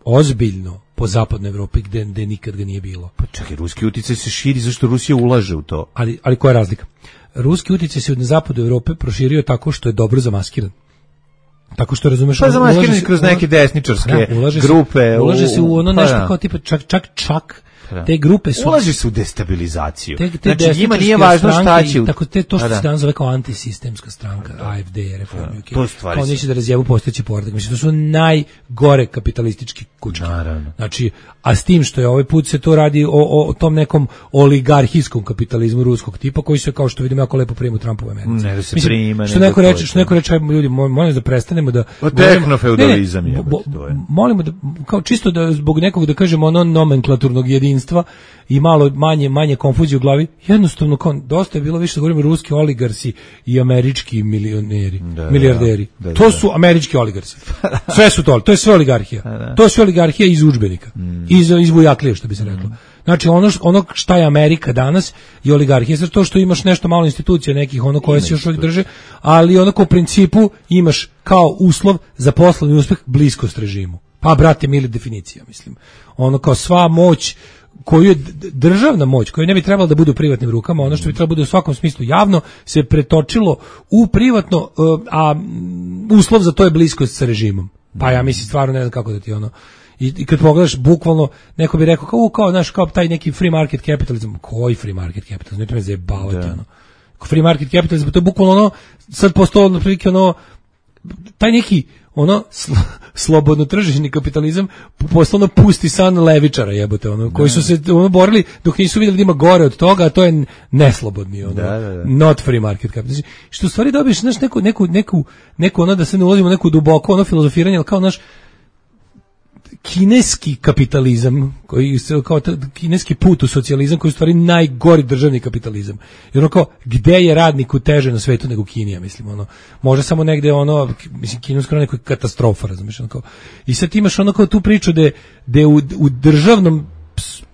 Speaker 7: ozbiljno po zapadnoj Evropi gde, gde nikad ga nije bilo.
Speaker 8: Pa čekaj, ruski utjecaj se širi zašto Rusija ulaže u to.
Speaker 7: Ali, ali koja je razlika? Ruski utjecaj se od zapadu Evrope proširio tako što je dobro zamaskiran. Tako što razumeš...
Speaker 8: Pa zamaskiran kroz neke desničarske da, ulaže grupe.
Speaker 7: Se, ulaže u, se u ono nešto pa, kao tipa čak, čak, čak te grupe su...
Speaker 8: Ulaži se u destabilizaciju. Te, te znači, njima nije važno šta će...
Speaker 7: Tako te, to što da, se danas zove kao antisistemska stranka, da. A F D, Reformi, da, okay. Kao neće da razjebu postojeći poredak. Mislim, to su najgore kapitalistički kućke.
Speaker 8: Naravno.
Speaker 7: Znači, a s tim što je ovaj put se to radi o, o, o tom nekom oligarhijskom kapitalizmu ruskog tipa, koji se, kao što vidimo, jako lepo prima u Trumpovoj Americi.
Speaker 8: Ne da se Mislim, prima.
Speaker 7: Što neko reče, što neko reče, ljudi, molim da prestanemo da...
Speaker 8: Tehnofeudalizam je.
Speaker 7: Molimo da, kao čisto da zbog nekog, da kažemo, ono nomenklaturnog jedinstva i malo manje manje konfuzije u glavi, jednostavno kao dosta je bilo više da govorimo ruski oligarsi i američki milioneri, da, milijarderi. Da, da, to da. su američki oligarsi. Sve su to, to je sve oligarhija. Da. To je sve oligarhija iz udžbenika. Mm. Iz iz bujaklije, što bi se reklo. Mm. Znači ono ono šta je Amerika danas je oligarhija, zato to što imaš nešto malo institucija nekih ono koje se još uvijek drže, ali onako u principu imaš kao uslov za poslovni uspeh bliskost režimu. Pa brate, mili definicija, mislim. Ono kao sva moć koju je državna moć, koja ne bi trebala da bude u privatnim rukama, ono što bi trebalo da bude u svakom smislu javno, se pretočilo u privatno, a uslov za to je bliskost sa režimom. Pa ja mislim, stvarno ne znam kako da ti ono... I, i kad pogledaš, bukvalno, neko bi rekao, kao, kao, znaš, kao taj neki free market capitalism. Koji free market capitalism? Neće me zajebavati, ono. Free market capitalism, to je bukvalno ono, sad postalo, na prilike, ono, taj neki, ono sl slobodno tržišni kapitalizam poslovno pusti san levičara, jebote, ono, koji su se ono borili dok nisu vidjeli da ima gore od toga, a to je neslobodni, ono, da, da, da. Not free market capitalism. Što u stvari dobiješ, znaš, neku, neku, neku, neku, ono, da se ne ulazimo neku duboko, ono, filozofiranje, ali kao, naš kineski kapitalizam, koji se kao kineski put u socijalizam, koji je u stvari najgori državni kapitalizam. Jer ono kao, gde je radniku teže na svetu nego Kinija, mislim, ono, može samo negde, ono, mislim, Kina skoro neko katastrofa, razumiješ, ono kao. I sad imaš ono kao tu priču da je u, u državnom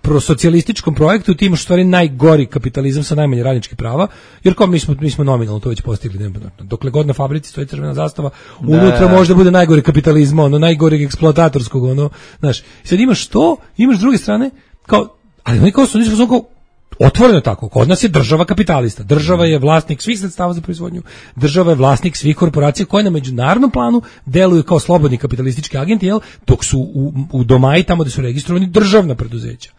Speaker 7: prosocijalističkom projektu ti imaš u stvari najgori kapitalizam sa najmanje radničkih prava, jer kao mi smo, mi smo nominalno to već postigli, ne, dokle god na fabrici stoji crvena zastava, unutra može da bude najgori kapitalizma, ono, najgoreg eksploatatorskog, ono, znaš, sad imaš to, imaš s druge strane, kao, ali oni kao su, nismo kao, otvoreno tako, kod nas je država kapitalista, država je vlasnik svih sredstava za proizvodnju, država je vlasnik svih korporacija koje na međunarodnom planu deluju kao slobodni kapitalistički agenti, jel, dok su u, u domaji tamo gde su registrovani državna preduzeća.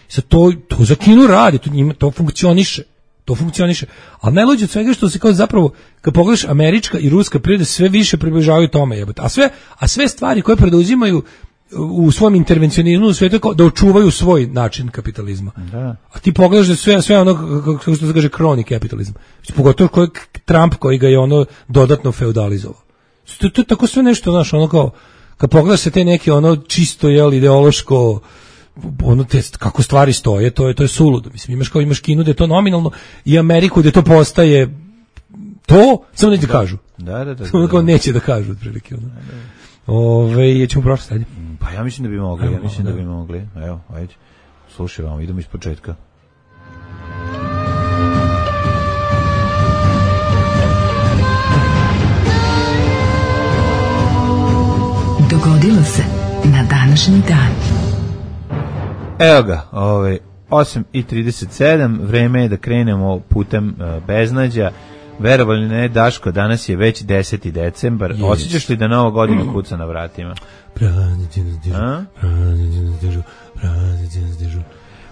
Speaker 7: Sad to, to za Kinu radi, to, njima, to funkcioniše, to funkcioniše, ali najluđe od svega što se kao zapravo, kad pogledaš američka i ruska priroda sve više približavaju tome, jebote, a sve, a sve stvari koje preduzimaju u svom intervencionizmu u svijetu kao da očuvaju svoj način kapitalizma. Da. A ti pogledaš da sve, sve ono, kako se kaže, crony kapitalizam. Pogotovo koji Trump koji ga je ono dodatno feudalizovao. To je tako sve nešto, znaš, ono kao, kad pogledaš se te neke ono čisto jel ideološko ono te kako stvari stoje, to je to je suludo. Mislim imaš kao imaš Kinu da je to nominalno i Ameriku da to postaje to, samo neće da kažu.
Speaker 8: Da, da, da.
Speaker 7: Samo kao neće da kažu otprilike ono. Ove, je ćemo prošli dalje.
Speaker 8: Pa ja mislim da bi mogli, ja mislim da bi mogli. Evo, ajde. Slušaj vam, idemo iz početka.
Speaker 4: Dogodilo se na današnji dan.
Speaker 8: Evo ga, ovaj, osam i trideset sedam, vreme je da krenemo putem uh, beznađa. Verovali ne, Daško, danas je već deseti decembar. Yes. Osjećaš li da nova godina kuca na vratima?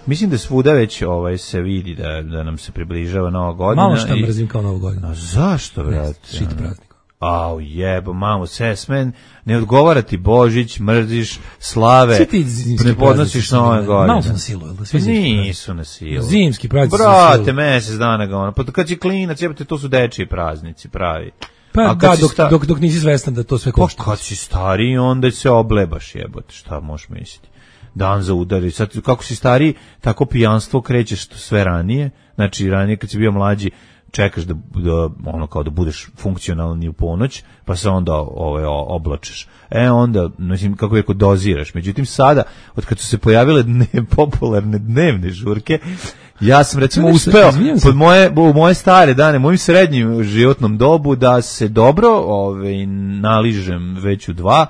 Speaker 8: Mislim da svuda već ovaj, se vidi da, da nam se približava nova godina.
Speaker 7: Malo šta mrzim kao novu godinu.
Speaker 8: A zašto, brate?
Speaker 7: Šit praznik.
Speaker 8: Au jebo, mamo, sesmen, ne odgovara ti Božić, mrziš, slave, ne podnosiš nove godine.
Speaker 7: Malo su na silu, jel da svi zimski
Speaker 8: nisu na silu.
Speaker 7: Zimski praznici su
Speaker 8: na silu.
Speaker 7: Brate,
Speaker 8: mesec dana ga ono, pa kad si klinac, jebate, to su dečiji praznici, pravi.
Speaker 7: Pa da, dok, sta... dok, dok nisi svestan da to sve košta.
Speaker 8: Pa kad si stariji, onda se oblebaš, jebote, šta možeš misliti. Dan za udari, sad kako si stariji, tako pijanstvo krećeš sve ranije, znači ranije kad si bio mlađi, čekaš da, da ono kao da budeš funkcionalni u ponoć, pa se onda ovaj oblačeš. E onda, mislim kako je doziraš. Međutim sada, od kad su se pojavile dne, popularne dnevne žurke, ja sam recimo uspeo pod moje u moje stare dane, mojim srednjim životnom dobu da se dobro ovaj naližem već u dva.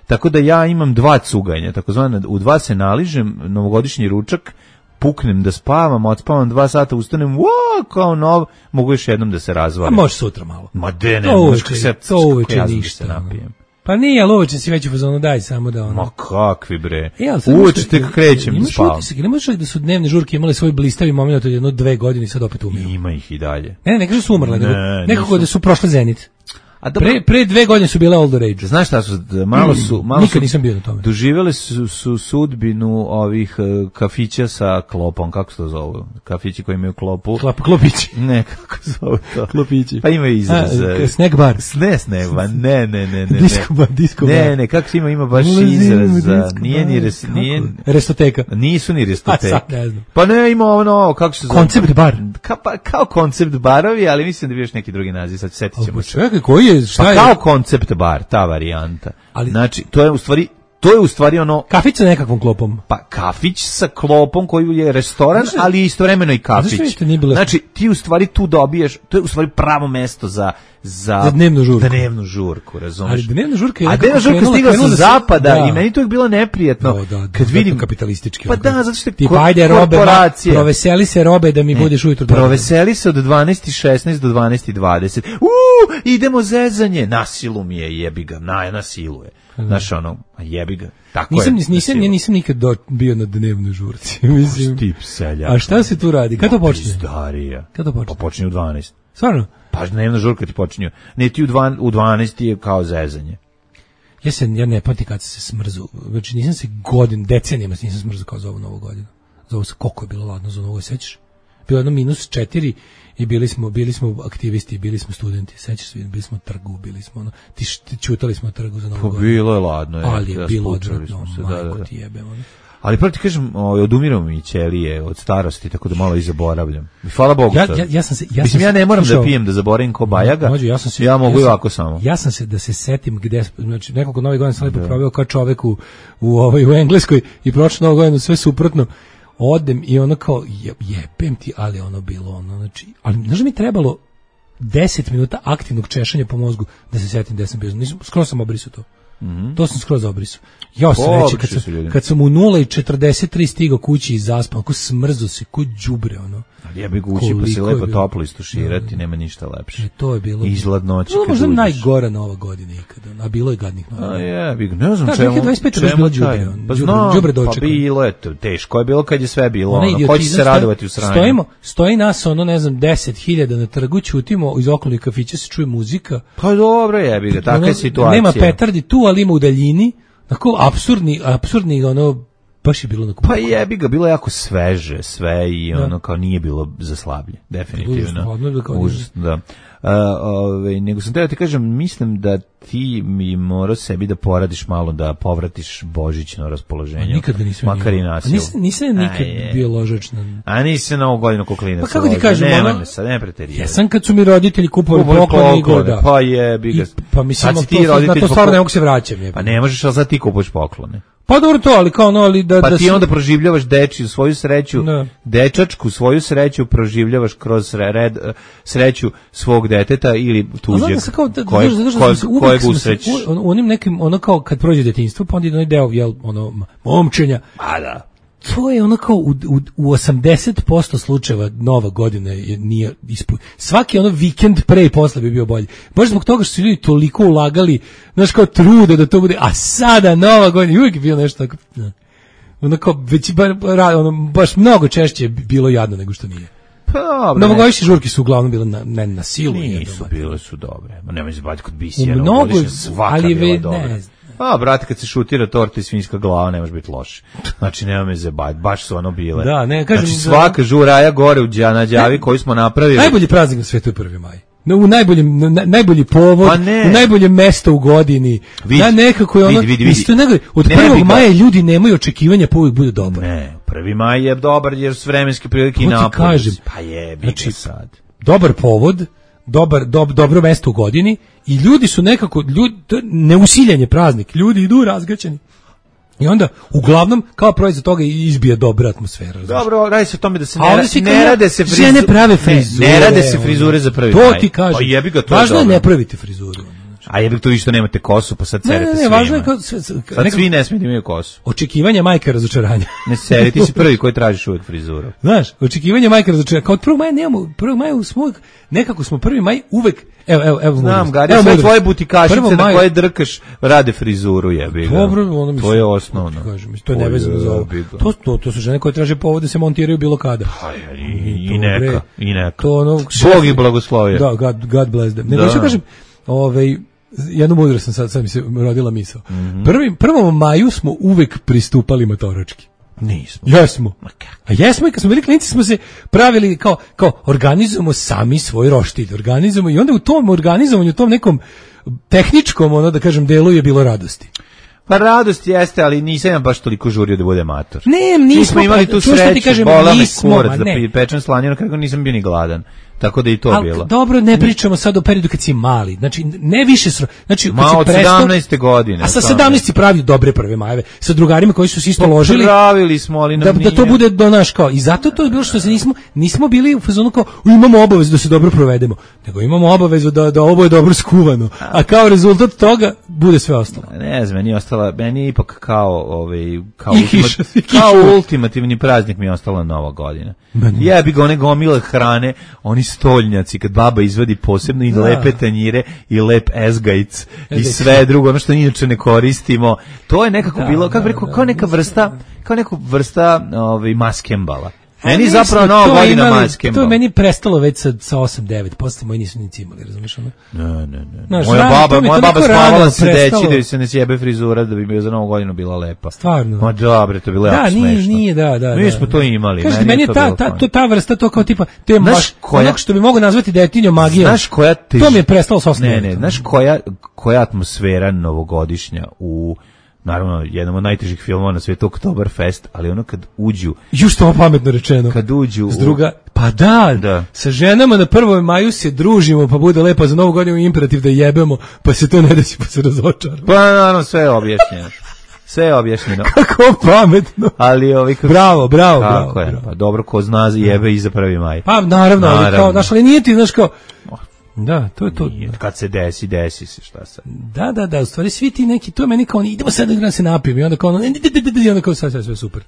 Speaker 8: Tako da ja imam dva cuganja, takozvano u dva se naližem, novogodišnji ručak, puknem da spavam, odspavam dva sata, ustanem, wow, kao nov, mogu još jednom da se razvalim.
Speaker 7: A može sutra malo.
Speaker 8: Ma de ne,
Speaker 7: to
Speaker 8: uveče, se,
Speaker 7: to uveče
Speaker 8: ja
Speaker 7: ništa.
Speaker 8: Se napijem.
Speaker 7: Pa nije, ali uveče si već u fazonu, daj samo da ono.
Speaker 8: Ma kakvi bre.
Speaker 7: E,
Speaker 8: uveče tek krećem da spavam.
Speaker 7: Ne možeš da su dnevne žurke imale svoj blistavi moment od jedno dve godine i sad opet umiru.
Speaker 8: Ima ih i dalje.
Speaker 7: Ne, ne, ne kažu su umrle,
Speaker 8: ne,
Speaker 7: nego nekako da su prošle zenit.
Speaker 8: A dobro,
Speaker 7: pre, pre dve godine su bile all the rage.
Speaker 8: Znaš šta su, malo su, malo
Speaker 7: Nikad
Speaker 8: su,
Speaker 7: nisam bio na tome.
Speaker 8: Doživjeli su, su sudbinu ovih uh, kafića sa klopom, kako se to zove? Kafići koji imaju klopu.
Speaker 7: Klop, klopići.
Speaker 8: Ne, kako se zove to?
Speaker 7: Klopići.
Speaker 8: Pa imaju izraz.
Speaker 7: A, snack bar.
Speaker 8: Ne, snack bar, ne, ne, ne, ne.
Speaker 7: Disco bar, disco bar.
Speaker 8: Ne, ne, kako se ima, ima baš izraz. Nije ni res, nije,
Speaker 7: restoteka.
Speaker 8: Nisu ni restoteka.
Speaker 7: A, sad ne znam.
Speaker 8: Pa ne, ima ono, kako se zove?
Speaker 7: Koncept bar.
Speaker 8: Ka, pa, kao koncept barovi, ali mislim da bi još neki drugi naziv, sad setit ćemo se.
Speaker 7: Čekaj, koji je, šta
Speaker 8: pa
Speaker 7: je?
Speaker 8: Kao koncept bar, ta varijanta. Ali, znači, to je u stvari, to je u stvari ono...
Speaker 7: Kafić sa nekakvom klopom.
Speaker 8: Pa kafić sa klopom koji je restoran, znači, ali istovremeno i kafić.
Speaker 7: Bilo...
Speaker 8: Znači, ti u stvari tu dobiješ, to je u stvari pravo mesto za... Za,
Speaker 7: za dnevnu žurku.
Speaker 8: Dnevnu žurku, razumiješ?
Speaker 7: Ali dnevna žurka je...
Speaker 8: A dnevna žurka stigla sa zapada da. I meni to je bilo neprijetno.
Speaker 7: Da, da, da,
Speaker 8: kad vidim...
Speaker 7: kapitalistički.
Speaker 8: Pa da, zato što
Speaker 7: ti ajde robe, proveseli se robe da mi ne, budeš ujutro.
Speaker 8: Proveseli se od dvanaest i šesnaest do dvanaest i dvadeset. Uuu, idemo zezanje. Na silu mi je, jebi ga, na, na silu je. Znaš ono, jebi ga. Tako
Speaker 7: nisam,
Speaker 8: je.
Speaker 7: Nisam, ja nisam nikad do, bio na dnevnoj žurci. Mislim.
Speaker 8: Tip selja.
Speaker 7: A šta se tu radi? Kad to počne?
Speaker 8: Pizdarija.
Speaker 7: Kad to počne?
Speaker 8: Pa počne u dvanaest.
Speaker 7: Stvarno?
Speaker 8: Pa dnevna žurka ti počinju. Ne, ti u dvanaest je kao zezanje.
Speaker 7: Ja se ja ne pamtim kad se smrzu. Znači nisam se godin, decenijama nisam smrzu kao za ovu novu godinu. Za ovo se, koliko je bilo ladno za novu, sećaš? Bilo jedno minus četiri i bili smo, bili smo aktivisti, bili smo studenti, sećaš se, bili smo na trgu, bili smo ono, ti čutali smo na trgu za novu
Speaker 8: pa,
Speaker 7: godinu.
Speaker 8: Bilo je ladno. Je,
Speaker 7: ali je
Speaker 8: ja
Speaker 7: bilo odvratno,
Speaker 8: se,
Speaker 7: majko
Speaker 8: da, da.
Speaker 7: ti jebe. Ono.
Speaker 8: Ali pravo ti kažem, odumiramo mi ćelije od starosti, tako da malo i zaboravljam. I hvala Bogu.
Speaker 7: Ja, ja, ja sam se, ja
Speaker 8: Mislim,
Speaker 7: sam
Speaker 8: ja ne moram
Speaker 7: slušao,
Speaker 8: da pijem, da zaboravim ko Bajaga,
Speaker 7: Mađu, ja, sam se,
Speaker 8: ja mogu
Speaker 7: ja
Speaker 8: i ovako samo.
Speaker 7: Ja sam se, da se setim gde, znači nekoliko novih godina sam lepo proveo kao čovek u, u, ovaj, u Engleskoj i prošlo novu godinu sve suprotno. Odem i ono kao, je, jebem ti, ali ono bilo ono, znači, ali znaš mi trebalo deset minuta aktivnog češanja po mozgu da se setim gde sam bio. Nisam, skroz sam obrisao to. Mm-hmm. To sam skroz obrisao. Ja sam reći, kad sam, kad sam u nula i četrdeset tri stigao kući i zaspao, ako smrzo se, ko đubre, ono.
Speaker 8: Ali ja bih kući pa se lepo toplo istuširati, nema ništa lepše.
Speaker 7: E, to je bilo.
Speaker 8: Izgled noći.
Speaker 7: To je možda najgora nova godina ikada, a bilo je gadnih nova.
Speaker 8: A je, bih, ne znam
Speaker 7: da,
Speaker 8: čemu.
Speaker 7: dvije hiljade dvadeset pete je bilo đubre.
Speaker 8: Pa znam,
Speaker 7: đubre
Speaker 8: pa bilo je, teško je bilo kad je sve bilo, ono, ko će se radovati u sranju.
Speaker 7: Stojimo, stoji nas, ono, ne znam, deset hiljada na trgu, ćutimo, iz okolnih kafića se čuje muzika.
Speaker 8: Pa dobro je, bih, takva je situacija.
Speaker 7: Nema petardi tu, ali ima u daljini, tako, apsurdni, apsurdni, ono, baš je bilo na
Speaker 8: Pa jebi ga, bilo je jako sveže, sve i ono da. Kao nije bilo za slablje, definitivno. Užasno, da. Uh, ove, nego sam teo ti kažem, mislim da ti mi morao sebi da poradiš malo, da povratiš božićno raspoloženje.
Speaker 7: A nikad ga nisam
Speaker 8: makar i nasilno.
Speaker 7: Nisam, nisam nikad Aj, bio ložač na...
Speaker 8: A nisi na ovu godinu koklinac.
Speaker 7: Pa kako ti kažem,
Speaker 8: nema
Speaker 7: ono...
Speaker 8: me sad, ne preterivati.
Speaker 7: Ja sam kad su mi roditelji kupovali poklone i goda.
Speaker 8: Pa jebi ga.
Speaker 7: Pa mislim, to, to, na to stvarno ne mogu se vraćam. Je.
Speaker 8: Pa ne možeš, ali sad ti kupuješ poklone.
Speaker 7: Pa dobro to, ali kao ono, ali da...
Speaker 8: Pa
Speaker 7: da
Speaker 8: ti
Speaker 7: si...
Speaker 8: onda proživljavaš dečiju svoju sreću, da. Dečačku svoju sreću proživljavaš kroz red, sreću svog deteta ili tuđeg, kojeg, kojeg usrećiš.
Speaker 7: U onim nekim, ono kao kad prođe detinjstvo, pa onda je onaj deo, jel, ono, momčenja.
Speaker 8: A da.
Speaker 7: To je ono kao u, u, u osamdeset posto slučajeva nova godina je, nije ispunjena. Svaki ono vikend pre i posle bi bio bolji. Baš zbog toga što su ljudi toliko ulagali, znaš, kao trude da to bude, a sada nova godina, uvijek je bilo nešto tako, ne. Ono kao, već bar, ono, baš mnogo češće bilo jadno nego što nije.
Speaker 8: Pa dobro.
Speaker 7: Novogodišnje žurke su uglavnom bile na, ne, na silu.
Speaker 8: Nisu, bile su dobre. Ma nemoj se baviti kod bisija.
Speaker 7: Mnogo, ali ve, ne
Speaker 8: A, brate, kad se šutira torta i svinjska glava, ne može biti loše. Znači, nema me zabaviti, baš su ono bile.
Speaker 7: Da, ne, kažem,
Speaker 8: znači, svaka žuraja gore u Đana Đavi koju smo napravili.
Speaker 7: Najbolji praznik na svetu je prvi maj. U najboljem, na, najbolji povod, pa u najbolje mesto u godini.
Speaker 8: Vidi,
Speaker 7: ja nekako je ono,
Speaker 8: vidi, vidi, vidi.
Speaker 7: Nego, od
Speaker 8: ne
Speaker 7: prvog maja ljudi nemaju očekivanja pa uvijek bude dobar.
Speaker 8: Ne, prvi maj je dobar jer su vremenske prilike i napad. Pa je, znači, sad.
Speaker 7: Dobar povod, dobar, dob, dobro mesto u godini i ljudi su nekako, ljudi, neusiljanje praznik, ljudi idu razgaćeni. I onda, uglavnom, kao proizvod toga izbije dobra atmosfera.
Speaker 8: Dobro, radi se o tome da se ne,
Speaker 7: ra-
Speaker 8: ne, ne rade se frizure.
Speaker 7: Žene prave frizure.
Speaker 8: Ne, ne rade se frizure za prvi
Speaker 7: to
Speaker 8: maj.
Speaker 7: To ti kažem.
Speaker 8: Pa jebi ga, to
Speaker 7: važno
Speaker 8: je
Speaker 7: ne pravite frizuru.
Speaker 8: A jebi to vi što nemate kosu, pa sad cerete svima.
Speaker 7: Ne, ne, ne, važno je kao...
Speaker 8: Sad nekako, svi ne smiju da imaju kosu.
Speaker 7: Očekivanja majke razočaranja.
Speaker 8: Ne seri, ti si prvi koji tražiš uvijek frizuru.
Speaker 7: Znaš, očekivanja majke razočaranja. Kao od prvog maja nemamo, prvog maja smo, nekako smo prvi maj uvek... Evo, evo, evo.
Speaker 8: Znam, Gari, sve mudrost. Tvoje butikašice na maj... koje drkaš rade frizuru, jebi ga.
Speaker 7: Dobro, ono mislim.
Speaker 8: To je osnovno.
Speaker 7: Kažem, to je nevezano za ovo. To, to, to su žene koje traže povod da se montiraju bilo kada.
Speaker 8: Pa, i, i, i neka, i neka.
Speaker 7: To ono,
Speaker 8: Bog ih blagoslovio.
Speaker 7: Da, God, God bless them. Nego što kažem, ovaj, jednu mudrost sam sad, sad mi se rodila misao. Mm -hmm. Prvim, prvom maju smo uvek pristupali matoročki.
Speaker 8: Nismo.
Speaker 7: Jesmo. A jesmo i kad smo bili klinci smo se pravili kao, kao organizujemo sami svoj roštilj, organizujemo i onda u tom organizovanju, u tom nekom tehničkom, ono da kažem, delu je bilo radosti.
Speaker 8: Pa radost jeste, ali nisam ja baš toliko žurio da bude mator.
Speaker 7: Ne, nismo.
Speaker 8: Nismo imali tu sreću, bola me kurac da pečem slaninu, kako nisam bio ni gladan. Tako da i to
Speaker 7: Al,
Speaker 8: bilo.
Speaker 7: Dobro, ne pričamo sad o periodu kad si mali. Znači, ne više sro... Znači,
Speaker 8: Ma, od sedamnaeste godine.
Speaker 7: A sa sedamnaeste pravi dobre prve majeve. Sa drugarima koji su se isto ložili.
Speaker 8: Pravili smo, ali nam
Speaker 7: da,
Speaker 8: nije.
Speaker 7: Da to bude do naš kao. I zato to je bilo što se nismo, nismo bili u fazonu kao, imamo obavezu da se dobro provedemo. Nego imamo obavezu da, da ovo je dobro skuvano. A kao rezultat toga bude sve ostalo.
Speaker 8: Ne znam, meni je ostala, meni je ipak kao, ovaj, kao, ultimat, kao ultimativni praznik mi je ostala Nova godina. Ja bi ga one gomile hrane, oni stoljnjaci, kad baba izvadi posebno i da. Lepe tanjire i lep ezgajc i sve drugo, ono što inače ne koristimo. To je nekako da, bilo, kako bi rekao, kao neka vrsta, kao neku vrsta ovaj, maskembala. Meni je zapravo Nova godina maskembala.
Speaker 7: To je meni prestalo već sa, sa osam devet, posle moji nisu nici imali, razumiješ ono?
Speaker 8: Ne, ne, ne. Znaš, moja rano, baba, moja baba spavala sedeći da se ne sjebe frizura da bi bio za Novu godinu bila lepa.
Speaker 7: Stvarno.
Speaker 8: Ma dobre, to je bilo
Speaker 7: da,
Speaker 8: jako smešno.
Speaker 7: Nije, nije, da, da.
Speaker 8: Mi
Speaker 7: da,
Speaker 8: smo
Speaker 7: da.
Speaker 8: to imali.
Speaker 7: Kažete, meni je ta, ta, to, ta vrsta, to kao tipa, to je baš onog što bi mogo nazvati detinjom magijom.
Speaker 8: Znaš koja tež...
Speaker 7: To mi je prestalo sa osam devet.
Speaker 8: Ne, ne, znaš koja, koja atmosfera novogodišnja u... Naravno, jednom od najtežih filmova na svijetu, Oktoberfest, ali ono kad uđu...
Speaker 7: Ju što pametno rečeno.
Speaker 8: Kad uđu...
Speaker 7: S druga, pa da,
Speaker 8: da, sa
Speaker 7: ženama na prvom maju se družimo, pa bude lepo za Novu godinu imperativ da jebemo, pa se to ne desi, pa se razočaramo.
Speaker 8: Pa naravno, sve je objašnjeno. Sve je objašnjeno.
Speaker 7: Kako pametno.
Speaker 8: Ali ovi... Kako...
Speaker 7: Bravo, bravo,
Speaker 8: Tako
Speaker 7: bravo.
Speaker 8: je,
Speaker 7: bravo.
Speaker 8: pa dobro, ko zna jebe i za prvi maj.
Speaker 7: Pa naravno, naravno. Ali kao, znaš, ali nije ti, znaš kao... Da, to je to.
Speaker 8: Nije, kad se desi, desi se, šta sad.
Speaker 7: Da, da, da, u stvari svi ti neki, to je meni kao, idemo sad da se napijem i onda kao, i onda kao sad, sad sve super.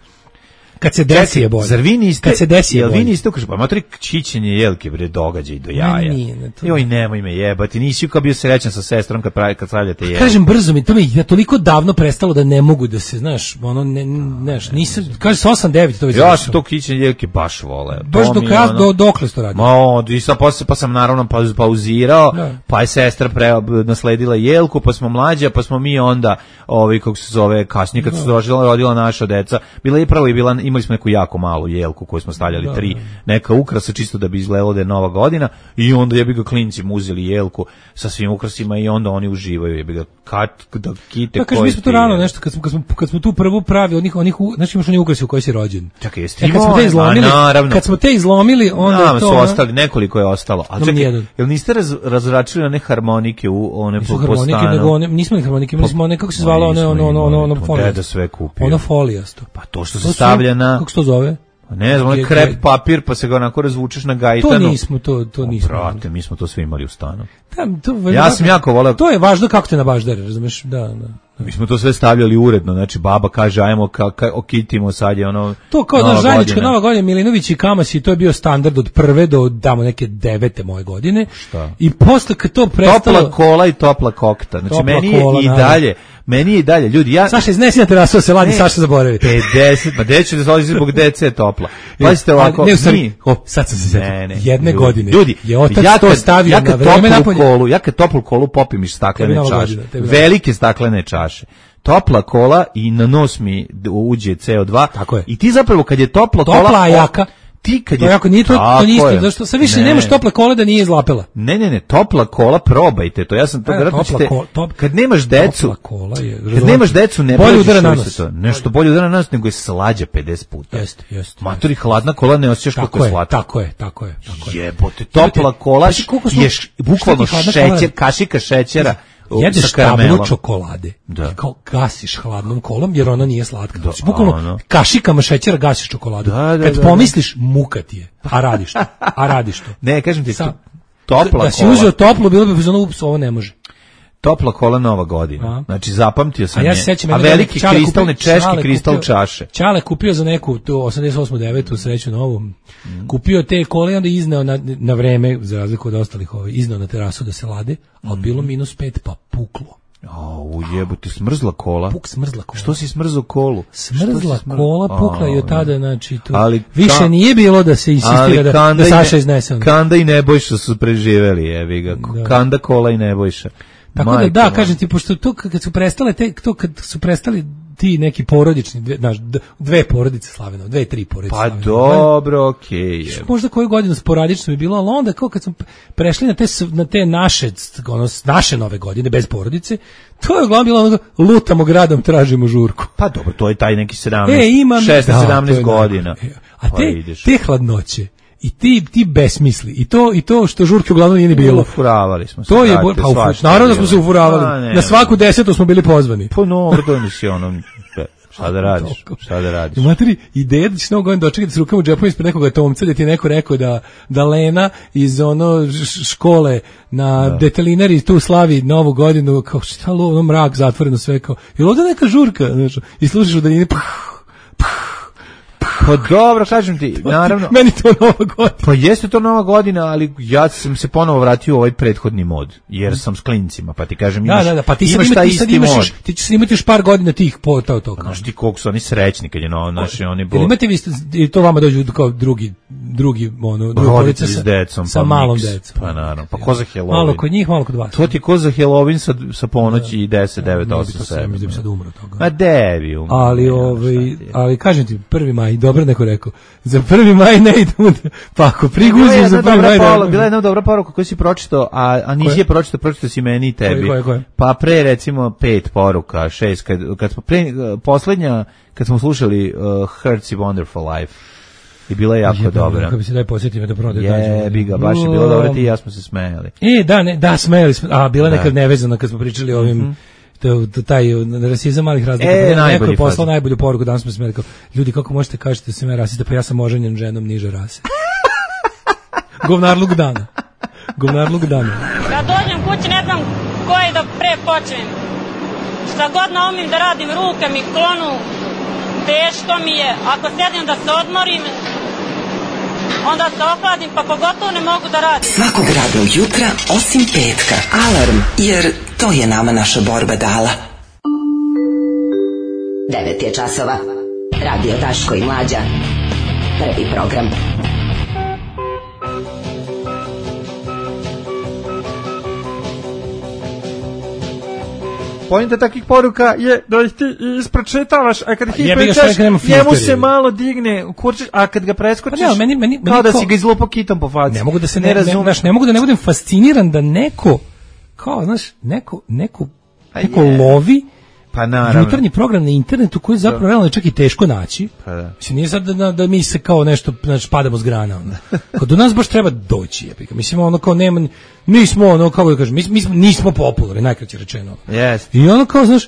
Speaker 7: Kad se desi je bolje.
Speaker 8: Zar vi niste,
Speaker 7: kad se desi je
Speaker 8: jel
Speaker 7: bolje.
Speaker 8: vi niste ukaže, pa matori čićenje jelke bre događaj do jaja.
Speaker 7: Ne, nije, ne, to-
Speaker 8: Joj, nemoj me jebati, nisi kao bio srećan sa sestrom kad pravi kad stavljate jelku.
Speaker 7: Kažem brzo mi, to mi je toliko davno prestalo da ne mogu da se, znaš, ono, ne, znaš, nisam, kaže se osam devet to već
Speaker 8: Ja
Speaker 7: završilo.
Speaker 8: sam to kićenje jelke baš vole.
Speaker 7: Baš
Speaker 8: To
Speaker 7: do
Speaker 8: mi je
Speaker 7: kraja,
Speaker 8: ono-
Speaker 7: do, dokle si to radio?
Speaker 8: Ma, od- i sad posle, pa sam naravno pauz- pauzirao,
Speaker 7: Da.
Speaker 8: pa je sestra pre, nasledila jelku, pa smo mlađa, pa smo mi onda, ovaj, kako se zove, kasnije kad su se rodila, rodila naša deca, bila je prvo i bila, imali smo neku jako malu jelku koju smo stavljali
Speaker 7: Da,
Speaker 8: tri,
Speaker 7: da.
Speaker 8: neka ukrasa čisto da bi izgledalo da je nova godina, i onda jebi ga klinci mu uzeli jelku sa svim ukrasima i onda oni uživaju, jebi ga kat, da kite
Speaker 7: Pa kaže,
Speaker 8: koji
Speaker 7: mi smo to
Speaker 8: ti-
Speaker 7: rano nešto, kad smo, kad smo, kad smo tu prvu pravi, onih, onih, u- znači imaš oni ukrasi u kojoj si rođen.
Speaker 8: Čekaj, jeste
Speaker 7: E, kad smo te
Speaker 8: imao?
Speaker 7: izlomili,
Speaker 8: A, naravno.
Speaker 7: kad smo te izlomili, onda
Speaker 8: Nama
Speaker 7: je to...
Speaker 8: su
Speaker 7: ono-
Speaker 8: ostali, nekoliko je ostalo. A
Speaker 7: Nam
Speaker 8: čekaj,
Speaker 7: nijedan.
Speaker 8: jel niste raz, razračili one harmonike u one
Speaker 7: Nisu
Speaker 8: po, po
Speaker 7: harmonike,
Speaker 8: stanu?
Speaker 7: nego one, nismo ni harmonike, imali smo one, kako se
Speaker 8: Ma
Speaker 7: zvala, one,
Speaker 8: nismo
Speaker 7: ono, ono, ono,
Speaker 8: imali,
Speaker 7: ono,
Speaker 8: to
Speaker 7: folijasto.
Speaker 8: deda sve kupio.
Speaker 7: Ono folijasto.
Speaker 8: Pa to što
Speaker 7: To
Speaker 8: se
Speaker 7: su-
Speaker 8: stavlja na,
Speaker 7: Kako se to zove?
Speaker 8: ne znam, onaj
Speaker 7: Ge-
Speaker 8: krep
Speaker 7: ge-
Speaker 8: papir, pa se ga onako razvučeš na gajtanu.
Speaker 7: To nismo, to, to nismo.
Speaker 8: Brate, mi smo to sve imali u stanu.
Speaker 7: Da, to,
Speaker 8: Ja sam jako voleo-
Speaker 7: To je važno kako te nabaždare, razumeš? Da, da.
Speaker 8: Mi smo to sve stavljali uredno, znači baba kaže ajmo ka, ka, okitimo sad je ono
Speaker 7: To kao
Speaker 8: Nova
Speaker 7: da zajednička
Speaker 8: godina.
Speaker 7: Nova godina, Milinović i Kamasi, to je bio standard od prve do damo neke devete moje godine.
Speaker 8: Šta?
Speaker 7: I posle kad to prestalo...
Speaker 8: Topla kola i topla kokta. Znači
Speaker 7: Topla
Speaker 8: meni je
Speaker 7: kola,
Speaker 8: i
Speaker 7: naravno.
Speaker 8: dalje, meni je i dalje, ljudi, ja
Speaker 7: Saša, iznesi na terasu da se ladi,
Speaker 8: Ne.
Speaker 7: Saša zaboravi.
Speaker 8: pedeset, pa gde ću da se odlazi zbog dece je topla. Pazite ovako,
Speaker 7: Ne, u stvari,
Speaker 8: mi-
Speaker 7: o, sad sam se setio.
Speaker 8: Ne, ne,
Speaker 7: Jedne
Speaker 8: ljudi,
Speaker 7: godine
Speaker 8: ljudi,
Speaker 7: je otac
Speaker 8: ja
Speaker 7: to
Speaker 8: kad-
Speaker 7: stavio
Speaker 8: ja
Speaker 7: na
Speaker 8: kad
Speaker 7: vreme
Speaker 8: toplu
Speaker 7: napolje.
Speaker 8: kolu, ja kad toplu kolu popim iz staklene
Speaker 7: Tebi Nova
Speaker 8: čaše,
Speaker 7: godina, tebi Nova.
Speaker 8: velike staklene čaše, topla kola i na nos mi d- uđe ce o dva.
Speaker 7: Tako je.
Speaker 8: I ti zapravo kad je topla kola...
Speaker 7: Topla, a
Speaker 8: o-
Speaker 7: jaka.
Speaker 8: Ti kad
Speaker 7: To
Speaker 8: je...
Speaker 7: jako nije to, to
Speaker 8: Tako
Speaker 7: nije isto,
Speaker 8: je.
Speaker 7: zašto sad više
Speaker 8: Ne.
Speaker 7: nemaš tople kole da nije izlapela.
Speaker 8: Ne, ne, ne, topla kola, probajte to. Ja sam to
Speaker 7: E,
Speaker 8: vjerojatno
Speaker 7: topla
Speaker 8: ćete...
Speaker 7: ko- top-
Speaker 8: kad nemaš decu...
Speaker 7: Topla kola je...
Speaker 8: Kad nemaš decu, ne
Speaker 7: bolje
Speaker 8: prođeš
Speaker 7: udara na
Speaker 8: što
Speaker 7: nos.
Speaker 8: se to. Nešto bolje udara na nos, nego je slađa pedeset puta.
Speaker 7: Jeste, jeste.
Speaker 8: Matori, hladna kola ne osjećaš koliko
Speaker 7: Tako
Speaker 8: je
Speaker 7: je,
Speaker 8: slatka.
Speaker 7: tako je, tako je, tako je.
Speaker 8: Jebote, topla kola
Speaker 7: Znaš koliko smo-
Speaker 8: je š- bukvalno
Speaker 7: šta ti hladna
Speaker 8: šećer,
Speaker 7: kola-
Speaker 8: kašika šećera u-
Speaker 7: Jedeš
Speaker 8: sa karamelom.
Speaker 7: tablu čokolade,
Speaker 8: Da.
Speaker 7: i kao gasiš hladnom kolom, jer ona nije slatka.
Speaker 8: Da,
Speaker 7: Znači, bukvalno
Speaker 8: ono.
Speaker 7: kašikama šećera gasiš čokoladu.
Speaker 8: Da, da,
Speaker 7: Kad
Speaker 8: da,
Speaker 7: pomisliš, muka ti je, a radiš to, a radiš to.
Speaker 8: Ne, kažem ti,
Speaker 7: Sa-
Speaker 8: to- topla
Speaker 7: da si
Speaker 8: kola.
Speaker 7: uzeo toplu, bilo bi fazonu, ups, ovo ne može.
Speaker 8: Topla kola Nova godina.
Speaker 7: A.
Speaker 8: Znači, zapamtio sam
Speaker 7: A ja
Speaker 8: je.
Speaker 7: se sećam
Speaker 8: A
Speaker 7: jedne
Speaker 8: veliki
Speaker 7: Čale
Speaker 8: kristalne,
Speaker 7: kupio-
Speaker 8: češki
Speaker 7: Čale
Speaker 8: kristal
Speaker 7: kupio-
Speaker 8: čaše.
Speaker 7: Čale kupio za neku tu osamdeset osam devetu sreću novu. Kupio te kole i onda izneo na, na vreme, za razliku od ostalih, ovaj, izneo na terasu da se lade, ali
Speaker 8: Mhm.
Speaker 7: bilo minus pet, pa puklo.
Speaker 8: O, jebote, smrzla kola.
Speaker 7: Puk smrzla kola.
Speaker 8: Što si smrzao kolu? Što
Speaker 7: Smrzla
Speaker 8: si smr-
Speaker 7: kola pukla i
Speaker 8: A,
Speaker 7: od tada, znači, tu
Speaker 8: Ali
Speaker 7: više
Speaker 8: ka-
Speaker 7: nije bilo da se insistira da, da
Speaker 8: i
Speaker 7: Saša
Speaker 8: Ne-
Speaker 7: iznese. ono.
Speaker 8: Kanda i Nebojša su preživeli, jebi ga.
Speaker 7: Da.
Speaker 8: Kanda, kola i Nebojša.
Speaker 7: Tako da,
Speaker 8: Majko
Speaker 7: da,
Speaker 8: moja.
Speaker 7: kažem ti, pošto to kad su prestale, te, to kad su prestali ti neki porodični, dve, znaš, d- dve porodice Slavenova, dve, tri porodice
Speaker 8: Pa
Speaker 7: Slavenova.
Speaker 8: dobro, okej. je.
Speaker 7: Možda koju godinu sporadično bi bilo, ali onda kao kad smo prešli na te, s- na te naše, ono, s- naše nove godine, bez porodice, to je uglavnom bilo ono, lutamo gradom, tražimo žurku.
Speaker 8: Pa dobro, to je taj neki sedamnaest,
Speaker 7: E, imam...
Speaker 8: šesnaest,
Speaker 7: Da, to
Speaker 8: sedamnaest
Speaker 7: je
Speaker 8: godina.
Speaker 7: najbolje. A
Speaker 8: Pa
Speaker 7: te,
Speaker 8: ideš.
Speaker 7: te hladnoće i ti, ti besmisli i to, i to što žurke uglavnom nije ni bilo.
Speaker 8: Ufuravali smo se.
Speaker 7: To je,
Speaker 8: brate,
Speaker 7: bo- pa, ufu-
Speaker 8: svašta je
Speaker 7: naravno da smo
Speaker 8: bilo.
Speaker 7: se ufuravali.
Speaker 8: Pa, ne,
Speaker 7: Na svaku desetu smo bili pozvani.
Speaker 8: Pa no, to nisi ono, šta da radiš, šta da radiš.
Speaker 7: I materi, ideja da ćeš novu godinu dočekati s rukama u džepu ispred nekoga tomca, da ti je neko rekao da, da Lena iz ono š- škole na detelinari tu slavi novu godinu, kao šta lo, ono mrak, zatvoreno sve, kao, je li ovdje neka žurka, znaš, i slušaš u daljini, puh,
Speaker 8: Pa dobro, kažem ti, naravno.
Speaker 7: meni to nova godina.
Speaker 8: Pa jeste to nova godina, ali ja sam se ponovo vratio u ovaj prethodni mod, jer sam s klincima, pa ti kažem,
Speaker 7: Da,
Speaker 8: imaš,
Speaker 7: da, da, pa ti sad,
Speaker 8: imaš
Speaker 7: ima,
Speaker 8: taj
Speaker 7: ti sad
Speaker 8: isti
Speaker 7: imaš,
Speaker 8: mod.
Speaker 7: još, ti ćeš imati još par godina tih po to, to, kao.
Speaker 8: Znaš ti koliko su oni srećni kad je no, naši, oni bo...
Speaker 7: Jel imate vi, i to vama dođu kao drugi, drugi, ono, druga porodica
Speaker 8: roditelji s decom,
Speaker 7: sa
Speaker 8: pa
Speaker 7: malom
Speaker 8: miks.
Speaker 7: decom.
Speaker 8: Pa naravno, pa ko za Halloween?
Speaker 7: Malo kod njih, malo kod vas.
Speaker 8: To ti je ko za Halloween sa, sa ponoći i deset, devet,
Speaker 7: Ne bi
Speaker 8: osam,
Speaker 7: to sve,
Speaker 8: sedam.
Speaker 7: mislim da bi sad umro od toga.
Speaker 8: Ma devi umro.
Speaker 7: Ali,
Speaker 8: ne,
Speaker 7: ovaj,
Speaker 8: šta ti je.
Speaker 7: ali kažem ti, prvi maj, dobro neko rekao, za prvi maj ne idemo, da, pa ako
Speaker 8: Bila je
Speaker 7: priguzim
Speaker 8: jedna
Speaker 7: za prvi
Speaker 8: dobra
Speaker 7: maj...
Speaker 8: poruka,
Speaker 7: da-
Speaker 8: bila je jedna dobra poruka koju si pročitao, a, a nisi
Speaker 7: Koje?
Speaker 8: je pročitao, pročitao si meni i tebi.
Speaker 7: Koje, koje, koje?
Speaker 8: Pa pre recimo pet poruka, šest, kad, kad smo pre, poslednja, kad smo slušali uh, Hertz i Wonderful Life, i bila je jako
Speaker 7: Jebem,
Speaker 8: dobra.
Speaker 7: Kako bi se daj posjetio da prvo da kažem.
Speaker 8: Jebi ga, baš je bilo dobro, ti i ja smo se smejali.
Speaker 7: E, da, ne, da, smejali smo, a bila je
Speaker 8: Da.
Speaker 7: nekad nevezana kad smo pričali o ovim, to, to, taj rasizam malih razlika.
Speaker 8: E,
Speaker 7: Pa neko
Speaker 8: najbolji
Speaker 7: je poslao
Speaker 8: fazon.
Speaker 7: najbolju poruku, danas smo smeli kao, ljudi, kako možete kažete da sam ja rasista, pa ja sam oženjen ženom niže rase. Govnarluk dana. Govnarluk dana.
Speaker 9: Kad dođem kući ne znam koji da pre počnem. Šta god naumim da radim, ruke mi klonu, teško mi je, ako sjedim da se odmorim, onda se ohladim, pa pogotovo ne mogu da radim.
Speaker 10: Svakog radnog jutra, osim petka. Alarm, jer to je nama naša borba dala.
Speaker 11: devet je časova. Radio Daško i Mlađa. Prvi program.
Speaker 8: Poenta takvih poruka je da ih ti ispročitavaš, a kad ih
Speaker 7: jebi ga,
Speaker 8: ispročitaš,
Speaker 7: šta je
Speaker 8: njemu
Speaker 7: filter,
Speaker 8: se
Speaker 7: jebi.
Speaker 8: malo digne kurčić, a kad ga preskočiš,
Speaker 7: Pa ne, meni- meni- meni
Speaker 8: kao da
Speaker 7: ko-
Speaker 8: si ga izlupao kitom po faci.
Speaker 7: Ne mogu da se
Speaker 8: ne,
Speaker 7: ne, ne,
Speaker 8: razumem.
Speaker 7: znaš, ne mogu da ne budem fasciniran da neko kao, znaš, neko neko
Speaker 8: A
Speaker 7: neko
Speaker 8: je.
Speaker 7: lovi
Speaker 8: Pa naravno.
Speaker 7: jutarnji program na internetu koji je zapravo realno je čak i teško naći.
Speaker 8: Pa da.
Speaker 7: Mislim, nije sad da, da mi se kao nešto, znači, padamo s grana. Ono. Kao do nas baš treba doći, jebika. Mislim, ono kao nema, nismo ono, kako da kažem, mi, mi smo, nismo popularni, najkraće rečeno.
Speaker 8: Jeste.
Speaker 7: I ono kao, znaš,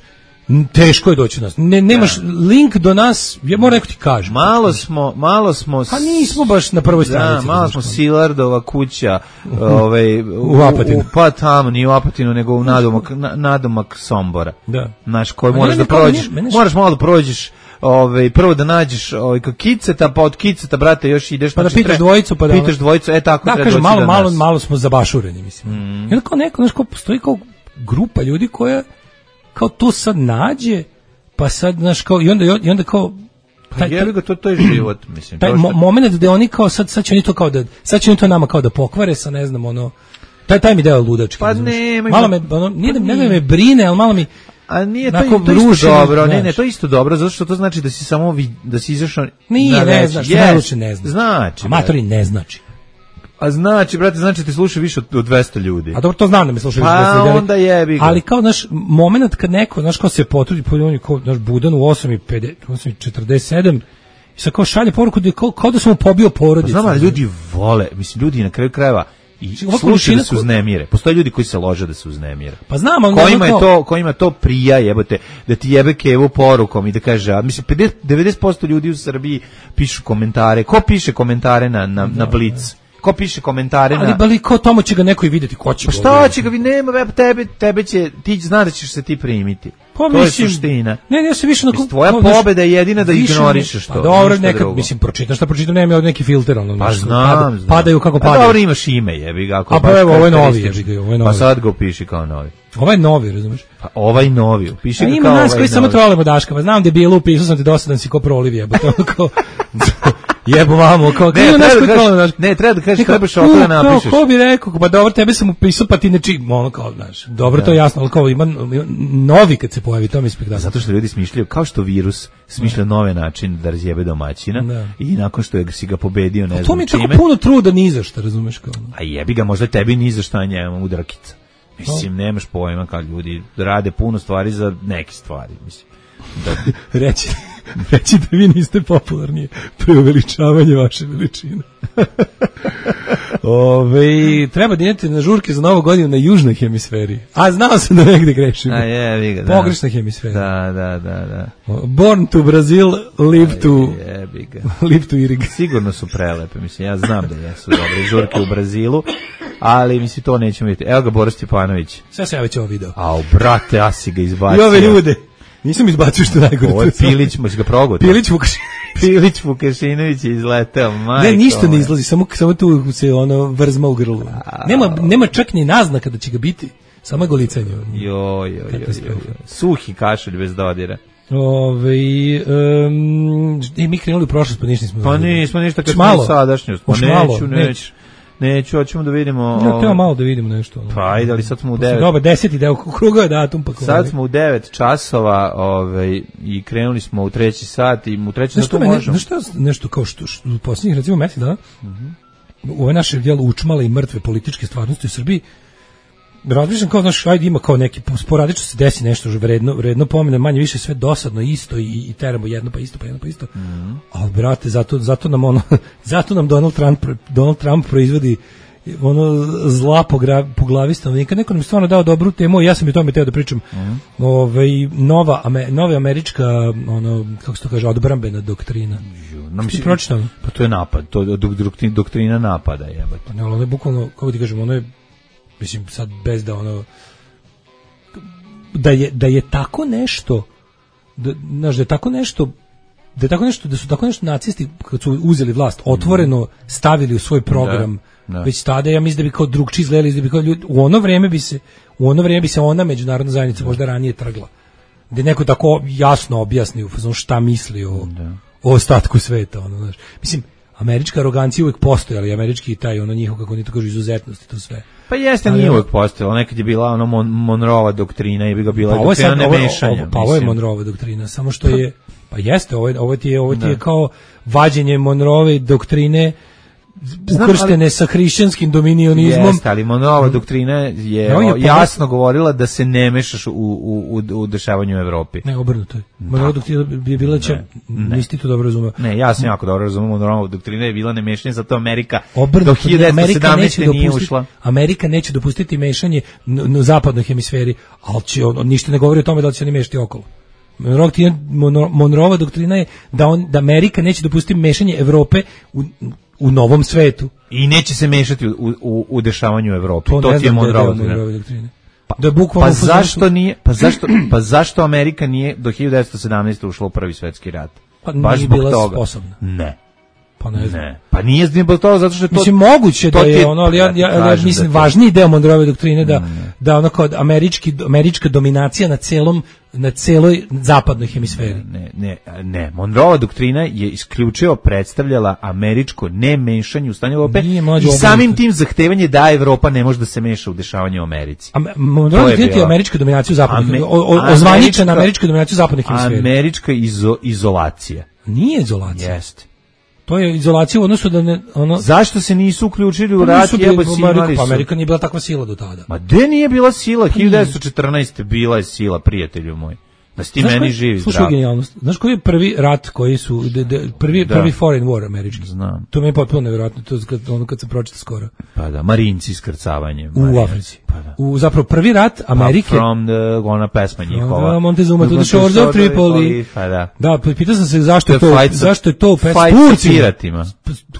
Speaker 7: n- teško je doći do nas. Ne, nemaš link do nas, ja moram neko ti kažem.
Speaker 8: Malo smo, malo smo...
Speaker 7: Pa nismo baš na prvoj stranici.
Speaker 8: Da, malo
Speaker 7: znaš,
Speaker 8: smo
Speaker 7: kao.
Speaker 8: Silardova kuća, ovaj,
Speaker 7: U Apatinu.
Speaker 8: u- pa tamo, nije u Apatinu, nego u nadomak, na, nadomak Sombora.
Speaker 7: Da.
Speaker 8: Znaš, koji
Speaker 7: Ma
Speaker 8: moraš
Speaker 7: ne,
Speaker 8: da
Speaker 7: ne, kao,
Speaker 8: prođeš,
Speaker 7: mene- mene-
Speaker 8: moraš malo da prođeš, ovaj, prvo da nađeš ovaj, kao kiceta, pa od kiceta, brate, još ideš...
Speaker 7: Pa da
Speaker 8: znači,
Speaker 7: pitaš
Speaker 8: tre-
Speaker 7: dvojicu, pa da ono-
Speaker 8: Pitaš dvojicu, e tako
Speaker 7: Da,
Speaker 8: treba
Speaker 7: kažem,
Speaker 8: doći
Speaker 7: malo,
Speaker 8: do
Speaker 7: malo,
Speaker 8: nas.
Speaker 7: malo smo zabašureni, mislim. Mm. I onda kao neko, znaš, kao postoji kao grupa ljudi koja kao to sad nađe, pa sad, znaš, kao, i onda, i onda kao,
Speaker 8: Pa jebi ga, to, to je život, mislim.
Speaker 7: taj
Speaker 8: to što-
Speaker 7: mo- moment gde oni kao, sad, sad će oni to kao da, sad će oni to nama kao da pokvare sa, ne znam, ono, taj, taj mi deo ludački.
Speaker 8: Pa
Speaker 7: razumeš?
Speaker 8: ne, ma-
Speaker 7: malo me, ono, nije da,
Speaker 8: pa
Speaker 7: ne da
Speaker 8: nije.
Speaker 7: me brine, ali malo mi,
Speaker 8: A nije to,
Speaker 7: onako
Speaker 8: to isto
Speaker 7: rušeno,
Speaker 8: dobro, ne,
Speaker 7: znaš.
Speaker 8: ne, to je isto dobro, zato što to znači da si samo vi, da si izašao
Speaker 7: nije,
Speaker 8: na
Speaker 7: ne
Speaker 8: veći.
Speaker 7: znaš,
Speaker 8: Yes,
Speaker 7: najluče ne znaš.
Speaker 8: Znači,
Speaker 7: Amatori ne znači.
Speaker 8: a znači, brate, znači ti sluša više od, od dvesta ljudi.
Speaker 7: A dobro, to znam da me slušaju.
Speaker 8: Pa
Speaker 7: deset ljudi, ali-
Speaker 8: onda jebi ga.
Speaker 7: Ali kao, znaš, moment kad neko, znaš, kao se potrudi, pa on je kao, znaš, budan u osam i pedeset, osam i četrdeset sedam, i sad kao šalje poruku da je kao, kao da sam mu pobio
Speaker 8: Pa
Speaker 7: porodicu.
Speaker 8: znam, ali ljudi vole, mislim, ljudi na kraju krajeva i
Speaker 7: Ova
Speaker 8: slušaju
Speaker 7: količina
Speaker 8: da se
Speaker 7: ko-
Speaker 8: uznemire. Postoje ljudi koji se lože da se uznemire.
Speaker 7: Pa znam, ali
Speaker 8: Kojima
Speaker 7: ono
Speaker 8: je
Speaker 7: kao-
Speaker 8: to, kojima to prija, jebote, da ti jebe kevu porukom i da kaže, a mislim, pedeset, devedeset posto ljudi u Srbiji pišu komentare. Ko piše komentare na, na, na Blic? Ko piše komentare
Speaker 7: Ali
Speaker 8: na...
Speaker 7: bali kao tamo će ga neko i videti, ko će
Speaker 8: Pa
Speaker 7: ga
Speaker 8: šta
Speaker 7: vidjeti?
Speaker 8: će ga vi nema, be, tebe, tebe će, ti zna da ćeš se ti primiti.
Speaker 7: Pa
Speaker 8: to
Speaker 7: mislim,
Speaker 8: je suština.
Speaker 7: Ne, ne, ja se više na
Speaker 8: Mislim, tvoja pobeda je jedina da ignorišeš to,
Speaker 7: Pa dobro,
Speaker 8: ništa
Speaker 7: nekad,
Speaker 8: drugo.
Speaker 7: mislim, pročitam šta pročitam, nema od neki filter, ono,
Speaker 8: Pa
Speaker 7: znaš,
Speaker 8: znam,
Speaker 7: pada-
Speaker 8: znam.
Speaker 7: padaju kako
Speaker 8: Pa
Speaker 7: padaju.
Speaker 8: dobro, imaš ime, jebi ga. ako
Speaker 7: A pa
Speaker 8: baš
Speaker 7: evo, ovo je novi,
Speaker 8: karakteristično.
Speaker 7: jebi ga, ovo je
Speaker 8: Pa
Speaker 7: novi.
Speaker 8: sad ga upiši kao novi.
Speaker 7: Ovaj novi, razumeš?
Speaker 8: Pa ovaj novi, upiši
Speaker 7: A
Speaker 8: ga
Speaker 7: ima
Speaker 8: kao
Speaker 7: nas
Speaker 8: ovaj
Speaker 7: koji samo
Speaker 8: novi.
Speaker 7: trolimo Daška, pa znam da je bilo, upisao sam te dosadan si ko proliv jebote, ono kao, jebo vamo, kao,
Speaker 8: Ne,
Speaker 7: ima nas
Speaker 8: treba
Speaker 7: koji
Speaker 8: da
Speaker 7: trolimo
Speaker 8: kažeš,
Speaker 7: Daška.
Speaker 8: ne, treba da kažeš,
Speaker 7: I kao,
Speaker 8: trebaš ovako da
Speaker 7: "U, kao,
Speaker 8: napišeš.
Speaker 7: Ko bi rekao, pa dobro, tebe sam upisao, pa ti ne čim, ono kao, znaš, dobro, to je jasno, ali kao, ima ima novi kad se pojavi, to mi je spektakl.
Speaker 8: Zato što ljudi smišljaju, kao što virus smišlja nove načine da razjebe domaćina
Speaker 7: Da.
Speaker 8: i nakon što je si ga pobedio, ne
Speaker 7: To
Speaker 8: znam
Speaker 7: mi je tako
Speaker 8: čime,
Speaker 7: puno truda ni za šta, razumeš kao. ono.
Speaker 8: a jebi ga, možda tebi ni za šta, a njemu udrakica. Mislim, nemaš pojma kad ljudi rade puno stvari za neke stvari, mislim. Da,
Speaker 7: Reći, reći da vi niste popularni, preuveličavanje vaše veličine. Ove, treba da idete na žurke za novu godinu na južnoj hemisferi. A znao sam da negde grešim.
Speaker 8: a jebi ga, da.
Speaker 7: Pogrešna hemisfera.
Speaker 8: Da, da, da, da.
Speaker 7: Born to Brazil, live to,
Speaker 8: Jebi ga.
Speaker 7: live to Irig.
Speaker 8: Sigurno su prelepe, mislim, ja znam da jesu dobre žurke u Brazilu, ali mislim, to nećemo vidjeti. Evo ga Boris Stjepanović.
Speaker 7: Sve se ja već ovo video.
Speaker 8: Au, brate, ja si ga izbacio.
Speaker 7: I ove ljude. Nisam izbacio što je najgore.
Speaker 8: Ovo je Pilić, možeš ga progutati.
Speaker 7: Pilić Vukašin.
Speaker 8: Pilić Vukašinović je izleteo, majko.
Speaker 7: Ne, ništa ne
Speaker 8: moja.
Speaker 7: izlazi, samo, samo tu se ono vrzma u grlu. Nema, nema čak ni naznaka da će ga biti. Samo je golicanje.
Speaker 8: Jo, jo, jo, jo,
Speaker 7: Katastrofa.
Speaker 8: jo. Suhi kašelj bez dodira.
Speaker 7: Ove, um, e, mi krenuli u prošlost, pa ništa nismo.
Speaker 8: Pa nismo ništa kad
Speaker 7: Hoć
Speaker 8: smo
Speaker 7: malo?
Speaker 8: u sadašnjost. Pa
Speaker 7: Hoć malo?
Speaker 8: neću, neću. Neću, hoćemo da vidimo...
Speaker 7: Ja,
Speaker 8: ovaj,
Speaker 7: teo malo da vidimo nešto. ono.
Speaker 8: Pa ajde, ali sad smo u
Speaker 7: Posle
Speaker 8: devet.
Speaker 7: Dobar, deseti deo, kruga je datum. Pa
Speaker 8: Sad smo u devet časova ovaj, i krenuli smo u treći sat i u treći
Speaker 7: Znaš
Speaker 8: sat
Speaker 7: što
Speaker 8: to
Speaker 7: mene,
Speaker 8: možemo.
Speaker 7: znaš šta, nešto kao što, što u posljednjih recimo mesec dana, u ove naše djelo učmale i mrtve političke stvarnosti u Srbiji, razmišljam kao, znaš, ajde ima kao neki, sporadično se desi nešto vredno, vredno pomene, manje više sve dosadno isto i, i teramo jedno pa isto, pa jedno pa isto. Mm. Ali, brate, zato, zato nam ono, zato nam Donald Trump, Donald Trump proizvodi ono zla po, gra, po glavi stanovnika. Neko nam je stvarno dao dobru temu i ja sam i o tome teo da pričam. Mm. Ove, nova, ame, nova američka, ono, kako se to kaže, odbrambena doktrina.
Speaker 8: No, mislim,
Speaker 7: pročitano?
Speaker 8: Pa to je napad, to je doktrina, doktrina napada, jebate.
Speaker 7: Pa ne, ali ono je bukvalno, kako ti kažem, ono je, mislim, sad bez da ono, da je, da je tako nešto, da, znaš, da je tako nešto da je tako nešto, da su tako nešto nacisti kad su uzeli vlast otvoreno stavili u svoj program. Da, da. Već tada ja mislim da bi kao drugčiji izgledali, da bi kao ljudi, u ono vrijeme bi se u ono vrijeme bi se ona međunarodna zajednica možda ranije trgla. Da neko tako jasno objasni u fazonu šta misli o, o ostatku sveta, ono, znaš. Mislim, američka arogancija uvijek postoji, ali američki taj ono njihov, kako oni to kažu, izuzetnost i to sve.
Speaker 8: Pa jeste, ali nije uvijek postojalo, nekad je bila ono Mon Monroeva doktrina i bi ga bila pa doktrina nemešanja.
Speaker 7: Pa ovo je Monroeva doktrina, samo što je, pa jeste, ovo, ovo ti je, ovo ti je kao vađenje Monroeve doktrine ukrštene sa hrišćanskim dominionizmom.
Speaker 8: Jeste, ali Monroeva doktrina je no, je jasno govorila da se ne mešaš u, u, u, u dešavanju u Evropi.
Speaker 7: Ne, obrnuto je. Monroeva doktrina je bila će, nisi to dobro razumeo.
Speaker 8: Ne, ja sam jako dobro razumeo, Monroeva doktrina je bila nemešanje, zato Amerika obrnuto, do hiljadu devetsto sedamnaeste nije ušla.
Speaker 7: Amerika neće dopustiti mešanje u zapadnoj hemisferi, ali će, on, ništa ne govori o tome da će oni mešati okolo. Monroeva doktrina je da, on, da Amerika neće dopustiti mešanje Evrope u u novom svetu.
Speaker 8: I neće se mešati u, u, u dešavanju u Evropi. To, to ti je Monroeva doktrina. Pa,
Speaker 7: da
Speaker 8: pa zašto nije, pa zašto, pa zašto Amerika nije do hiljadu devetsto sedamnaeste ušla u prvi svetski rat?
Speaker 7: Pa baš nije bila toga. Sposobna.
Speaker 8: Ne.
Speaker 7: Pa ne znam.
Speaker 8: Ne. Pa nije zbog toga zato što je to...
Speaker 7: Mislim, moguće da je ono, ali ja, ja, ja mislim, da važniji deo Monroeve doktrine da, ne. da ono kao američki, američka dominacija na celom, na celoj zapadnoj hemisferi.
Speaker 8: Ne, ne, ne. Monroeva doktrina je isključivo predstavljala američko nemešanje u stanje Evrope i samim tim zahtevanje da Evropa ne može da se meša u dešavanje u Americi.
Speaker 7: Monroeva doktrina je američka dominacija u zapadnoj, ozvaničena američka dominacija u zapadnoj hemisferi.
Speaker 8: Američka izo, izolacija.
Speaker 7: Nije izolacija.
Speaker 8: Jeste.
Speaker 7: To je izolacija u odnosu da ne, ono...
Speaker 8: Zašto se nisu uključili u rat? Jebo si imali
Speaker 7: su. Pa Amerika nije bila takva sila do tada.
Speaker 8: Ma gde nije bila sila? Pa hiljadu devetsto četrnaeste bila je sila, prijatelju moj. Da si ti meni koji, živi zdrav.
Speaker 7: Slušaj genijalnost. Znaš koji je prvi rat koji su, de, de, prvi, da. prvi foreign war američki?
Speaker 8: Znam.
Speaker 7: To mi je potpuno nevjerojatno, to kad, ono kad se pročita skoro.
Speaker 8: Pa da, Marinci iskrcavanje.
Speaker 7: U Africi. Pa da. U, zapravo prvi rat Amerike.
Speaker 8: Pa from the, ona pesma njihova.
Speaker 7: Da, Montezuma, to the shores of Tripoli.
Speaker 8: Pa da.
Speaker 7: Da, pitao sam se zašto je to, zašto je to pesma.
Speaker 8: Turci piratima.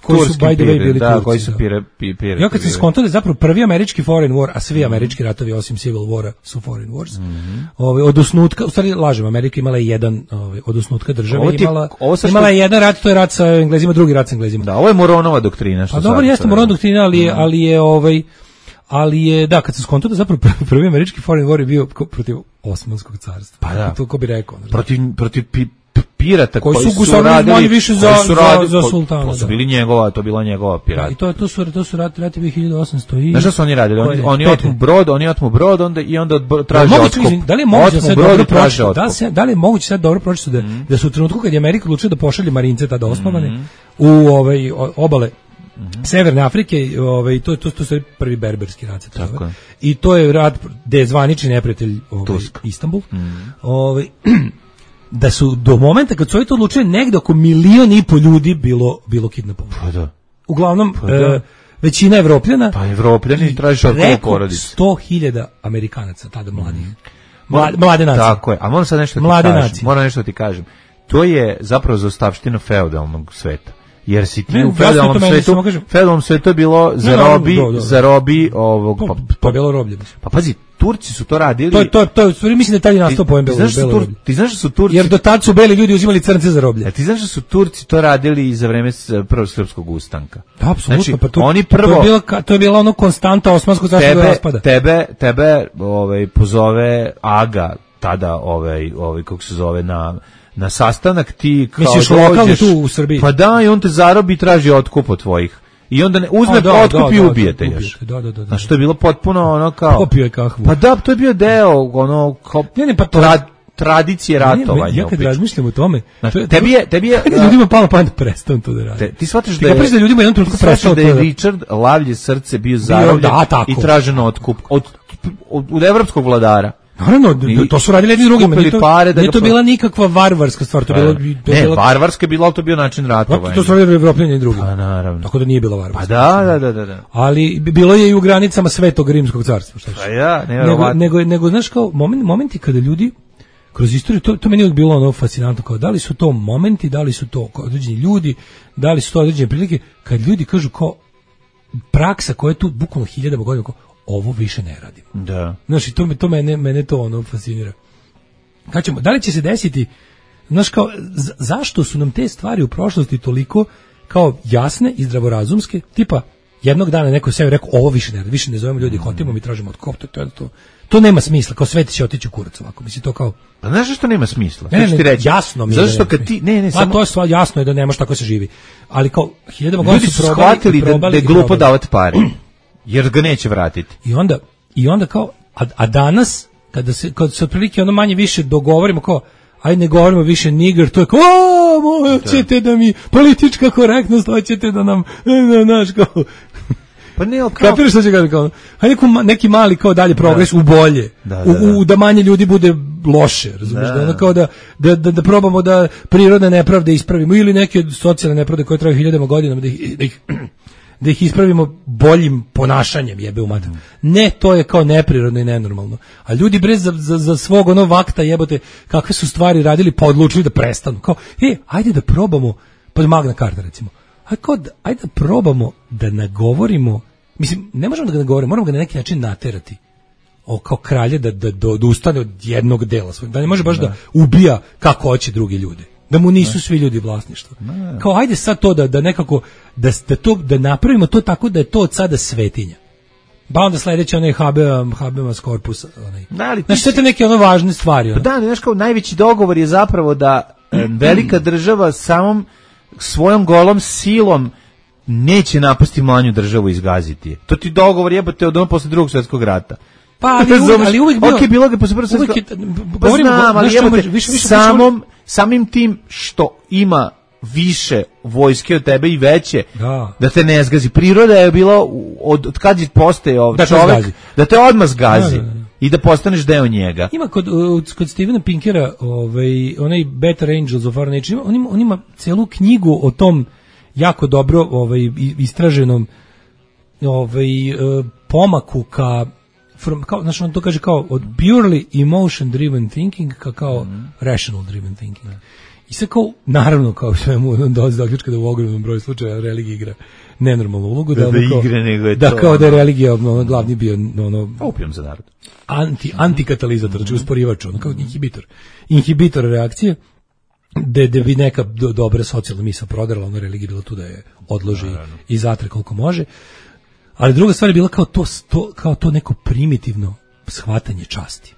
Speaker 7: Koji su, by the way, bili
Speaker 8: da,
Speaker 7: Turci.
Speaker 8: koji su pire, pirati.
Speaker 7: Ja kad sam skontao da je zapravo prvi američki foreign war, a svi američki ratovi osim Civil Wara su foreign wars,
Speaker 8: mm-hmm.
Speaker 7: Ove, od osnutka, u stvari lažem, Amerika imala je jedan ove, od osnutka države,
Speaker 8: ovo ti,
Speaker 7: imala,
Speaker 8: ovo
Speaker 7: imala je jedan rat, to je rat sa Englezima, drugi rat sa Englezima.
Speaker 8: Da, ovo je Moronova doktrina. Što
Speaker 7: a dobro, jeste Moronova doktrina, ali je, ali je ovaj, ali je, da, kad sam skontao da zapravo prvi američki foreign war je bio protiv Osmanskog carstva.
Speaker 8: Pa da.
Speaker 7: To ko bi rekao.
Speaker 8: Protiv, protiv pi, pirata
Speaker 7: koji,
Speaker 8: koji
Speaker 7: su,
Speaker 8: su radili
Speaker 7: više za,
Speaker 8: su radili,
Speaker 7: za, za sultana.
Speaker 8: To su bili njegova, to bila njegova pirata.
Speaker 7: Da, i to, to su, to su rati, rati bili hiljadu osamsto i...
Speaker 8: Znaš šta su oni radili? Oni, oni otmu brod, oni otmu brod onda, i onda traže
Speaker 7: da,
Speaker 8: otkup.
Speaker 7: Da li je moguće da sad dobro pročiti? Da, se, da li je moguće sad dobro pročiti da, mm. da su u trenutku kad je Amerika odlučila da pošalje marince tada osnovane mm. u ovaj, obale Mm-hmm. Severne Afrike, ovaj to to to je prvi berberski rat, tako. I to je rat gde je zvanični neprijatelj ovaj Istanbul. Mm-hmm. Ovaj da su do momenta kad su oni to odlučili negde oko milion i po ljudi bilo bilo kidnapovano.
Speaker 8: Pa da.
Speaker 7: Uglavnom pa da. E, većina Evropljana,
Speaker 8: pa Evropljani traže od porodice.
Speaker 7: sto hiljada Amerikanaca tada mladih. Mm-hmm. Mlade nacije.
Speaker 8: Tako je. A moram sad nešto ti
Speaker 7: mlade
Speaker 8: kažem.
Speaker 7: Nacije.
Speaker 8: Moram nešto ti kažem. To je zapravo zaostavština feudalnog sveta. Jer si ti
Speaker 7: ne,
Speaker 8: u feudalnom svetu, feudalnom svetu je bilo za robi, no, no, no, no. za robi ovog,
Speaker 7: pa, pa, pa bilo roblje.
Speaker 8: Pa pazi, Turci su to radili.
Speaker 7: To to to, to mislim da taj nastao pojem bilo.
Speaker 8: Tur, ti znaš da su Turci?
Speaker 7: Jer do tad su beli ljudi uzimali crnce za roblje.
Speaker 8: A ti znaš da su Turci to radili i za vreme prvog srpskog ustanka.
Speaker 7: Da, apsolutno,
Speaker 8: znači,
Speaker 7: pa to,
Speaker 8: oni prvo
Speaker 7: to je bilo to je bila ono konstanta osmanskog carstva raspada.
Speaker 8: Tebe, tebe, ovaj pozove Aga tada ovaj ovaj kako se zove na na sastanak ti kao
Speaker 7: misliš lokalni tu u Srbiji.
Speaker 8: Pa da, i on te zarobi i traži otkup od tvojih. I onda ne, uzme A, da, otkup da, i ubijete da, još.
Speaker 7: Da, da, da.
Speaker 8: Znaš, to je bilo potpuno ono kao...
Speaker 7: Popio je kahvu.
Speaker 8: Pa da, to je bio deo ono kao
Speaker 7: ne, ne, pa to...
Speaker 8: tra, tradicije ratovanja.
Speaker 7: Ne, ja kad razmišljam o tome...
Speaker 8: Znaš, tebi je... Tebi je
Speaker 7: da, ljudima palo pamet da prestanu to da radi.
Speaker 8: Te, ti shvataš
Speaker 7: ti
Speaker 8: da je...
Speaker 7: Ti da ljudima jedan trenutku prestao
Speaker 8: da je Richard Lavlje srce bio zarobljen da, i tražen otkup od, od, od evropskog vladara.
Speaker 7: Naravno, to su radili jedni drugima, nije to,
Speaker 8: pare da
Speaker 7: nije to bila nikakva varvarska stvar, to bilo...
Speaker 8: Ne, varvarska je bila, ali to bio način ratovanja.
Speaker 7: To su radili Evropljani i drugi.
Speaker 8: Pa naravno.
Speaker 7: Tako da nije bila varvarska.
Speaker 8: Pa da, da, da, da.
Speaker 7: Ali bilo je i u granicama Svetog Rimskog carstva. Šta
Speaker 8: pa ja,
Speaker 7: nego, nego, nego, znaš kao, moment, momenti kada ljudi, kroz istoriju, to, to meni je bilo ono fascinantno, kao da li su to momenti, da li su to određeni ljudi, da li su to određene prilike, kad ljudi kažu kao praksa koja je tu bukvalno hiljadama godina, kao ovo više ne radim.
Speaker 8: Da.
Speaker 7: Znaš, i to, to mene, mene to ono fascinira. Kad ćemo, da li će se desiti, znaš kao, z- zašto su nam te stvari u prošlosti toliko kao jasne i zdravorazumske, tipa, jednog dana neko sebi rekao, ovo više ne, više ne zovemo ljudi hotimo, mi tražimo od kofta, to, to, to nema smisla, kao sve ti će otići u kurac ovako, misli to kao...
Speaker 8: A znaš što nema smisla?
Speaker 7: Ne, ne,
Speaker 8: Što ti reći?
Speaker 7: jasno mi je
Speaker 8: zato
Speaker 7: da
Speaker 8: što
Speaker 7: nema
Speaker 8: kad ti, ne, ne,
Speaker 7: A
Speaker 8: samo...
Speaker 7: to je stvar, jasno je da nemaš tako se živi, ali kao, hiljadama godina
Speaker 8: Ljudi
Speaker 7: su
Speaker 8: su
Speaker 7: probali,
Speaker 8: shvatili
Speaker 7: i
Speaker 8: da,
Speaker 7: probali
Speaker 8: da je
Speaker 7: i
Speaker 8: glupo
Speaker 7: probali.
Speaker 8: davati pare, jer ga neće vratiti.
Speaker 7: I onda, i onda kao, a, a danas, kada se, kad se otprilike ono manje više dogovorimo kao, aj ne govorimo više nigger, to je kao, o, hoćete da mi, politička korektnost, hoćete da nam, ne, znaš, kao,
Speaker 8: pa ne, kao...
Speaker 7: kapiraš što će kao, aj neku, neki mali kao dalje progres u bolje,
Speaker 8: Da, da, da.
Speaker 7: U, u da manje ljudi bude loše, razumiješ, da,
Speaker 8: Da.
Speaker 7: ono kao da, da, da, da probamo da prirodne nepravde ispravimo, ili neke socijalne nepravde koje traju hiljadama godinama, da ih, da ih da ih ispravimo boljim ponašanjem, jebe u mater. Ne, to je kao neprirodno i nenormalno. A ljudi bre za, za, za svog ono vakta jebote, kakve su stvari radili, pa odlučili da prestanu. Kao, e, ajde da probamo, pa Magna Carta recimo, ajde, kao da, ajde da probamo da nagovorimo, mislim, ne možemo da ga nagovorimo, moramo ga na neki način naterati. O, kao kralje da, da, da, da ustane od jednog dela svojeg, da ne može baš da, da ubija kako hoće drugi ljudi. Da mu nisu svi ljudi vlasništvo. Kao ajde sad to da da nekako da da to da napravimo to tako da je to od sada svetinja. Pa onda sledeće onaj habeam habemas corpus onaj.
Speaker 8: Da, ali ti
Speaker 7: znači sve te neke ono važne stvari.
Speaker 8: Pa
Speaker 7: Ono.
Speaker 8: da, znaš kao najveći dogovor je zapravo da e, velika država samom svojom golom silom neće napasti manju državu i izgaziti je. To ti dogovor jebote od ono posle drugog svjetskog rata.
Speaker 7: Pa ali, uvijek, ali uvijek bio.
Speaker 8: Ok, bilo ga posle prvog svjetskog
Speaker 7: uvijek je,
Speaker 8: pa
Speaker 7: govorimo,
Speaker 8: znam, ali
Speaker 7: znaš,
Speaker 8: jebote,
Speaker 7: više, više, više
Speaker 8: samom, samim tim što ima više vojske od tebe i veće,
Speaker 7: Da.
Speaker 8: da te ne zgazi. Priroda je bila od, od kad je postaje ovaj
Speaker 7: Da te
Speaker 8: čovek,
Speaker 7: zgazi.
Speaker 8: da te odmah zgazi
Speaker 7: Da, da, da.
Speaker 8: i da postaneš deo njega.
Speaker 7: Ima kod, uh, kod Stephena Pinkera ovaj, onaj Better Angels of Our Nature, ima- on ima, on ima celu knjigu o tom jako dobro ovaj, i- istraženom ovaj, uh, pomaku ka, from, kao, znači on to kaže kao od purely emotion driven thinking ka kao rational driven thinking. I sve kao, naravno, kao svemu, on dolazi do zaključka da u ogromnom broju slučaja religija igra nenormalnu ulogu.
Speaker 8: Da,
Speaker 7: ono
Speaker 8: da
Speaker 7: kao-
Speaker 8: igra, nego je
Speaker 7: da
Speaker 8: to,
Speaker 7: kao da je
Speaker 8: ono-
Speaker 7: religija ono, glavni bio ono,
Speaker 8: Opijom za narod.
Speaker 7: anti antikatalizator, znači usporivač, ono kao inhibitor. Inhibitor reakcije da da bi neka do, dobra socijalna misao prodrala, ona religija bila tu da je odloži i zatre koliko može. Ali druga stvar je bila kao to, to kao to neko primitivno shvatanje časti.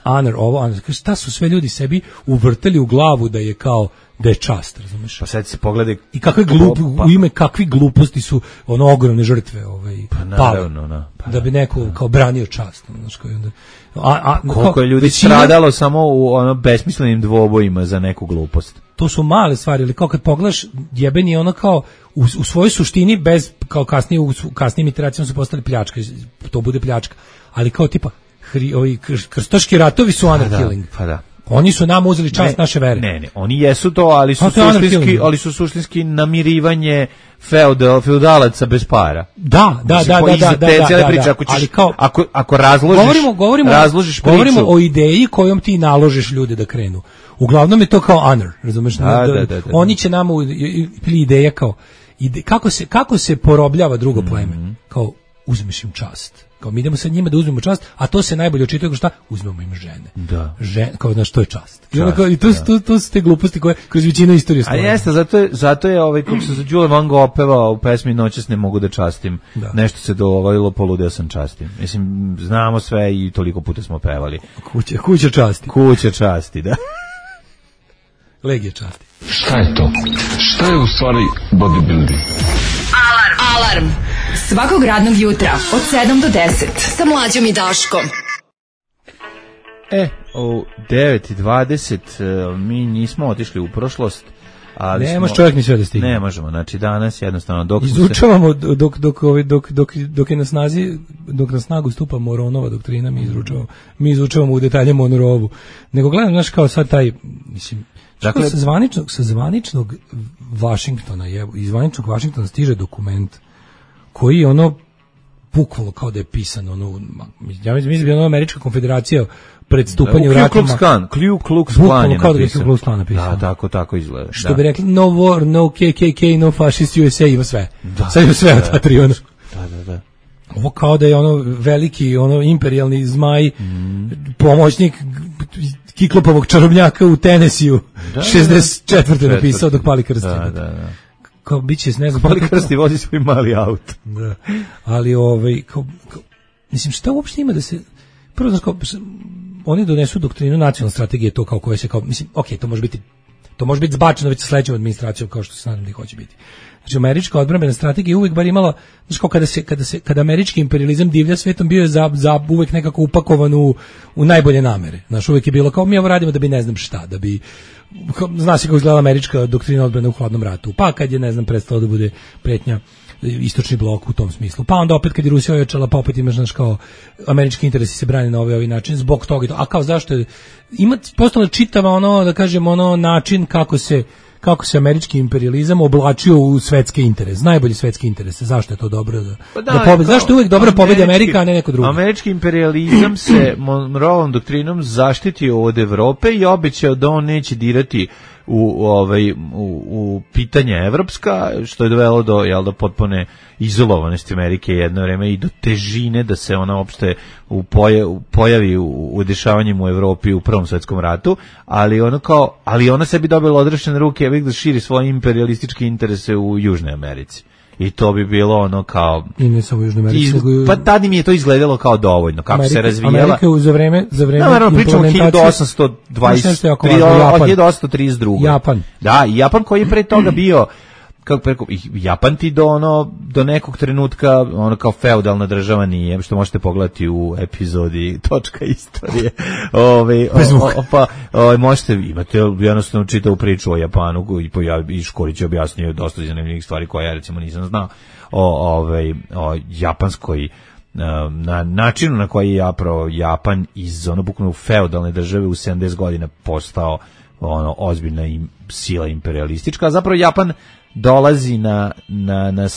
Speaker 7: Honor, ovo, honor, šta su sve ljudi sebi uvrtali u glavu da je kao da je čast, razumeš?
Speaker 8: Pa sad se pogledaj
Speaker 7: I kakve glup,
Speaker 8: pa,
Speaker 7: u ime kakvi gluposti su ono ogromne žrtve ovaj
Speaker 8: Pa naravno, da. Pa
Speaker 7: da bi neko kao branio čast, znači kao i onda a, a
Speaker 8: koliko
Speaker 7: kao
Speaker 8: je ljudi
Speaker 7: većina-
Speaker 8: stradalo samo u ono besmislenim dvobojima za neku glupost.
Speaker 7: to su male stvari, ali kao kad pogledaš jebeni je ono kao u, u svojoj suštini bez kao kasnije u su- kasnijim iteracijama su postali pljačka, to bude pljačka, ali kao tipa hri, ovi kr- krstaški ratovi su honor
Speaker 8: da,
Speaker 7: killing.
Speaker 8: pa da.
Speaker 7: Oni su nam uzeli čast
Speaker 8: Ne,
Speaker 7: naše vere.
Speaker 8: Ne, ne, oni jesu to, ali su
Speaker 7: Pa to je honor
Speaker 8: suštinski,
Speaker 7: killing.
Speaker 8: ali su suštinski namirivanje feudal, feudalaca bez para.
Speaker 7: Da, da,
Speaker 8: Mislim,
Speaker 7: da,
Speaker 8: po
Speaker 7: da,
Speaker 8: iza
Speaker 7: da,
Speaker 8: te
Speaker 7: da,
Speaker 8: cijele
Speaker 7: da,
Speaker 8: priče,
Speaker 7: da,
Speaker 8: ako ćeš,
Speaker 7: ali kao-
Speaker 8: ako, ako razložiš,
Speaker 7: Govorimo, govorimo,
Speaker 8: razložiš priču.
Speaker 7: govorimo o ideji kojom ti naložiš ljude da krenu. Uglavnom je to kao honor, razumeš?
Speaker 8: Da, da, da, da, da.
Speaker 7: Oni će nama u- i- i- ili ideja kao ide, kako se kako se porobljava drugo pleme.
Speaker 8: Mhm.
Speaker 7: Kao uzmeš im čast. Kao mi idemo sa njima da uzmemo čast, a to se najbolje očituje kao šta? Uzmemo im žene.
Speaker 8: Da.
Speaker 7: Žen, kao znaš, to je čast. I, onda
Speaker 8: Čast,
Speaker 7: kao, i to, su-
Speaker 8: da.
Speaker 7: to, to su te gluposti koje kroz većinu istorije
Speaker 8: A
Speaker 7: stvaraju.
Speaker 8: jeste, zato je, zato je ovaj, kako se za Đule Van Gogh opevao u pesmi Noćas ne mogu da častim.
Speaker 7: Da.
Speaker 8: Nešto se dovoljilo, poludeo sam častim. Mislim, znamo sve i toliko puta smo pevali.
Speaker 7: Kuća, kuća časti.
Speaker 8: Kuća časti, da.
Speaker 7: Legija časti.
Speaker 5: Šta je to? Šta je u stvari bodybuilding?
Speaker 11: Alarm. Svakog radnog jutra od sedam do deset sa Mlađom i Daškom.
Speaker 8: E, u devet i dvadeset e, mi nismo otišli u prošlost, ali
Speaker 7: Ne može
Speaker 8: smo,
Speaker 7: čovjek ni sve da stigne.
Speaker 8: ne možemo, znači danas jednostavno dok smo se,
Speaker 7: Izučavamo dok dok ovaj dok dok dok je na snazi dok na snagu stupa Moronova doktrina, mi izučavamo mi izučavamo u detalje Monroevu. Nego gledam, znaš, kao sad taj, mislim, dakle
Speaker 8: Dakle-
Speaker 7: sa zvaničnog sa zvaničnog Vašingtona je iz zvaničnog Vašingtona stiže dokument koji je ono bukvalno kao da je pisan ono, ja mislim da je ono Američka konfederacija pred stupanjem
Speaker 8: u
Speaker 7: u
Speaker 8: Ku
Speaker 7: ratima.
Speaker 8: Klux Klan, Ku Klux
Speaker 7: Bukvalno
Speaker 8: Klan je
Speaker 7: kao da je
Speaker 8: napisao.
Speaker 7: Ku Klux Klan napisao.
Speaker 8: Da, tako, tako izgleda.
Speaker 7: Što
Speaker 8: da.
Speaker 7: bi rekli, no war, no K K K, no fascist U S A, ima sve.
Speaker 8: Da.
Speaker 7: Sad ima sve od ta tri, ono.
Speaker 8: Da, da, da.
Speaker 7: Ovo kao da je ono veliki, ono imperijalni zmaj, mm. pomoćnik Kiklopovog čarobnjaka u Tenesiju, da, šezdeset četvrte napisao dok pali krsti.
Speaker 8: Da, da, da.
Speaker 7: Kao biće, ne znam...
Speaker 8: Pali krsti vozi svoj mali auto.
Speaker 7: Da. Ali, ovaj, kao, kao, mislim, šta uopšte ima da se... Prvo, znaš, kao, oni donesu doktrinu nacionalne strategije, to kao koje se, kao, mislim, ok, to može biti, to može biti zbačeno već sa sledećom administracijom, kao što se nadam da hoće biti. Znači, američka odbrambena strategija uvek bar imala, znači kao kada se, kada se, kada američki imperializam divlja svetom bio je za, za uvek nekako upakovan u, u najbolje namere. Znači, uvek je bilo kao mi ovo radimo da bi ne znam šta, da bi, zna se kako izgledala američka doktrina odbrane u hladnom ratu. Pa kad je, ne znam, prestalo da bude pretnja istočni blok u tom smislu. Pa onda opet kad je Rusija ojačala, pa opet imaš, znaš, kao američki interesi se brane na ovaj, ovaj način, zbog toga. A kao zašto je, ima postala čitava ono, da kažem, ono način kako se kako se američki imperializam oblačio u svetske interese, najbolji svetski interese. Zašto je to dobro da,
Speaker 8: pa da,
Speaker 7: da pobedi? Zašto je uvek dobro pobedi Amerika, a ne neko drugi?
Speaker 8: Američki imperializam se Monroeovom doktrinom zaštitio od Evrope i obećao da on neće dirati u ovaj u, u pitanje evropska, što je dovelo do jel do potpune izolovanosti Amerike jedno vreme i do težine da se ona uopšte u pojavi, pojavi u, u dešavanjima u Evropi u Prvom svetskom ratu, ali ono kao ali ona sebi dobila odrešene ruke da širi svoje imperialističke interese u Južnoj Americi. I to bi bilo ono kao
Speaker 7: i ne samo u Južnoj Americi,
Speaker 8: iz, pa tada mi je to izgledalo kao dovoljno kako
Speaker 7: Amerika,
Speaker 8: se razvijala.
Speaker 7: Amerika za vreme za vreme
Speaker 8: no, pričamo hiljadu osamsto dvadeset tri od hiljadu osamsto trideset druge
Speaker 7: Japan.
Speaker 8: Da, i Japan koji je pre toga bio kako preko Japan ti do ono do nekog trenutka ono kao feudalna država nije, što možete pogledati u epizodi točka istorije. Ovaj pa ovaj možete imate jednostavno čitavu priču o Japanu i i Škorić je objasnio dosta zanimljivih stvari koje ja recimo nisam znao o ovaj o japanskoj na načinu na koji je zapravo Japan iz ono bukvalno feudalne države u sedamdeset godina postao ono ozbiljna im, sila imperialistička, a zapravo Japan dolazi na, na, na,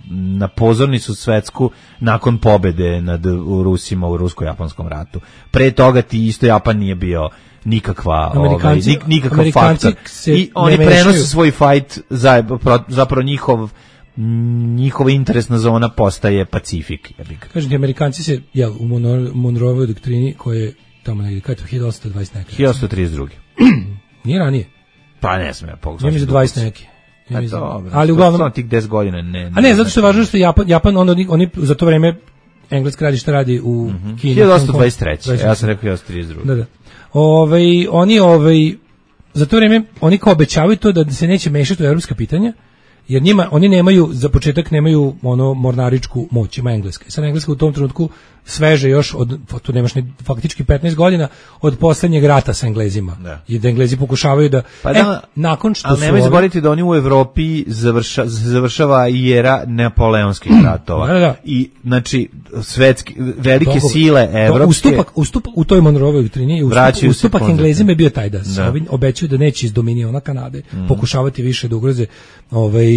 Speaker 8: na pozornicu svetsku nakon pobede nad Rusima u rusko-japanskom ratu. Pre toga ti isto Japan nije bio nikakva ovaj, nik, nikakav faktor. I oni prenose svoj fight, za, zapravo njihov njihova interesna zona postaje Pacifik.
Speaker 7: Kažem ti, Amerikanci se, jel, u Monroeovoj doktrini koja je tamo negdje, kada je to hiljadu osamsto dvadeset neke?
Speaker 8: hiljadu osamsto trideset druge
Speaker 7: Nije ranije?
Speaker 8: Pa ne smije, pogledati.
Speaker 7: Ja mi za dvadeset neke.
Speaker 8: Ja mislim, dobro,
Speaker 7: ali uglavnom
Speaker 8: samo tih deset godina ne, ne.
Speaker 7: A ne, zato što je važno što Japan Japan onda oni, oni za to vreme Engleska radi šta radi u mm-hmm. Kini.
Speaker 8: hiljadu osamsto dvadeset treće Ja sam rekao hiljadu osamsto trideset druge
Speaker 7: Da, da. Ovaj oni ovaj za to vreme oni kao obećavaju to da se neće mešati u evropska pitanja. Jer njima, oni nemaju, za početak nemaju ono mornaričku moć, ima Engleska. Sad Engleska u tom trenutku sveže još, od, tu nemaš ni faktički petnaest godina od poslednjeg rata sa Englezima. Da. I da Englezi pokušavaju da,
Speaker 8: pa da
Speaker 7: e, nakon što
Speaker 8: ali
Speaker 7: su...
Speaker 8: nemoj zaboraviti da oni u Evropi završa, završava i era napoleonskih ratova.
Speaker 7: Da, da.
Speaker 8: I, znači, svetski, velike Dogovor. sile evropske...
Speaker 7: Ustupak, ustupak u toj Monroeovoj doktrini, ustupak, ustupak Englezima je bio taj da se ovi obećaju da neće iz dominiona Kanade mm. pokušavati više da ugroze ovaj,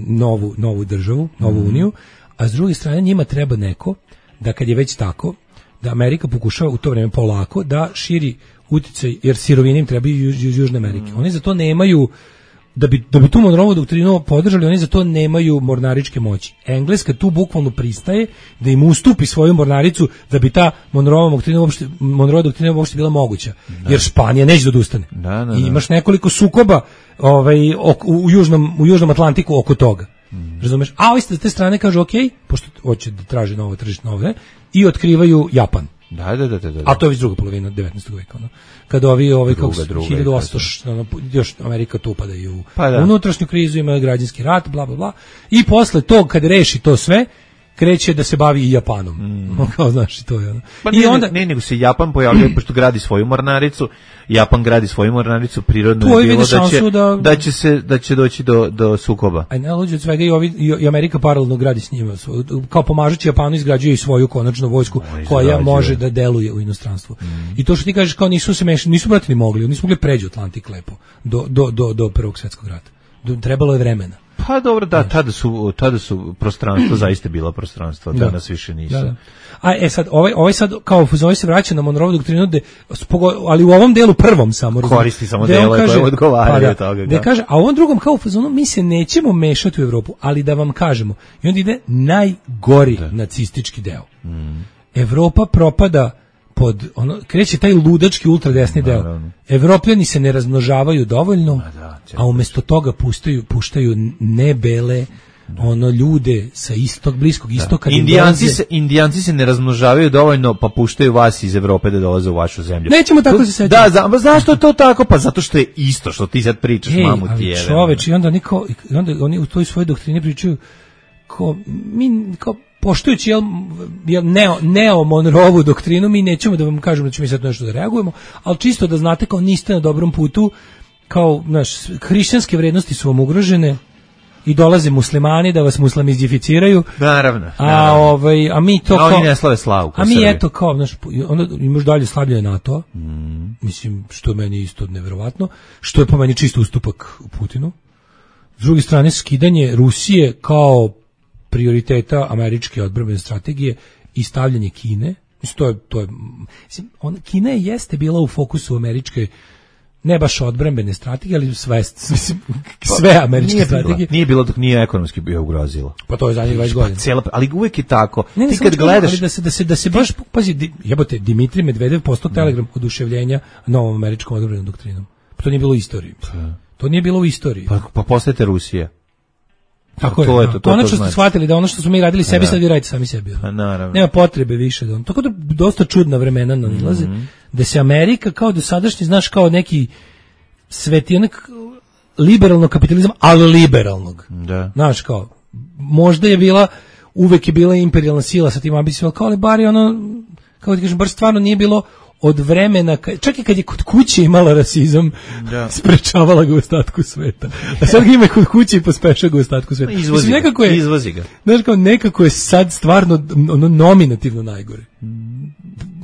Speaker 7: novu, novu državu, novu mm. uniju, a s druge strane njima treba neko da kad je već tako, da Amerika pokušava u to vreme polako da širi uticaj, jer sirovine im treba iz Južne Amerike. Mm. Oni za to nemaju, da bi, da bi tu Monroeovu doktrinu podržali, oni za to nemaju mornaričke moći. Engleska tu bukvalno pristaje da im ustupi svoju mornaricu da bi ta Monroeova doktrina uopšte, Monroeova doktrina uopšte bila moguća. Da. Jer Španija neće da odustane. Da, da, da. I imaš nekoliko sukoba ovaj, ok, u, južnom, u Južnom Atlantiku oko toga. Mm. Razumeš? A ovi s te strane kažu ok, pošto hoće da traži novo tržište nove, i otkrivaju Japan.
Speaker 8: Da, da, da, da, da.
Speaker 7: A to je već druga polovina devetnaestog veka, ono. Kada ovi ovaj kako hiljadu osamsto ono, još Amerika tu upada i u pa da. unutrašnju krizu, ima građanski rat, bla bla bla. I posle tog kad reši to sve, kreće da se bavi i Japanom. Mm. Kao znaš, to je ono.
Speaker 8: Pa I ne, onda ne, nego se Japan pojavljuje pošto gradi svoju mornaricu. Japan gradi svoju mornaricu, prirodno je bilo da će, da... da će se da će doći do do sukoba.
Speaker 7: Aj ne luđe od svega i ovi i Amerika paralelno gradi s njima. Kao pomažući Japanu izgrađuje i svoju konačnu vojsku no, koja može da deluje u inostranstvu. Mm. I to što ti kažeš kao nisu se mešali, nisu brati ni mogli, nisu mogli pređi Atlantik lepo do do do do Prvog svjetskog rata. Do, trebalo je vremena.
Speaker 8: Pa dobro, da, tada su, tada su prostranstvo zaista bila prostranstvo,
Speaker 7: Da.
Speaker 8: danas više nisu.
Speaker 7: Da, da. A e sad, ovaj, ovaj sad, kao ovaj se vraća na Monroe doktrinu, de, ali u ovom delu prvom samo.
Speaker 8: Koristi samo
Speaker 7: gde on
Speaker 8: delove
Speaker 7: kaže-
Speaker 8: koje odgovaraju
Speaker 7: pa
Speaker 8: od toga,
Speaker 7: Gde
Speaker 8: da.
Speaker 7: kaže, a u ovom drugom kao u fazonu, mi se nećemo mešati u Evropu, ali da vam kažemo. I onda ide najgori nacistički deo.
Speaker 8: Mm.
Speaker 7: Evropa propada pod, ono, kreće taj ludački ultradesni deo.
Speaker 8: Naravno.
Speaker 7: Evropljani se ne razmnožavaju dovoljno,
Speaker 8: da,
Speaker 7: a umjesto toga puštaju, puštaju nebele, ono, ljude sa istog, bliskog istoka. da im
Speaker 8: Indijanci
Speaker 7: dolaze-
Speaker 8: se, indijanci se ne razmnožavaju dovoljno, pa puštaju vas iz Evrope da dolaze u vašu zemlju.
Speaker 7: Nećemo tako
Speaker 8: To-
Speaker 7: se sećati.
Speaker 8: Da, za, zašto je to tako? Pa zato što je isto što ti sad pričaš,
Speaker 7: Ej,
Speaker 8: mamu ti
Speaker 7: ali
Speaker 8: jebe.
Speaker 7: čoveč, i onda, niko, i onda oni u toj svojoj doktrini pričaju ko, mi, kao, poštujući jel, jel, neo, neo Monroevu doktrinu, mi nećemo da vam kažemo da ćemo mi sad nešto da reagujemo, ali čisto da znate kao niste na dobrom putu, kao, znaš, hrišćanske vrednosti su vam ugrožene i dolaze muslimani da vas muslimizificiraju.
Speaker 8: Naravno.
Speaker 7: A,
Speaker 8: naravno.
Speaker 7: ovaj, a mi to
Speaker 8: A oni
Speaker 7: kao...
Speaker 8: ne slave slavu kao
Speaker 7: A mi
Speaker 8: Srbi.
Speaker 7: eto kao, znaš, onda imaš dalje slabljenje NATO,
Speaker 8: Mm.
Speaker 7: mislim, što je meni isto neverovatno, što je po meni čisto ustupak u Putinu. S druge strane, skidanje Rusije kao prioriteta američke odbrambene strategije i stavljanje Kine, mislim, to je, to je, mislim, on, Kina je jeste bila u fokusu američke, ne baš odbrambene strategije, ali sve, mislim, sve američke
Speaker 8: Nije bila,
Speaker 7: strategije.
Speaker 8: nije bilo dok nije ekonomski bio ugrozilo.
Speaker 7: Pa to je zadnjih dvadeset
Speaker 8: Pa
Speaker 7: godina.
Speaker 8: cijela, ali uvek je tako.
Speaker 7: Ne, ne,
Speaker 8: ti
Speaker 7: samo
Speaker 8: kad
Speaker 7: što-
Speaker 8: gledaš...
Speaker 7: ali da se da se da se baš pazi, di- jebote, Dimitrij Medvedev postao telegram oduševljenja novom američkom odbrambenom doktrinom. Pa to nije bilo u istoriji. To nije bilo u istoriji.
Speaker 8: Pa, pa postajete Rusija.
Speaker 7: Tako
Speaker 8: to
Speaker 7: je.
Speaker 8: je
Speaker 7: da.
Speaker 8: to, to,
Speaker 7: Konačno
Speaker 8: to
Speaker 7: ste
Speaker 8: znači.
Speaker 7: shvatili da ono što smo mi radili sebi,
Speaker 8: Da.
Speaker 7: sad vi radite sami sebi.
Speaker 8: Pa naravno.
Speaker 7: Nema potrebe više da on. Tako da dosta čudna vremena nalaze,
Speaker 8: Mhm.
Speaker 7: da se Amerika kao dosadašnji, znaš, kao neki svetijanak liberalnog kapitalizma, ali liberalnog.
Speaker 8: Da.
Speaker 7: Znaš, kao, možda je bila, uvek je bila imperijalna sila sa tim ambicijama, kao, ali bar je ono, kao ti kažem, bar stvarno nije bilo od vremena, ka- čak i kad je kod kuće imala rasizam,
Speaker 8: Da.
Speaker 7: sprečavala ga u ostatku sveta. A sad ga ima i kod kuće i pospešava ga u ostatku sveta.
Speaker 8: Izvozi
Speaker 7: Mislim,
Speaker 8: ga,
Speaker 7: nekako je,
Speaker 8: izvozi ga.
Speaker 7: znaš, kao, nekako je sad stvarno ono, nominativno najgore.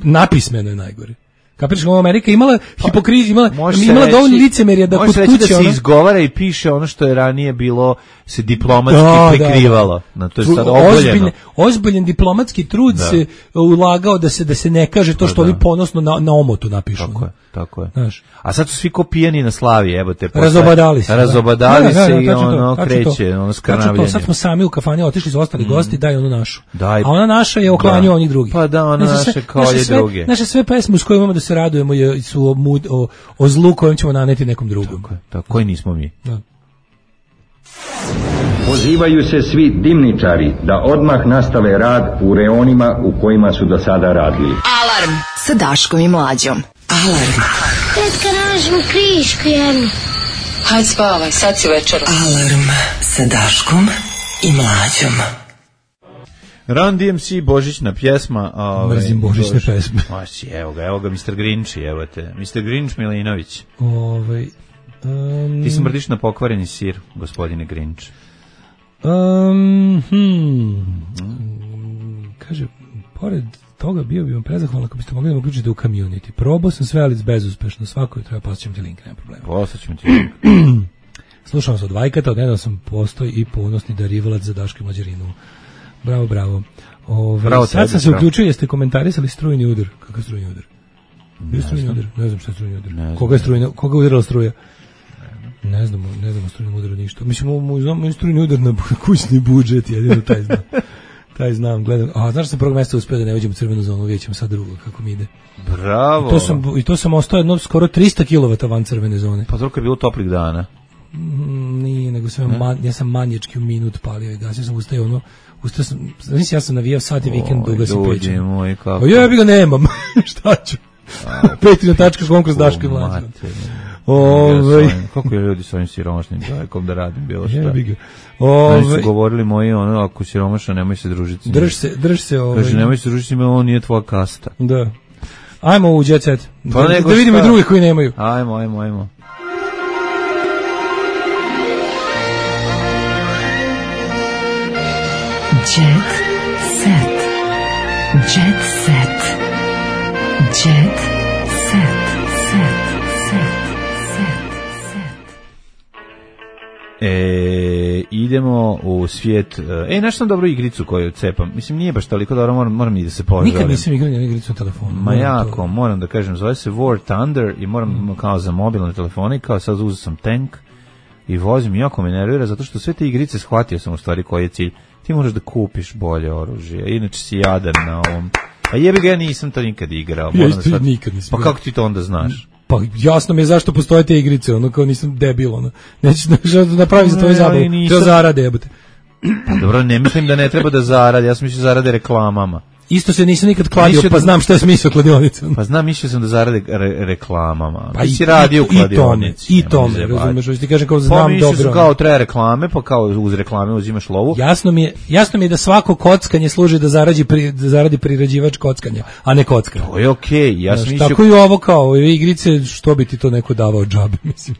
Speaker 7: Napismeno je najgore. Kapiraš, kao Amerika imala hipokrizu, imala,
Speaker 8: Može se
Speaker 7: imala
Speaker 8: reći-
Speaker 7: dovoljno licemerja da
Speaker 8: može
Speaker 7: kod
Speaker 8: se reći
Speaker 7: kuće
Speaker 8: da se
Speaker 7: ono-
Speaker 8: izgovara i piše ono što je ranije bilo se diplomatski
Speaker 7: Da, da,
Speaker 8: prikrivalo.
Speaker 7: da.
Speaker 8: Na to je
Speaker 7: Tru-
Speaker 8: sad
Speaker 7: ozbiljne-
Speaker 8: ogoljeno.
Speaker 7: Ozbiljan diplomatski trud
Speaker 8: Da.
Speaker 7: se ulagao da se da se ne kaže to
Speaker 8: Pa
Speaker 7: što
Speaker 8: da.
Speaker 7: oni ponosno na, na omotu napišu.
Speaker 8: Tako je, tako je.
Speaker 7: Znaš.
Speaker 8: A sad su svi ko pijani na slavi, evo te. posle-
Speaker 7: Razobadali se. da.
Speaker 8: Razobadali
Speaker 7: Da, da, da,
Speaker 8: se
Speaker 7: da,
Speaker 8: i
Speaker 7: tačno to,
Speaker 8: ono
Speaker 7: tačno
Speaker 8: kreće,
Speaker 7: to.
Speaker 8: ono
Speaker 7: Tačno to,
Speaker 8: skrnavljenje.
Speaker 7: sad smo sami u kafani otišli su ostali gosti, daj onu našu.
Speaker 8: Daj.
Speaker 7: A ona naša je oklanju
Speaker 8: Da.
Speaker 7: onih drugih.
Speaker 8: Pa da, ona
Speaker 7: Znaš, sve-
Speaker 8: naše kao
Speaker 7: naše
Speaker 8: je
Speaker 7: sve-
Speaker 8: druge.
Speaker 7: Naše sve pesme s kojima imamo da se radujemo je, su o, mud, o, o zlu kojem ćemo naneti nekom drugom.
Speaker 8: Tako je, tako, koji nismo mi.
Speaker 7: Da.
Speaker 12: Pozivaju se svi dimničari da odmah nastave rad u reonima u kojima su do sada radili.
Speaker 11: Alarm sa Daškom i Mlađom.
Speaker 10: Alarm.
Speaker 13: Tetka, nađemo krišku jednu.
Speaker 11: Hajde spavaj, sad si večera.
Speaker 10: Alarm sa Daškom i Mlađom.
Speaker 8: Run D M C, božićna pjesma. Ove,
Speaker 7: Mrzim božićne
Speaker 8: Bož-
Speaker 7: pesme.
Speaker 8: Maši, evo ga, evo ga mister Grinči, evo te. mister Grinč Milinović.
Speaker 7: Ovaj, um,
Speaker 8: Ti smrdiš na pokvareni sir, gospodine Grinč.
Speaker 7: Um, hmm. Kaže, pored toga bio bi vam prezahvalan ako biste mogli da me uključite u community. Probao sam sve, ali bezuspešno. Svako je treba, poslaćem ti link, nema problema.
Speaker 8: Poslaćemo ti link.
Speaker 7: Slušao sam od Vajkata, odnedavno sam postoj i ponosni darivalac za Daške Mlađarinu. Bravo, bravo. Ove,
Speaker 8: Bravo
Speaker 7: sad
Speaker 8: tebi,
Speaker 7: sam se
Speaker 8: bravo.
Speaker 7: uključio, jeste komentarisali strujni udar. Kakav strujni udar? Bio strujni udar? Ne znam šta je strujni udar.
Speaker 8: znam.
Speaker 7: Koga je strujna, koga je udarala struja? Ne znamo, ne znamo o strujnom udaru ništa. Mislim, mu znamo strujni udar na kućni budžet, jedino taj znam. Taj znam, gledam. A znaš, sam prvog mjesta uspio da ne uđem u crvenu zonu, vidjet ćemo sad drugo kako mi ide.
Speaker 8: Bravo.
Speaker 7: I to sam, i to sam ostao jedno skoro tristo kilovata van crvene zone.
Speaker 8: Pa toliko je bilo toplih dana.
Speaker 7: Mm, nije, nego sam man, ja sam manječki u minut palio i gasio sam ustao ono, ustao sam, znači ja sam navijao sati vikend, duga sam
Speaker 8: Ljudi
Speaker 7: pećem.
Speaker 8: moji, kako.
Speaker 7: A jebi ga nemam, šta ću? petri na tačka kom kroz Daško i Mlađu.
Speaker 8: Mater.
Speaker 7: Ovaj.
Speaker 8: Ja svojim- Kako je ljudi s ovim siromašnim čovjekom da radim bilo šta.
Speaker 7: Jebi ga.
Speaker 8: Oni su
Speaker 7: Ovaj,
Speaker 8: govorili moji ono, ako si siromašan, nemoj se družiti s njim.
Speaker 7: drž se, drž se ovaj.
Speaker 8: Kaže, nemoj se družiti s njim, on nije tvoja kasta.
Speaker 7: Da. Ajmo u Jet Set.
Speaker 8: Pa
Speaker 7: da,
Speaker 8: nego
Speaker 7: da vidimo i
Speaker 8: šta?
Speaker 7: druge koji nemaju.
Speaker 8: Ajmo, ajmo, ajmo.
Speaker 4: Jet set. Jet set. Jet set. Set. Set. Set. Set.
Speaker 8: E, idemo u svijet. E, nešto sam dobru igricu koju cepam. Mislim, nije baš toliko dobro, moram, moram i da se požalim.
Speaker 7: Nikad nisam igrao na igricu na telefonu.
Speaker 8: Ma jako, to... moram da kažem, zove se War Thunder i moram mm. kao za mobilne telefone, kao sad uzeo sam tank i vozim, jako me nervira, zato što sve te igrice shvatio sam u stvari koji je cilj. Ti moraš da kupiš bolje oružje, inače si jadan na ovom. A jebi ga, ja nisam to nikad igrao.
Speaker 7: Ja isto sad... nikad nisam.
Speaker 8: Pa kako ti to onda znaš?
Speaker 7: Pa jasno mi je zašto postoje te igrice, ono kao nisam debil, ono. Nećeš da napravi za tvoje zabavu, to zarade jebate.
Speaker 8: Pa dobro, ne mislim da ne treba da zarade, ja sam mislio zarade reklamama.
Speaker 7: Isto se nisam nikad kladio, mislio pa znam šta je smisao kladionice.
Speaker 8: Pa znam, mislio sam da zarade re, reklamama. Pa i si radio u kladionici.
Speaker 7: I tome, i tome razumeš, hoćeš ti kažem kao znam pa, dobro.
Speaker 8: Pa kao treba reklame, pa kao uz reklame uzimaš lovu.
Speaker 7: Jasno mi je, jasno mi je da svako kockanje služi da zaradi, pri, da zaradi priređivač kockanja, a ne kocka.
Speaker 8: To je okej, okay. Ja sam mislio...
Speaker 7: Tako i ovo kao, igrice, što bi ti to neko davao džabe, mislim.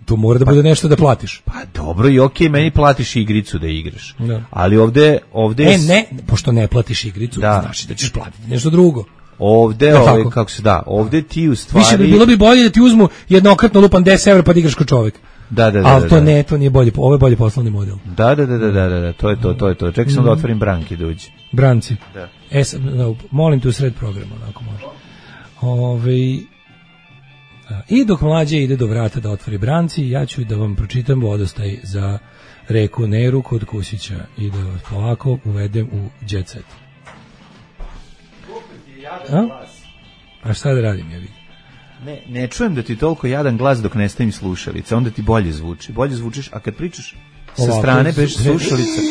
Speaker 7: To mora da bude nešto da platiš.
Speaker 8: Pa dobro i okej, okay, meni platiš igricu da igraš. Da. Ali ovde... ovde
Speaker 7: e, ne, pošto ne platiš igricu, da. Znači da ćeš platiti nešto drugo.
Speaker 8: Ovde, ovaj, kako se da, ovde ti u stvari...
Speaker 7: Više bi bilo bi bolje da ti uzmu jednokratno lupan deset evra pa da igraš kao čovjek.
Speaker 8: Da, da, da.
Speaker 7: Ali to
Speaker 8: da,
Speaker 7: ne, to nije bolje, ovo je bolje poslovni model.
Speaker 8: Da, da, da, da, da, da, to je to, to je to. Čekaj sam mm. da otvorim branki da uđe.
Speaker 7: Branci.
Speaker 8: Da.
Speaker 7: E, no, molim te u sred programa, onako može. Ove... I dok mlađe ide do vrata da otvori branci, ja ću da vam pročitam vodostaj za reku Neru kod Kusića i da vas polako uvedem u jet set. A? A šta da radim, ja vidim?
Speaker 8: Ne, ne čujem da ti toliko jadan glas dok ne stavim slušalice, onda ti bolje zvuči. Bolje zvučiš, a kad pričaš sa ovako, strane bez slušalice,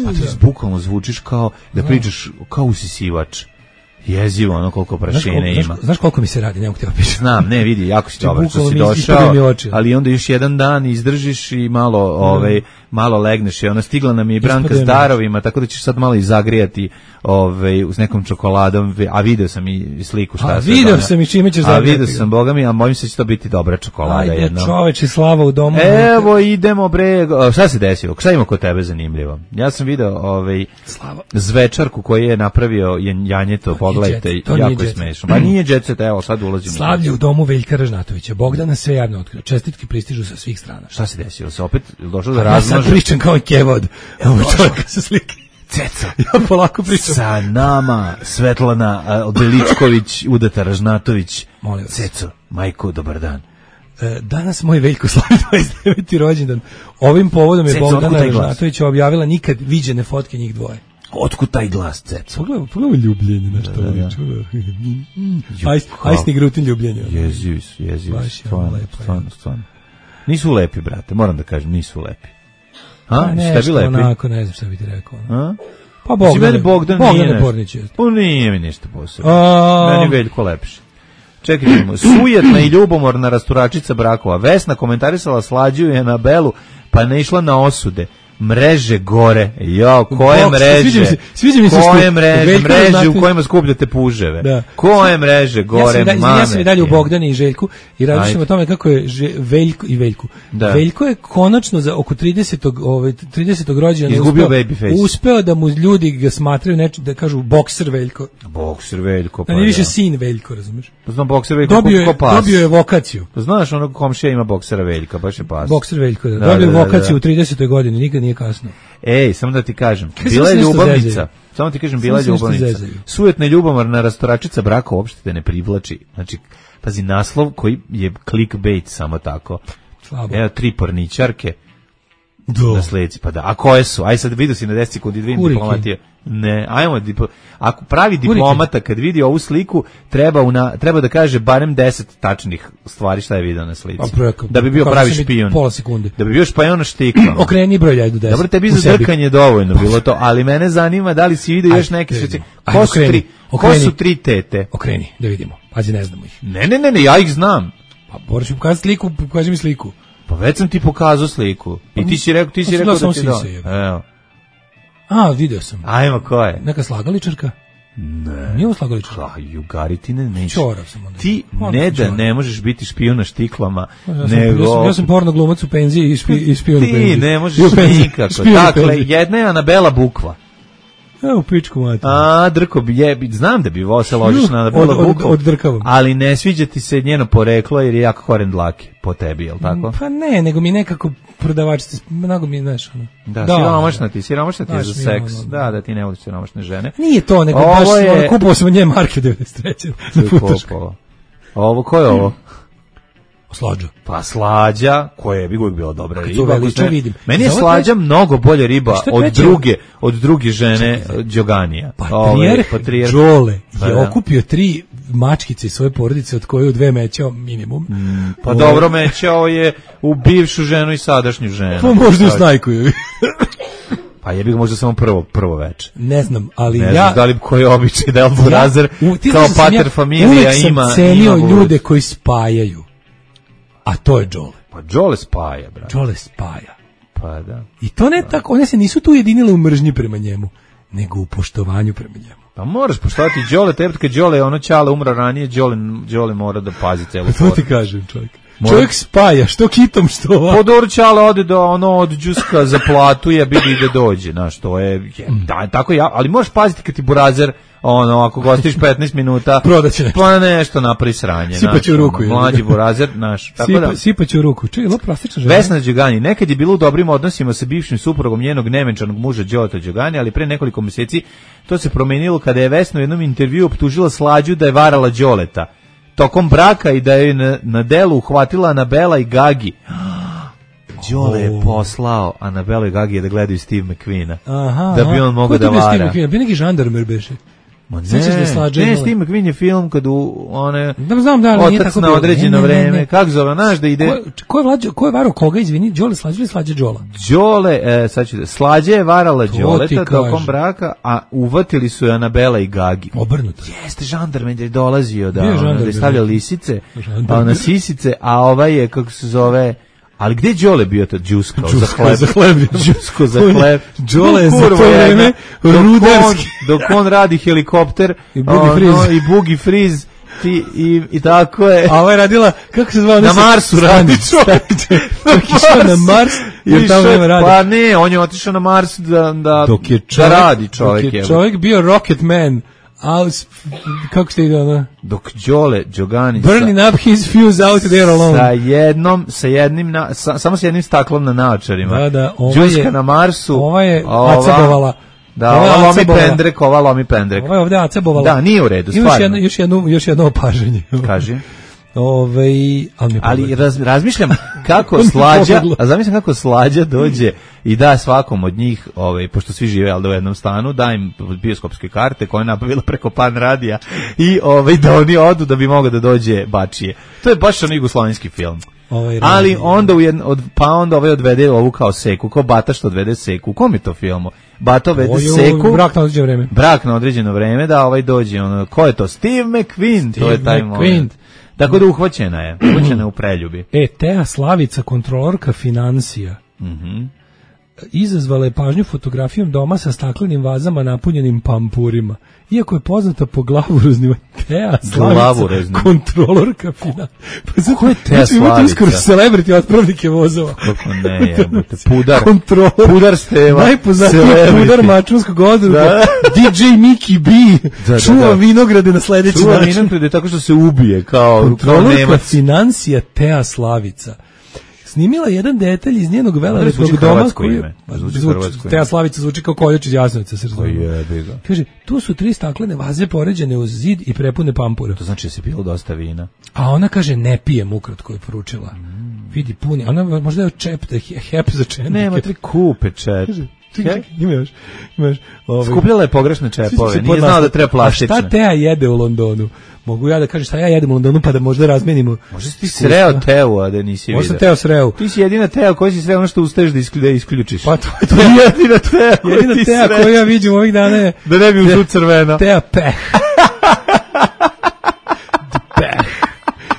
Speaker 8: pa ti bukvalno zvučiš kao da pričaš kao usisivač. Jezivo, ono koliko prašine ima.
Speaker 7: Znaš, znaš koliko mi se radi, ne mogu te opišati.
Speaker 8: Znam, ne, vidi, jako si dobar što si došao, ali onda još jedan dan izdržiš i malo, ovaj, malo legneš. I ona stigla nam je i Branka s darovima, tako da ćeš sad malo i zagrijati ovaj, s nekom čokoladom, a video sam i sliku šta
Speaker 7: a, se. A video dana. sam i čime ćeš zagrijati.
Speaker 8: A video sam, boga mi, a mojim se će to biti dobra čokolada.
Speaker 7: Ajde, čoveče, slava u domu.
Speaker 8: Evo, idemo, bre, šta se desilo? Šta ima kod tebe zanimljivo? Ja sam video ovaj, zvečarku koju je napravio Janjeto, pogledajte, jako je smešno. Pa nije jet set, evo, sad ulazimo.
Speaker 7: Slavlje u domu Veljka Ražnatovića. Bogdana sve javno otkrio. Čestitke pristižu sa svih strana.
Speaker 8: Šta se desilo? Se opet došlo da razmaže?
Speaker 7: Ja sad pričam kao kevod. Evo čovjeka sa slike. Ceca. Ja polako pričam.
Speaker 8: Sa nama Svetlana Beličković, udata Ražnatović.
Speaker 7: Molim vas.
Speaker 8: Ceco, majko, dobar dan.
Speaker 7: Danas moj Veljko slavi dvadeset deveti rođendan. Ovim povodom je Ceco, Bogdana Ražnatović objavila nikad viđene fotke njih dvoje.
Speaker 8: Otkud taj glas, Ceco?
Speaker 7: Pogledaj, pogledaj ljubljenje na što liči. Ajsni grutin ljubljenje.
Speaker 8: Jezivi su, jezivi su. Stvarno, stvarno, stvarno. Nisu lepi, brate, moram da kažem, nisu lepi. A, šta bi lepi?
Speaker 7: Onako, ne znam šta bi ti rekao.
Speaker 8: A?
Speaker 7: Pa Bogdan,
Speaker 8: Bogdan,
Speaker 7: Bogdan Pornić je.
Speaker 8: Pa nije mi ništa posebno. Meni Veljko lepši. Čekajmo, sujetna i ljubomorna rasturačica brakova. Vesna komentarisala slađuju je na Belu, pa ne išla na osude. Mreže gore. Jo, koje Bok, mreže?
Speaker 7: Sviđa mi se, sviđa mi se
Speaker 8: koje
Speaker 7: što
Speaker 8: mreže? Mreže znate... u kojima skupljate puževe. Da. Koje mreže gore?
Speaker 7: Ja sam, da, ja sam i dalje u Bogdani i Željku i razmišljam o tome kako je že, Veljko i Veljku. Da. Veljko je konačno za oko tridesetog ovaj tridesetog rođendana
Speaker 8: izgubio babyface.
Speaker 7: Uspeo da mu ljudi ga smatraju nečim da kažu bokser Veljko.
Speaker 8: Bokser Veljko.
Speaker 7: Pa. Da, ne više sin Veljko, razumeš?
Speaker 8: Pa znam bokser Veljko
Speaker 7: dobio je, pas. Dobio je vokaciju.
Speaker 8: Pa znaš, onog komšija ima boksera Veljka, baš je pas.
Speaker 7: Bokser Veljko, da. Dobio je vokaciju u tridesetoj godini, nikad nije kasno.
Speaker 8: Ej, samo da ti kažem, bila je ljubavnica. Samo ti kažem, bila je ljubavnica. Sujetna ljubomorna rasturačica braka uopšte te ne privlači. Znači, pazi, naslov koji je clickbait samo tako.
Speaker 7: Slabo.
Speaker 8: Evo, tri porničarke na sleci. Pa da, a koje su? Aj sad vidio si na desci kod dvije diplomatije. Ne, ajmo, dipo, ako pravi diplomata kad vidi ovu sliku, treba, una, treba da kaže barem deset tačnih stvari šta je video na slici.
Speaker 7: Preko,
Speaker 8: da bi bio pravi špijun.
Speaker 7: Pola sekunde.
Speaker 8: Da bi bio špijun na štikama.
Speaker 7: Okreni broj ljajdu deset.
Speaker 8: Dobro, tebi za drkanje dovoljno bilo to, ali mene zanima da li si vidio još neke slici. Ko su tri, ko su tri tete?
Speaker 7: Okreni, da vidimo. Pazi, ne znamo ih.
Speaker 8: Ne, ne, ne, ne, ja ih znam.
Speaker 7: Pa moraš mi pokazati sliku, pokaži mi sliku.
Speaker 8: Pa već sam ti pokazao sliku. I ti si rekao, ti si rekao da ti da. Evo.
Speaker 7: A, video sam.
Speaker 8: Ajmo, ko je?
Speaker 7: Neka slagaličarka?
Speaker 8: Ne.
Speaker 7: Nije ovo slagaličarka?
Speaker 8: Ha, jugaritine neće.
Speaker 7: Čorav sam onda.
Speaker 8: Ti ne da ne možeš biti špijun na štiklama,
Speaker 7: ja
Speaker 8: sam,
Speaker 7: nego... Ja sam, ja sam porno glumac u penziji i, špi, i špijun u penziji.
Speaker 8: Ti ne možeš nikako. Dakle, jedna je Anabela Bukva.
Speaker 7: Evo pičku mati.
Speaker 8: A, drko bi je, znam da bi vo se ložiš na
Speaker 7: od,
Speaker 8: bilo
Speaker 7: od,
Speaker 8: bukom,
Speaker 7: od drkavom.
Speaker 8: ali ne sviđa ti se njeno poreklo jer je jako koren dlake po tebi, je li tako?
Speaker 7: Pa ne, nego mi nekako prodavačice, mnogo mi, znaš, ono.
Speaker 8: Da, da siromašna ti, siromašna ti je za seks.
Speaker 7: Ono,
Speaker 8: da, da ti ne voliš siromašne žene.
Speaker 7: Nije to, nego
Speaker 8: ovo
Speaker 7: baš
Speaker 8: je...
Speaker 7: ono, kupovao sam od nje marke devedeset treće na Futošku.
Speaker 8: Ovo, ko je ovo?
Speaker 7: Slađa.
Speaker 8: Pa slađa, koja je bi uvijek bila dobra riba.
Speaker 7: Veliča, vidim.
Speaker 8: Meni je slađa mnogo bolje riba od druge, od druge žene Đoganija.
Speaker 7: Patrijarh Đole je okupio tri mačkice iz svoje porodice od koje u dve mećao minimum.
Speaker 8: Mm, pa Ove... dobro, mećao je u bivšu ženu i sadašnju ženu.
Speaker 7: Pa možda u snajku.
Speaker 8: Pa je bi možda samo prvo prvo veče.
Speaker 7: Ne znam, ali
Speaker 8: ne
Speaker 7: ja...
Speaker 8: Ne znam da li koji običaj da Elborazer ja, kao pater ja, familija ima...
Speaker 7: Uvijek sam cenio ima ljude koji spajaju. A to je Đole.
Speaker 8: Pa Đole spaja, brate.
Speaker 7: Đole spaja.
Speaker 8: Pa da.
Speaker 7: I to ne tako, one se nisu tu ujedinile u mržnji prema njemu, nego u poštovanju prema njemu.
Speaker 8: Pa moraš poštovati Đole, tebi kad Đole ono Ćale umra ranije, Đole, Đole mora da pazi celu
Speaker 7: foru. To ti kažem, čovjek. Mora... Čovjek spaja, što kitom, što ovako.
Speaker 8: Podor Ćale ode do, ono, od džuska za platu, je bili da dođe, znaš, to je, je da, tako ja, ali možeš paziti kad ti burazer, ono, ako gostiš petnaest minuta,
Speaker 7: prodaće nešto.
Speaker 8: Pa nešto napravi sranje,
Speaker 7: sipaće u ruku.
Speaker 8: Ono, mlađi burazer, znaš, tako
Speaker 7: Sipa,
Speaker 8: da.
Speaker 7: Sipaće u ruku, čekaj, lo plastična žena.
Speaker 8: Vesna Đogani, nekad je bilo u dobrim odnosima sa bivšim suprugom njenog nevenčanog muža Đoleta Đogani, ali pre nekoliko mjeseci to se promenilo kada je Vesna u jednom intervjuu optužila Slađu da je varala Đoleta tokom braka i da je na, na delu uhvatila Anabela i Gagi. Đole je poslao Anabela i Gagi da gledaju Steve McQueena.
Speaker 7: Aha,
Speaker 8: da bi on mogao da vara.
Speaker 7: Steve McQueen? Bi neki žandarmer beše.
Speaker 8: Ma ne, ne, ne Steve McQueen je film kad u one
Speaker 7: da znam da ali nije tako
Speaker 8: na određeno ne, ne, vreme, ne, ne. Kako zove, znaš da ide.
Speaker 7: Ko, ko je vlađo, ko je varao koga, izvini, Đole Slađe ili Slađe Đola?
Speaker 8: Đole, e, sad ću da, Slađe je varala Đoleta tokom braka, a uvatili su je Anabela i Gagi.
Speaker 7: Obrnuto.
Speaker 8: Jeste, žandarmen je dolazio da,
Speaker 7: ono,
Speaker 8: da je stavljao lisice, a na sisice, a ovaj je, kako se zove, ali gde Đole bio to džusko za hleb?
Speaker 7: Za hleb.
Speaker 8: Džusko za hleb.
Speaker 7: Đole je za to vreme rudarski.
Speaker 8: Dok on radi helikopter
Speaker 7: i bugi friz.
Speaker 8: Ono, i bugi friz i, i, i tako je.
Speaker 7: A ova je radila, kako se zvao?
Speaker 8: Na Marsu radi čovjek.
Speaker 7: Išao na Mars jer tamo nema radi.
Speaker 8: Pa ne, on je otišao na Mars da, da,
Speaker 7: dok je
Speaker 8: čovjek, da radi čovjek.
Speaker 7: Dok je čovjek bio Rocket Man. Aus, kako ste ide ono?
Speaker 8: Dok Đole Đogani
Speaker 7: burning
Speaker 8: sa,
Speaker 7: up his fuse out there alone.
Speaker 8: Sa jednom, sa jednim, na, sa, samo sa jednim staklom na naočarima.
Speaker 7: Da, da,
Speaker 8: Džuska je, na Marsu.
Speaker 7: Ova je acebovala.
Speaker 8: Da, ova, ova lomi pendrek, ova lomi pendrek.
Speaker 7: Ova je ovdje acebovala.
Speaker 8: Da, nije u redu, stvarno.
Speaker 7: Još jedno, još jedno, još jedno opažanje.
Speaker 8: Kaži.
Speaker 7: Ove, ali,
Speaker 8: ali raz, razmišljam kako Slađa, a zamišljam kako Slađa dođe i da svakom od njih, ovaj, pošto svi žive al da u jednom stanu, da im bioskopske karte koje je nabavila preko Pan radija i ovaj, da oni odu da bi mogao da dođe Bačije. To je baš on jugoslovenski film.
Speaker 7: Ovaj,
Speaker 8: ali onda u jedno, od, pa onda ovaj odvede ovu kao Seku, kao Bata što odvede Seku. U kom je to filmu? Bata odvede Oju, Seku.
Speaker 7: Brak na određeno vreme.
Speaker 8: Brak na određeno vreme, da ovaj dođe. Ono, ko je to? Steve McQueen.
Speaker 7: Steve
Speaker 8: to je taj moment. Tako da uhvaćena je, uhvaćena je u preljubi.
Speaker 7: E, Teja Slavica, kontrolorka financija,
Speaker 8: mm-hmm.
Speaker 7: izazvala je pažnju fotografijom doma sa staklenim vazama napunjenim pampurima. Iako je poznata po glavuroznima, Teja Slavica, kontrolorka financija. Pa zato,
Speaker 8: ko je Teja
Speaker 7: znači,
Speaker 8: Slavica?
Speaker 7: Iskoro celebrity otpravnike vozova.
Speaker 8: Kako ne, jebate, pudar.
Speaker 7: Kontrolor.
Speaker 8: Pudar Steva.
Speaker 7: Najpoznatiji pudar mačunskog odruga. D J Mickey B. Da, da, čuva da. vinograde na sledeći
Speaker 8: čuva
Speaker 7: način.
Speaker 8: Čuva vinograde tako što se ubije kao,
Speaker 7: kontrolorka
Speaker 8: kao Nemac.
Speaker 7: financija Teja Slavica snimila jedan detalj iz njenog velelepnog doma koji je, Teja Slavica zvuči kao koljač iz Jasenovca. Kaže, tu su tri staklene vaze poređene uz zid i prepune pampura.
Speaker 8: To znači da se bilo dosta vina.
Speaker 7: A ona kaže, ne pijem, ukratko je poručila. Mm. Vidi, puni. Ona možda je čep, da je hep za čep.
Speaker 8: Nema, tri kupe čep.
Speaker 7: Okay. Imaš, imaš,
Speaker 8: ovaj. Skupljala je pogrešne čepove, nije znala da treba plastične.
Speaker 7: A šta Teja jede u Londonu? Mogu ja da kažem šta ja jedem u Londonu pa da možda razmenimo.
Speaker 8: Možda si ti sreo Teu, a da nisi vidio.
Speaker 7: Možda Teo sreo.
Speaker 8: Ti si jedina Teja koja si sreo ono što ustaješ da isključiš.
Speaker 7: Pa to je
Speaker 8: to je jedina Teja koja
Speaker 7: jedina
Speaker 8: ti
Speaker 7: Teja koju ja vidim ovih dana je.
Speaker 8: Da ne bi ušao crveno.
Speaker 7: Teja peh. Peh.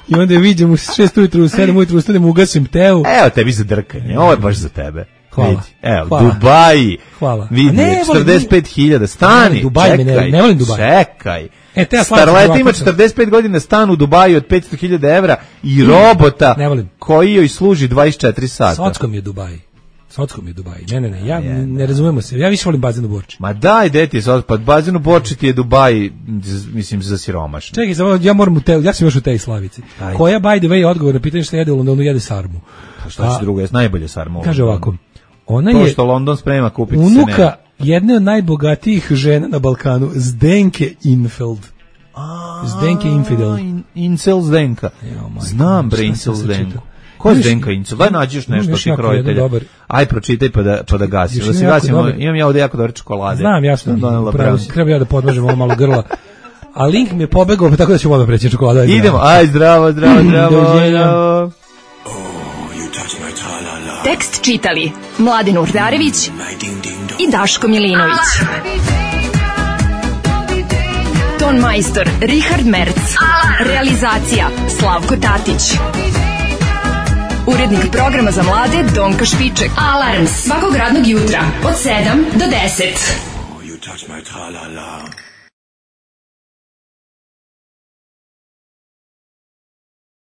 Speaker 7: I onda je vidim u šest ujutru, u sedam ujutru ustanem, ugasim Teu.
Speaker 8: Evo tebi za drkanje, ovo je baš za tebe.
Speaker 7: Hvala.
Speaker 8: Vidi. Evo,
Speaker 7: Hvala.
Speaker 8: Dubaji.
Speaker 7: Hvala.
Speaker 8: Vidi, četrdeset pet hiljada. Stani,
Speaker 7: Dubaj,
Speaker 8: čekaj.
Speaker 7: Ne, ne volim Dubaj.
Speaker 8: Čekaj.
Speaker 7: E,
Speaker 8: Starleta ima četrdeset pet godina, stan u Dubaju od petsto hiljada evra i robota
Speaker 7: ne volim.
Speaker 8: Koji joj služi dvadeset četiri sata.
Speaker 7: Sockom je Dubaj. Socko mi je Dubai. Ne, ne, ne, ja ne, ne razumemo se. Ja više volim bazen u Borči.
Speaker 8: Ma daj, deti je Socko, pa bazen u Borči ti je Dubai, mislim, za siromašno.
Speaker 7: Čekaj, samo, ja moram u te, ja sam još u tej Slavici. Ajde. Koja, by the way, odgovor na pitanje šta jede u Londonu, jede sarmu.
Speaker 8: Pa šta će drugo, je najbolje sarmu.
Speaker 7: Kaže ovako, ona
Speaker 8: to
Speaker 7: je...
Speaker 8: To što London sprema, kupiti se
Speaker 7: unuka
Speaker 8: ne.
Speaker 7: jedne od najbogatijih žena na Balkanu, Zdenke Infeld. A, Zdenke Infidel.
Speaker 8: In, Incel Zdenka. Jo, znam, bre, Incel Zdenku. Ko je Zdenka Incel? Daj nađeš nešto ti krojitelja. Aj, pročitaj pa da, pa da gasimo. Da se gasimo. Imam ja ovdje jako dobre čokolade.
Speaker 7: Znam, jasno. Treba ja da podmažem ovo malo grla. A link mi je pobegao, pa tako da ću odmah preći čokolada.
Speaker 8: Idemo, aj, zdravo, zdravo, zdravo.
Speaker 11: Tekst čitali Mladin Urdarević i Daško Milinović. Ton majstor Richard Merc. Realizacija Slavko Tatić. Urednik programa za mlade Donka Špiček. Alarms svakog radnog jutra od sedam do deset.